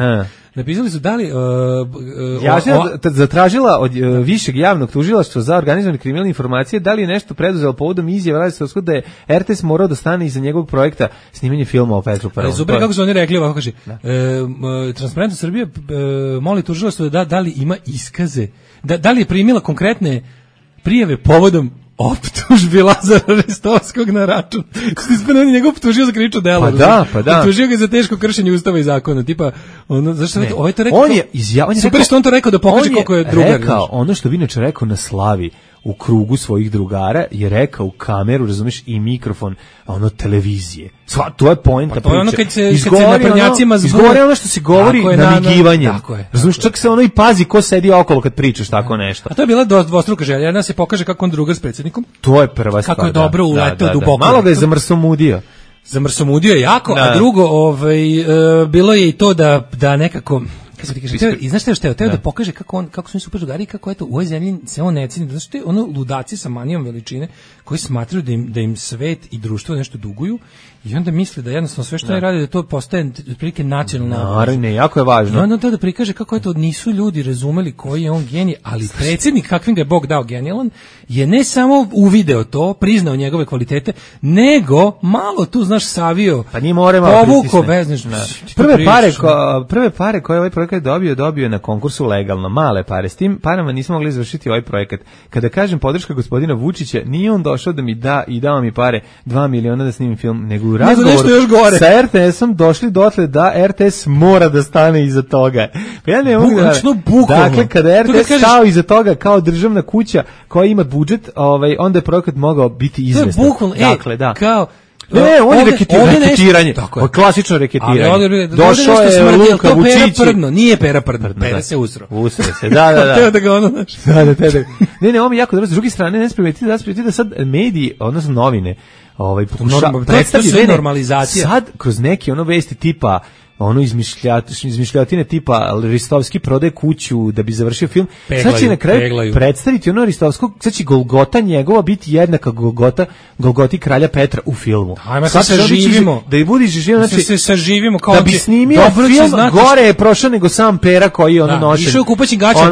Napisali su da li zatražila od višeg javnog tužilaštva za organizovane kriminalne informacije da li je nešto preduzelo povodom izjave Ristovskog da je RTS morao da stane iza njegovog projekta snimanje filma o Petru I. Super, kako su oni rekli, ovako kaže, Transparentnost Srbije moli tužilaštvo da li ima iskaze, da li je primila konkretne prijave povodom optužbi Lazara Ristovskog na račun. On je njega optužio za krivično delo. Pa da. Optužio ga za teško kršenje ustava i zakona. Tipa, zašto ne, ovaj to rekao? On je izjavio, super što on to rekao da pokaže koliko je drugar. Rekao, ono što bi inače rekao na slavi u krugu svojih drugara je rekao u kameru, razumeš, i mikrofon, televizije. To je poenta priče. To je ono kad se naprednjacima izgovori ono što se govori namigivanje. Razumeš, čak se i pazi ko sedi okolo kad pričaš tako nešto. A to je bila dvostruka želja. Jedna se pokaže kako on drugar s predsjednikom. To je prva stvar. Kako je dobro uleteo duboko. Malo ga je zamrsomudio. Zamrsomudio je jako, a drugo, bilo je i to da nekako I znaš što je da pokaže kako su oni super drugari i kako eto u ovoj zemlji se on ne ceni. Znaš što je ono ludaci sa manijom veličine koji smatraju da im svet i društvo nešto duguju i onda misle da jednostavno sve što oni rade da to postaje otprilike nacionalna obaveza. Naravno, jako je važno. I onda da prikaže kako eto nisu ljudi razumeli koji je on genij, ali predsjednik kakvim ga je Bog dao genijalan je ne samo uvideo to, priznao njegove kvalitete, nego malo tu znaš savio. Pa nije more malo pritisne. Prve pare koje ovaj projekat dobio na konkursu legalno, male pare. S tim parama nismo mogli izvršiti ovaj projekat. Kada kažem podrška gospodina Vučića, nije on došao da mi da i dao mi pare 2 miliona da snimim film, nego u razgovoru sa RTS-om došli dotle da RTS mora da stane iza toga. Pa ja ne mogu da... Dakle, kada RTS stao iza toga kao državna kuća koja ima budžet, onda je projekat mogao biti izvestan. Dakle, da. Kao on je reketiranje. Klasično reketiranje. Došao je Luka Vučić. Nije Pera Prdno. Pera se usro. Usro se, da. Teo da ga ono naš. Ne, ovo mi jako dobro. S druge strane, ne sprimetiti da sad mediji, odnosno novine, predstavljaju normalizacija. Sad, kroz neke vesti tipa izmišljotine tipa Ristovski prodaje kuću da bi završio film. Sad će na kraju predstaviti Ristovskog, sad će Golgota njegova biti jednaka Golgoti kralja Petra u filmu. Ajmo se saživimo. Da i budiš živimo, znači se saživimo kao da bi snimio film, gore je prošao nego sam Pera koji je nošen. Išao kupaćim gaćama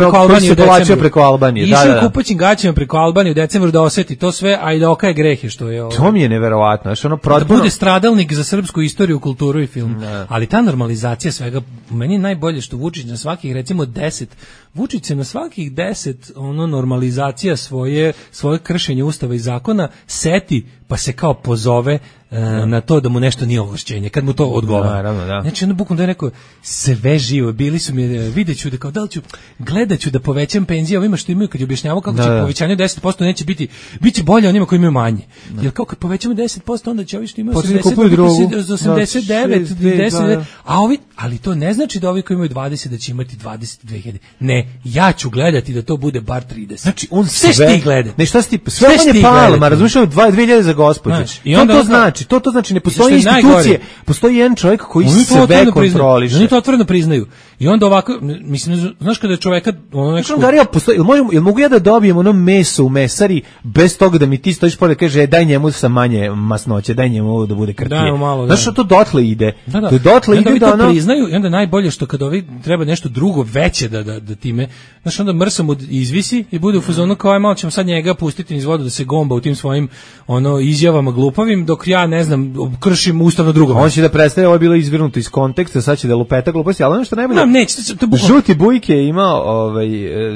preko Albanije. Išao kupaćim gaćama preko Albanije u decembru da oseti to sve, a i da okaje grehe što je ovo. To mi je neverovatno. Da bude stradalnik za srpsku istoriju, kulturu i film. Ali ta normalizacija svega, meni je najbolje što Vučić na svakih recimo 10, Vučić se na svakih 10 normalizacija svoje kršenje ustava i zakona seti pa se kao pozove na to da mu nešto nije ovlašćenje, kad mu to odgovara. Naravno, da. Znači, bukvalno da je rekao, sve živo, bili su mi, vidjet ću da kao, gledat ću da povećam penzije ovima što imaju, kad je objašnjavao kako će povećanje 10% neće biti, bit će bolje onima koji imaju manje. Jer kao kad povećamo 10%, onda će ovi što imaju 89, 10, a ovi, ali to ne znači da ovi koji imaju 20 da će imati 22.000. Ne, ja ću gledati da to bude bar 30. Znači, on sve ti gleda. Ne, šta si ti, sve on je Palma, razumiješ, 2.000 za gospođu. To znači. To znači ne postoji institucije, postoji jedan čovjek koji sve kontroliše. Oni to otvoreno priznaju. I onda ovako, mislim, znaš kada je čoveka jel mogu ja da dobijem meso u mesari bez toga da mi ti stojiš pored i kaže daj njemu sa manje masnoće, daj njemu ovo da bude krtije. Znaš što to dotle ide? To dotle ide da ono priznaju i onda najbolje što kad ovi treba nešto drugo veće da time, znaš onda mrsam izvisi i bude u fazonu kao aj malo ćemo sad njega pustiti niz vodu da se gomba u tim svojim izjavama glupavim dok ja ne znam kršim ustavno drugo. On će da predstavi, ovo je bilo izvrnuto iz konteksta, sad će da lupeta gluposti, ali ono što najbolje. Žuti Bujke je imao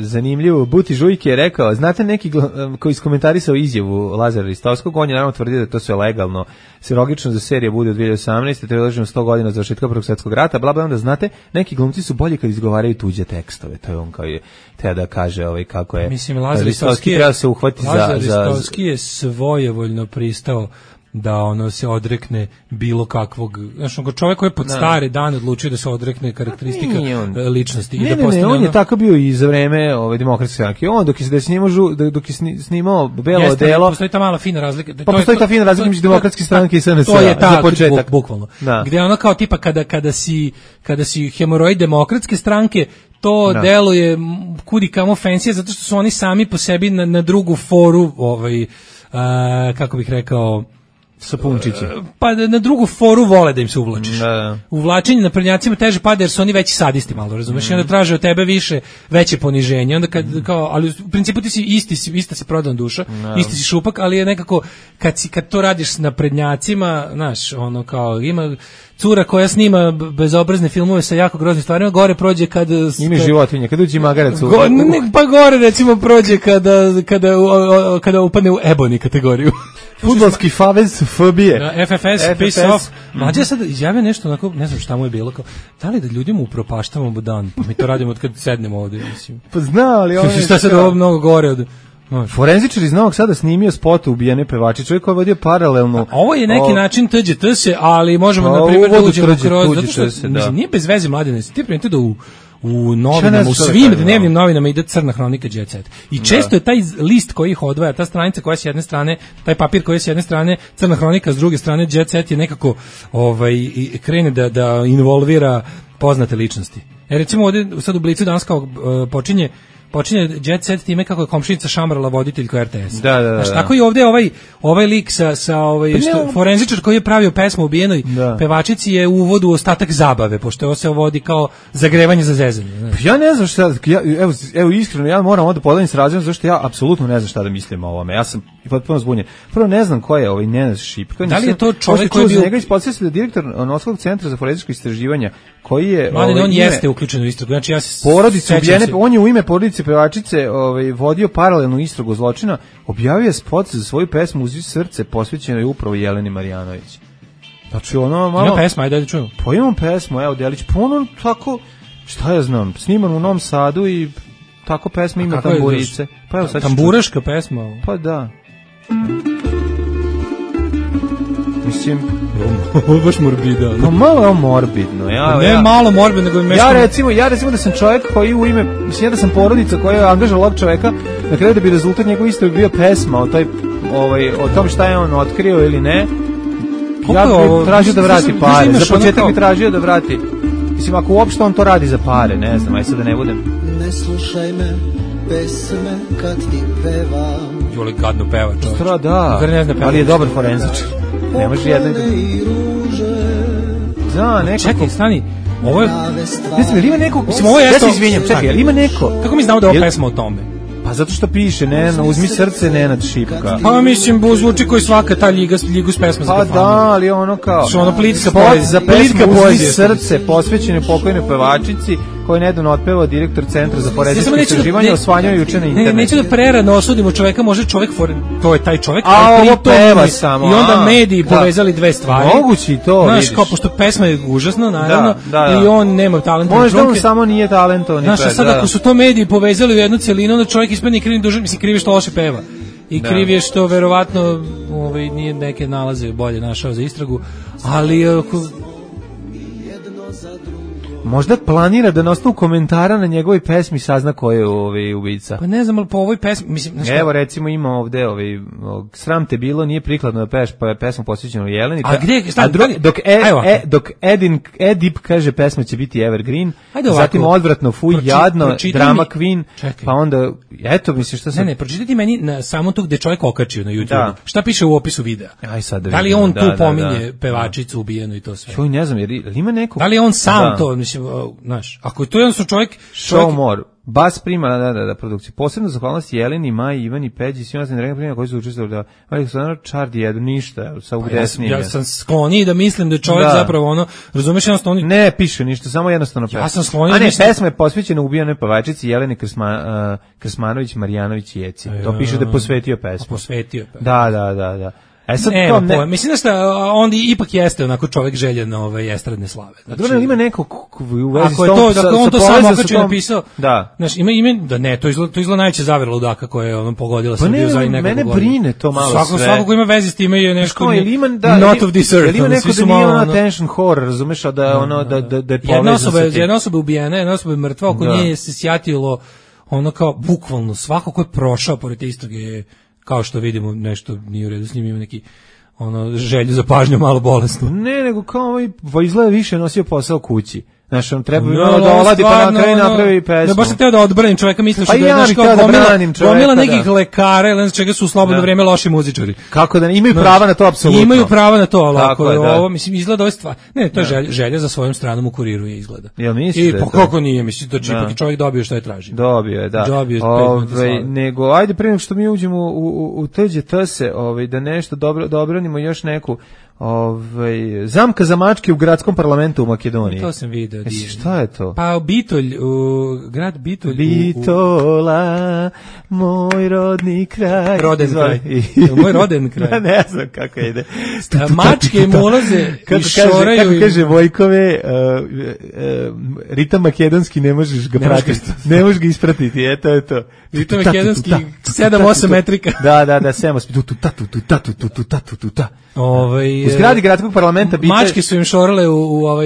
zanimljivo, Buti Žujke je rekao, znate neki koji iskomentarisao izjavu Lazara Ristovskog, on je naravno tvrdio da to sve legalno, logično da serija bude u 2018. te odloženo 100 godina od završetka Prvog svjetskog rata, bla bla, onda znate, neki glumci su bolji kad izgovaraju tuđe tekstove, to je on kao je te da kaže kako je. Mislim, Lazar Ristovski treba se uhvati Ristovski je svojevoljno pristao da se odrekne bilo kakvog, znači čovjek koji je pod stare dane odlučio da se odrekne karakteristika ličnosti. Ne, on je tako bio i za vreme demokratske stranke. On dok je snimao Belo odelo. Postoji ta mala fina razlika. Postoji ta fina razlika između demokratske stranke i SNS. To je za početak. Bukvalno. Gde ono kao tipa kada si hemoroid demokratske stranke, to deluje kudi kamo fancy zato što su oni sami po sebi na drugu foru, kako bih rekao, sapunčići. Pa na drugu foru vole da im se uvlačiš. Uvlačenje na prednjacima teže pada jer su oni veći sadisti malo, razumeš? I onda traže od tebe veće poniženje. Onda ali u principu ti si ista si prodana duša, isti si šupak, ali je nekako kad to radiš na prednjacima, znaš, kao ima cura koja snima bezobrazne filmove sa jako groznim stvarima, gore prođe kad ima životinje, kad uđe magarac pa gore recimo prođe kada upadne u ebony kategoriju. Fudbalski favez fobije. FFS, piss off. Mlađe sad izjavio nešto onako, ne znam šta mu je bilo, kao, da li da ljudima upropaštavamo dan, pa mi to radimo od kad sednemo ovdje, mislim. Pa zna, ali ovo je... Šta sad ovo mnogo gore od... Forenzičar iz Novog Sada snimio spot ubijene pevači, čovjek koji je vodio paralelno. Ovo je neki način TGT-se, ali možemo na primjer da uđemo kroz, zato što mislim, nije bez veze mladine, ti primite da u novinama, u svim dnevnim novinama ide crna hronika Jet Set. I često je taj list koji ih odvaja, ta stranica koja je s jedne strane, taj papir koji je s jedne strane crna hronika, s druge strane Jet Set je nekako krene da involvira poznate ličnosti. Recimo ovde sad u Blicu danas kao počinje Jet Set time kako je komšinica šamrala voditeljku RTS. Da. Tako i ovde ovaj lik sa forenzičar koji je pravio pesmu ubijenoj pevačici je u uvodu ostatak zabave, pošto ovo se vodi kao zagrevanje za zezanje. Znaš. Ja ne znam šta, evo iskreno, ja moram ovdje podelim s razlogom zašto ja apsolutno ne znam šta da mislim o ovome. Ja sam potpuno zbunjen. Prvo ne znam ko je ovaj Nenad Šipka. Da li je to čovjek koji je bio... njega ispodsjetio da direktor Novskog centra za forenzičko istraživanja, koji je... on jeste uključen u istragu. Znači, ja se porodice ubijene, on je u ime porodice pevačice vodio paralelnu istragu zločina, objavio je spot za svoju pesmu Uzi srce, posvećenoj upravo Jeleni Marjanović. Znači, ono malo... Ima pesma, ajde da čujemo. Pa imam pesmu, evo, Delić, pa ono tako, šta ja znam, sniman u Novom Sadu i tako pesma ima tamburice. Pa evo, sad tamburaška pesma? Pa da. Mislim, ovo je baš morbidno. No malo je morbidno. Ne malo morbidno, nego ja recimo da sam čovjek koji u ime, mislim da sam porodica koja je angažovala ovog čovjeka, na kraju da bi rezultat njegove istrage bio pesma o tom šta je on otkrio ili ne. Ja bih tražio da vrati pare. Za početak bi tražio da vrati. Mislim, ako uopšte on to radi za pare, ne znam, aj sad da ne budem. Ne slušaj me, pesme kad ti pevam. Juli gadno peva čovječ. Da, ali je dobar forenzičar. Ne može jedno... Da, nekako... Čekaj, stani, ovo je... Ne znam, ima neko... Mislim, ovo je... Ja se izvinjam, čekaj, ali ima neko... Kako mi znamo da je ovo pesma o tome? Pa zato što piše, uzmi srce, Nenad Šipka. Pa mislim, zvuči koji svaka ta ligu s pesma za kafanu. Pa da, ali ono kao... Što ono plitka poezija. Za pesmu Uzmi srce, posvećene pokojnoj pevačici, koju je nedavno otpevao direktor Centra za forenzičko istraživanje, osvanjao juče na internetu. Neću da prerano osudimo čoveka, može čovek, to je taj čovek, a ovo peva samo. I onda mediji povezali dve stvari. Moguće i to, vidiš. Znaš, kao, pošto pesma je užasna, naravno, i on nema talenta. Možda on samo nije talentovan. Znaš, a sad ako su to mediji povezali u jednu celinu, onda čovjek ispadne krivim dužan, mislim, krivi što loše peva. I kriv je što verovatno nije neke nalaze bolje našao za istragu, ali... Možda planira da na osnovu komentara na njegovoj pesmi sazna ko je ubica. Pa ne znam, ali po ovoj pesmi... Mislim, evo, recimo ima ovde sram te bilo, nije prikladno da peš, pa je pesma posvećena Jeleni. A gde? Dok Edip kaže pesma će biti Evergreen, zatim odvratno, fuj, jadno, drama queen, pa onda, eto, misliš šta sam... Ne, pročitajte meni na samo tu gde čovjek okačio na YouTube. Šta piše u opisu videa? Da li on tu pominje pevačicu ubijenu i to sve? Joj, ne znam, jer ima neko... Da li on sam to, mislim, znaš, ako je to jednostavno čovjek... Show more. Bas prima, da, produkciju. Posebno zahvalnost Jeleni, Maji, Ivani, Peđi, svima sam drega primjena koji su učestvovali da... Ali su naravno čardi jedu ništa, sa ugdesnije. Ja sam skloniji da mislim da je čovjek zapravo ono... Razumeš, jednostavno... Ne piše ništa, samo jednostavno pesma. Ja sam skloniji... A ne, pesma je posvećena ubijenoj pevačici Jeleni Krsmanović, Marjanović i Jeci. To piše da je posvetio pesmu. Posvetio pesmu. Da. Sad ne. Mislim da šta, on ipak jeste onako čovjek željen estradne slave. Znači, ima neko u vezi s tom, ako on to samo okačio napisao, znaš, ima ime, da ne, to izgleda najveća zavera ludaka koja je ono pogodila Srbiju za nekog mene brine to malo sve. Svako ko ima veze s time je nešto not of this earth. Ima neko da nije attention horror, razumeš, da je ono, da je povezano sa tim. Jedna osoba je ubijena, jedna osoba je mrtva, oko nje se sjatilo ono kao, bukvalno, svako ko je prošao pored te istrage je, kao što vidimo, nešto nije u redu s njim, ima neki želju za pažnju malo bolesnu. Ne, nego kao izgleda više nosio posao kući. Znaš, on treba da oladi pa na kraju napravi pesmu. Ne, baš sam teo da odbranim čoveka, misliš da je gomila nekih lekara ili čega su u slobodno vrijeme loši muzičari. Kako da imaju prava na to, apsolutno. Imaju prava na to, ali ako je ovo, mislim, izgleda ovo stvar. Ne, to je želja za svojom stranom u Kuriru je izgleda. Jel misliš da je to? I kako nije, mislim, da ipak čovjek dobio što je tražio. Dobio je, da. Nego, ajde prije nego što mi uđemo u teđe tse, da nešto dobranimo još neku zamka za mačke u gradskom parlamentu u Makedoniji. To sam video. Šta je to? Pa Bitolj, grad Bitolj. Bitola, moj rodni kraj. Roden kraj. Moj roden kraj. Ne znam kako ide. Mačke im ulaze i šoraju. Kako kaže Vojkove, ritam makedonski ne možeš ga pratiti. Ne možeš ga ispratiti, eto je to. Ritam makedonski 7-8 metrika. Da, 7-8. U zgradi gradskog parlamenta mačke su im šorale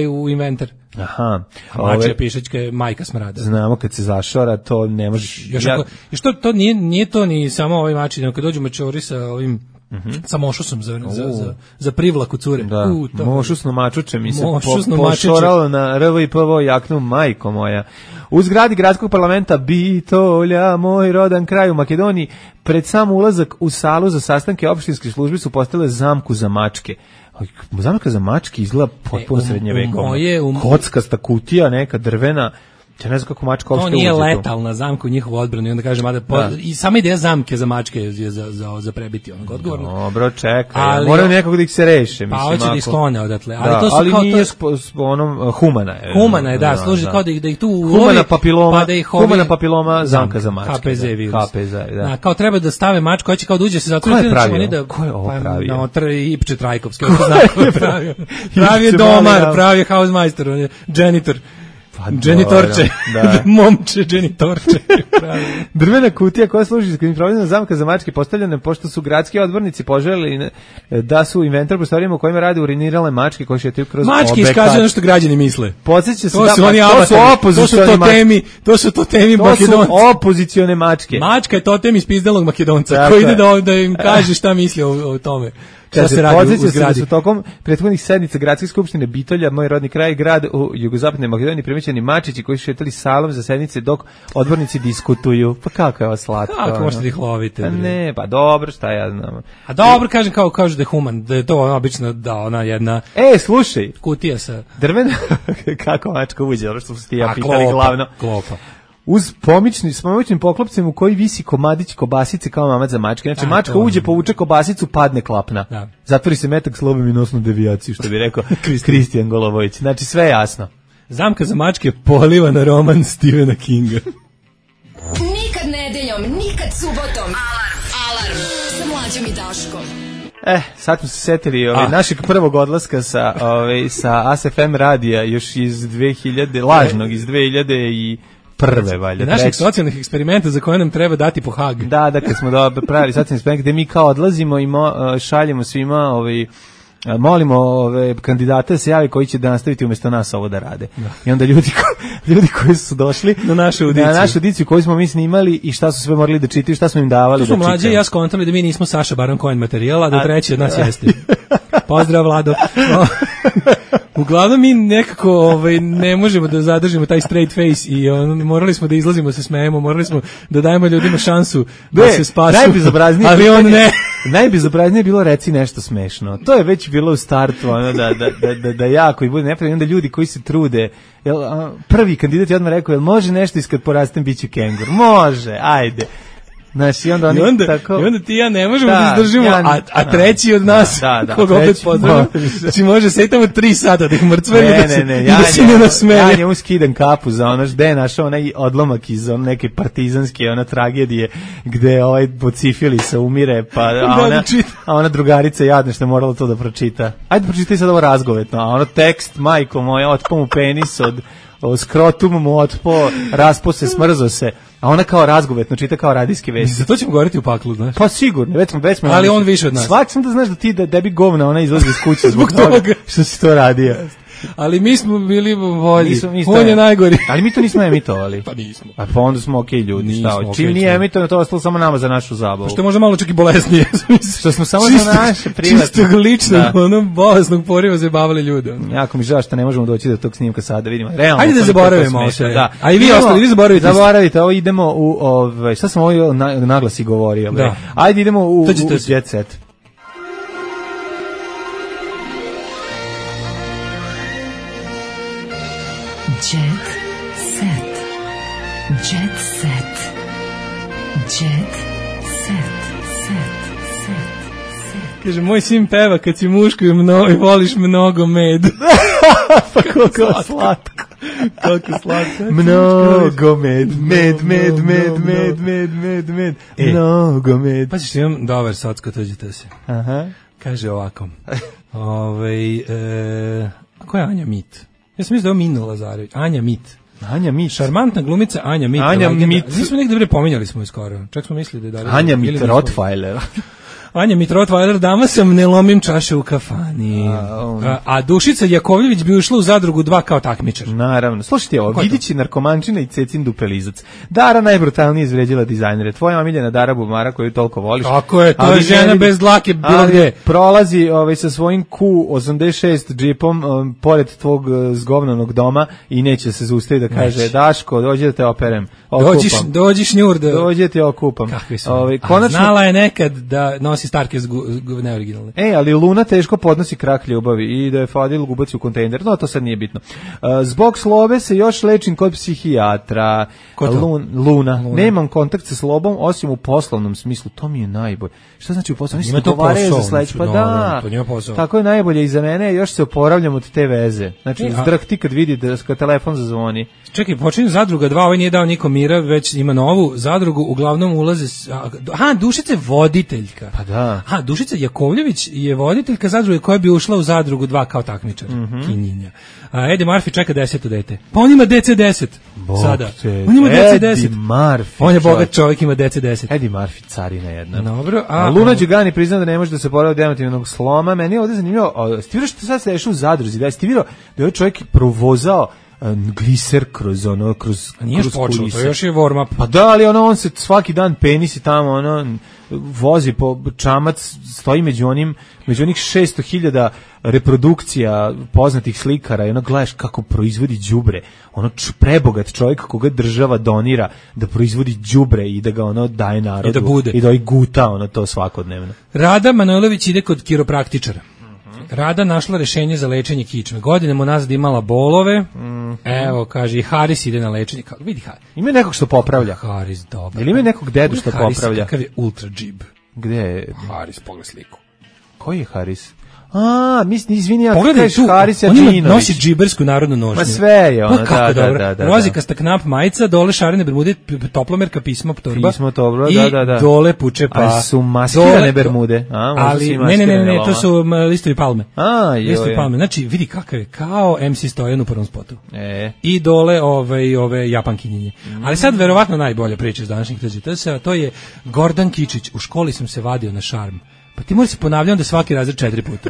u inventar. Aha. A mačka pišačka je majka smrada. Znamo kad se zašora, to ne možeš... Još to nije to ni samo ovaj mači, nego kad dođu mačori sa ovim sa mošusom za privlaku cure. Da, mošusno mačuče mi se pošoralo na RV i PVO jaknu, majko moja. U zgradi gradskog parlamenta Bitolja, moj rodan kraj u Makedoniji, pred sam ulazak u salu za sastanke opštinske službe su postavile zamku za mačke. Zamka za mačke izgleda potpuno srednjevekovno. Kockasta kutija, neka drvena. Ja ne znam kako mačka uopšte uđe tu. To nije letalna zamka u njihovu odbranu i onda kažem, i sama ideja zamke za mačke je za prebiti onog odgovorno. Dobro, čekaj, moraju nekako da ih se reše. Pa hoće da ih sklone odatle. Ali nije humana je. Humana je, da, služi kao da ih tu ulovi. Humana papiloma, zamka za mačke. KPZ virus. KPZ, da. Kao treba da stave mačku, hoće kao da uđe se zato. Ko je pravio? Ko je ovo pravio? Ipče Trajkovski, pravi je domar, pravi je hausmeister, on je janitor. Dženitorče, momče dženitorče. Drvena kutija koja služi za improvizowana zamka za mačke postavljena pošto su gradski odbornici poželjeli da su inventar prostorijama u kojima rade urinirale mačke koje šetaju kroz objekat. Mačke iskazuju ono što građani misle. Podsjeća se to su totemi Makedonca. To su opozicione mačke. Mačka je totem ispizdalog Makedonca koji ide da im kaže šta misli o tome. Podsjeća se da su tokom prethodnih sednica gradske skupštine Bitolja, moj rodni kraj, grad u jugozapadnoj Makedoniji, primećeni mačići koji su šetali salom za sednice dok odbornici diskutuju. Pa kako je ovo slatko? Kako možete da ih lovite? Ne, pa dobro, šta ja znam. A dobro, kažem kažu da je human, da je to obično da ona jedna... slušaj. Kutija sa... Drvena, kako mačka uđe, ono što su ti ja pitali glavno. Klopa. Uz pomičnim poklopcem u koji visi komadić kobasice kao mamac za mačke. Znači, mačka uđe, povuče kobasicu, padne klapna. Da. Zatvori se metak s lobom i nosnu devijaciju, što bi rekao Kristijan Golovović. Znači, sve je jasno. Zamka za mačke poliva na roman Stephena Kinga. Nikad nedeljom, nikad subotom. Alarm. Sa Mlađom i Daškom. Sad smo se setili našeg prvog odlaska sa ASFM radija još iz 2000, lažnog, iz 2000 prve, valjda. Naših socijalnih eksperimenta za koje nam treba dati po Hag. Da, kad smo pravili socijalni eksperiment gde mi kao odlazimo i šaljemo svima, molimo kandidate da se javi koji će da nastaviti umjesto nas ovo da rade. Da. I onda ljudi koji su došli na našu audiciju koju smo mi snimali i šta su sve morali da čitaju, šta smo im davali da čitaju. Tu smo mlađe i ja skontali da mi nismo Saša Baron Cohen materijala, da treći od nas jeste. Pozdrav, Vlado. Uglavnom mi nekako ne možemo da zadržimo taj straight face i morali smo da izlazimo, se smejemo, morali smo da dajemo ljudima šansu da se spasu. Ali on ne. Najbezobraznije je bilo reci nešto smešno. To je već bilo u startu, da jako i bude nepravilno. Onda ljudi koji se trude, prvi kandidat je odmah rekao, jel može nešto iskad porastem biću kengur? Može, ajde. Znaš, i onda ti ja ne možemo da izdržimo, a treći od nas, koga opet pozdravim, znači može se i tamo 3 sata da ih mrcvari da si ne nasmeje. Ja njemu skidam kapu za ono, gde je našao onaj odlomak iz neke partizanske tragedije, gde Bocifilisa umire, a ona drugarica jadna što je morala to da pročita. Ajde pročitaj sad ovo razgovetno, a ono tekst, majko moja, otpo mu penis od skrotum mu otpo, raspo se, smrzo se. A ona kao razgovetno čita kao radijske vesti. Za to ćemo govoriti u paklu, znaš? Pa sigurno, već smo. Ali on više od nas. Svaki sam da znaš da debi govna, ona izlazi iz kuće zbog toga što si to radio. Ali mi smo bili bolji. On je najgori. Ali mi to nismo emitovali. Pa nismo. A pa onda smo okej ljudi. Čim nije emitovano, to ostalo samo nama za našu zabavu. Što je možda malo čak i bolesnije. Što smo samo za naše privatne. Čistog ličnog, bolesnog poriva zabavili ljude. Jako mi žao što ne možemo doći do tog snimka sada, vidimo. Ajde da zaboravimo sve. A i vi ostali, vi zaboravite. Zaboravite, ovo idemo u, šta sam ovo naglasi govorio. Ajde idemo u Jet Set. Jet set. Jet set. Jet set. Kaže, moj sin peva kad si muško i voliš mnogo med. Pa kako slatko. Kako slatko. Mnogo med. Mnogo med. Pa ćeš imam dobar socko, tuđite se. Aha. Kaže ovako. Ko je Anja Mit? Ja sam mislio da je Mina Lazarević. Anja Mit. Šarmantna glumica Anja Mit. Anja Mit. Nismo negde pominjali smo je skoro. Čak smo mislili da je Anja Mit, Rottweiler. Anja Mitrot-Vajler, dama sam, ne lomim čaše u kafani. A Dušica Jakovljević bi ušla u Zadrugu 2 kao takmičar. Naravno. Slušajte ovo, Vidići narkomančina i Cecin dupelizac. Dara najbrutalnije izvređila dizajnere. Tvoja omiljena Dara Bumara koju toliko voliš. Kako je, to je žena bez dlake bilo gde. Prolazi sa svojim Q86 džipom pored tvog zgovnanog doma i neće se zaustaviti da kaže Daško, dođi da te operem. Dođi šnjur da... Dođi da te okupam. Konačno... Znala je nekad da nosi Starke neoriginalne. Ali Luna teško podnosi krak ljubavi i da je Fadil gubaci u kontejner. No, to sad nije bitno. Zbog slobe se još lečim kod psihijatra. Luna. Nemam kontakt sa slobom, osim u poslovnom smislu. To mi je najbolje. Šta znači u poslovnom smislu? Ima to posao. Pa da, tako je najbolje i za mene. Još se oporavljam od te veze. Znači, zdrhti kad vidi da telefon zazvoni. Čekaj, počinje Zadruga 2, ovaj nije dao nikom mira, već ima novu Zadrugu, uglavnom ulaze... Dušica je voditeljka. Pa da. Dušica Jakovljević je voditeljka Zadruge koja bi ušla u Zadrugu 2 kao takmičar. Kinjinja. Eddie Murphy čeka 10. dete. Pa on ima DC-10 sada. On ima DC-10. Eddie Murphy. On je bogat čovjek, ima DC-10. Eddie Murphy, carina jedna. Dobro. Luna Đugani prizna da ne može da se poravi od emotivnog sloma. Meni je ovdje zanimljivo. Ste vidio što sad se dešava u Zadruzi? Da ste vidio da je ovaj čovjek provozao gliser kroz nije još počelo, to još je warm up. Pa da, ali on se svaki dan penisi tamo, vozi po čamac, stoji među onih 600.000 reprodukcija poznatih slikara i gledaš kako proizvodi đubre. Prebogat čovjek koga država donira da proizvodi đubre i da ga daje narodu. I da bude. I da guta to svakodnevno. Rada Manojlović ide kod kiropraktičara. Rada našla rešenje za lečenje kičme. Godinama nazad imala bolove. Evo, kaže, i Haris ide na lečenje. Vidi Haris. Ima nekog što popravlja. Haris, dobro. Ili ima nekog dedu što popravlja? Kakav je ultra džib. Gde je? Haris, pogled sliku. Koji je Haris? Mislim, izvini, ja kažeš Haris Adžinović. On nosi džibersku narodnu nošnju. Ma sve je ono, da. Rozikasta knap majica, dole šarene bermude, toplomerka, pismo torba. I dole puče pa. A su maskirane bermude? Ali, ne, to su listovi palme. Listovi palme. Znači, vidi kakav je, kao MC Stojan u prvom spotu. I dole ove japankinjenje. Ali sad, verovatno, najbolja priča iz današnjih tržišta, to je Gordan Kičić. U školi sam se vadio na šarm. Pa ti moraš se ponavljati da svaki razred 4 puta.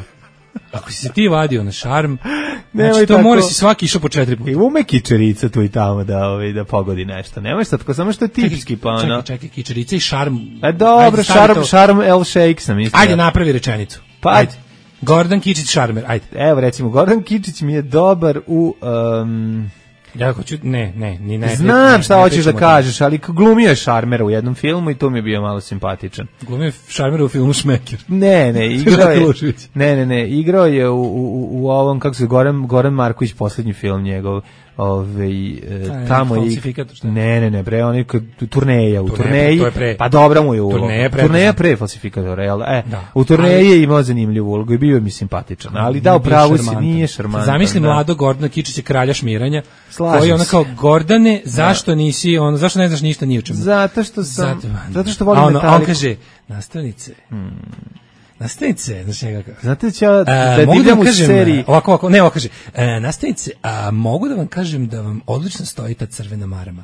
Ako si se ti vadio na šarm, znači to mora si svaki išao po 4 puta. I ume kičerica tu i tamo da pogodi nešto. Nemaš sad, samo što je tipski pa ono. Čekaj, kičerica i šarm. Dobro, šarm L Shake sam isto. Ajde, napravi rečenicu. Pa ajde. Gordon Kičić šarmer, ajde. Evo recimo, Gordon Kičić mi je dobar u... Ja hoću, ne. Znam šta hoćeš da kažeš, ali glumio je šarmera u jednom filmu i to mi je bio malo simpatičan. Glumio je šarmera u filmu Šmeker. Ne, igrao je. Igrao je u ovom, kako se Goran Marković, poslednji film njegov. Tamo i ne bre, oni turneja u turneji, pa dobra mu je uloga. Turneja pre falsifikatora, u turneji je imao zanimljivu ulogu i bio mi simpatičan, ali da, upravo si, nije šarmantan. Zamisli mladog Gordana Kičića, kralja šmiranja, koji je ona kao, Gordane, zašto nisi, zašto ne znaš ništa ni o čemu? Zato što volim Metallica. On kaže, nastavnice, znaš njega kako. Znate će da divljam u seriji. Ovako, kaže, nastavnice, mogu da vam kažem da vam odlično stoji ta crvena marama.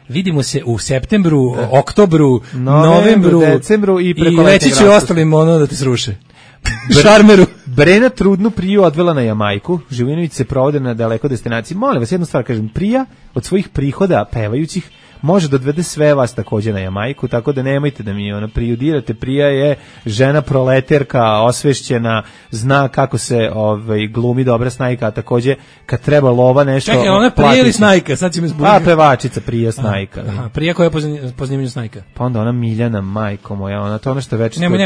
Vidimo se u septembru, oktobru, novembru, decembru i preko reći ću ostalim da te sruše. Šarmeru. Brena trudnu Priju odvela na Jamajku, Živinović se provode na daleko destinaciji. Molim vas, jednu stvar kažem, Prija od svojih prihoda pevajućih može da odvede sve vas takođe na Jamajku, tako da nemojte da mi prijudirate. Prija je žena proleterka, osvešćena, zna kako se glumi dobra snajka, a takođe kad treba lova nešto... Čekaj, ona je Prija ili snajka? Sad će me zbuditi. Pevačica Prija snajka. Prija koja je po zanimanju snajka. Pa onda ona Miljana, majko moja, ona to ono što već... Nemoj.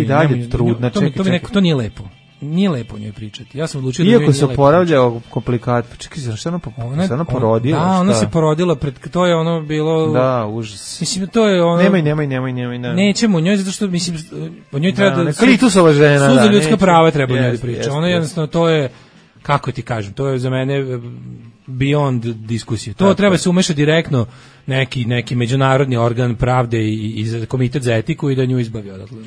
I dalje trudna, čekaj. To nije lepo. Nije lepo njoj pričati. Ja sam odlučio da iako se oporavlja komplikat. Čekaj, šta ona porodila? Da, ona se porodila to je ono bilo... Da, užas. Mislim, to je ono... Nemoj. Nećemo njoj, zato što, mislim, o njoj treba da... Klitusova žena, Sud za ljudska prava treba njoj da priča. Ona jednostavno, to je, kako ti kažem, to je za mene beyond diskusije. To treba se umeša direktno neki međunarodni organ pravde i komitet za etiku i da nju izbavi odatle.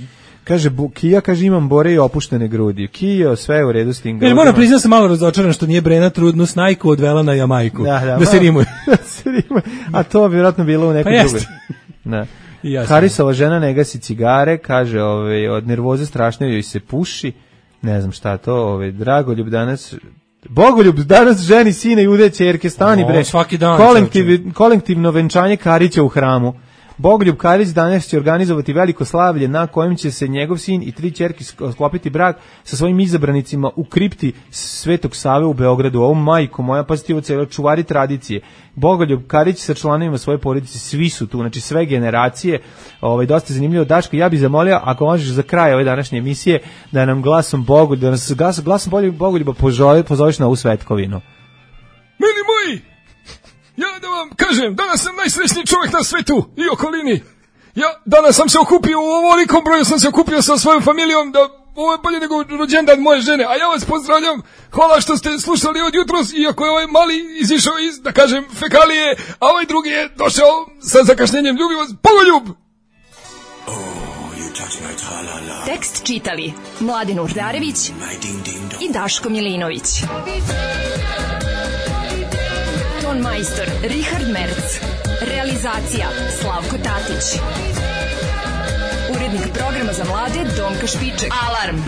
Kaže, Kija, imam bore i opuštene grudi. Kija, sve je u redu s tim grudima. Moram priznati sam malo razočaran što nije Brena trudnu snajku odvela na Jamajku. Da se rimuje. A to bi vjerojatno bilo u nekoj drugoj. Da. Karisova žena ne gasi cigare, kaže, od nervoze strašno joj se puši, ne znam šta to, Bogoljub danas ženi sina i ude ćerke, stani bre, svaki dan, kolektivno venčanje Karića u hramu. Bogoljub Karić danas će organizovati veliko slavlje na kojem će se njegov sin i 3 ćerke sklopiti brak sa svojim izabranicima u kripti Svetog Save u Beogradu. Ovo majko moja, pazite ovo celo, čuvari tradicije. Bogoljub Karić sa članovima svoje porodice, svi su tu, znači sve generacije. Dosta zanimljivo. Daško, ja bih zamolio, ako možeš za kraj ove današnje emisije, da nam glasom Bogoljuba pozoveš na ovu svetkovinu. Mili moji, ja da vam kažem, danas sam najsrećniji čovjek na svetu i okolini. Danas sam se okupio, u ovolikom broju sam se okupio sa svojom familijom, da ovo je bolje nego rođendan moje žene, a ja vas pozdravljam, hvala što ste slušali od jutros, iako je ovaj mali izišao iz, da kažem, fekalije, a ovaj drugi je došao sa zakašnjenjem. Ljubim vas, Bogoljub! Tekst čitali Mladen Urdarević i Daško Milinović. Ton majstor Richard Merc. Realizacija Slavko Tatić. Urednik programa za mlade Donka Špiček. Alarm!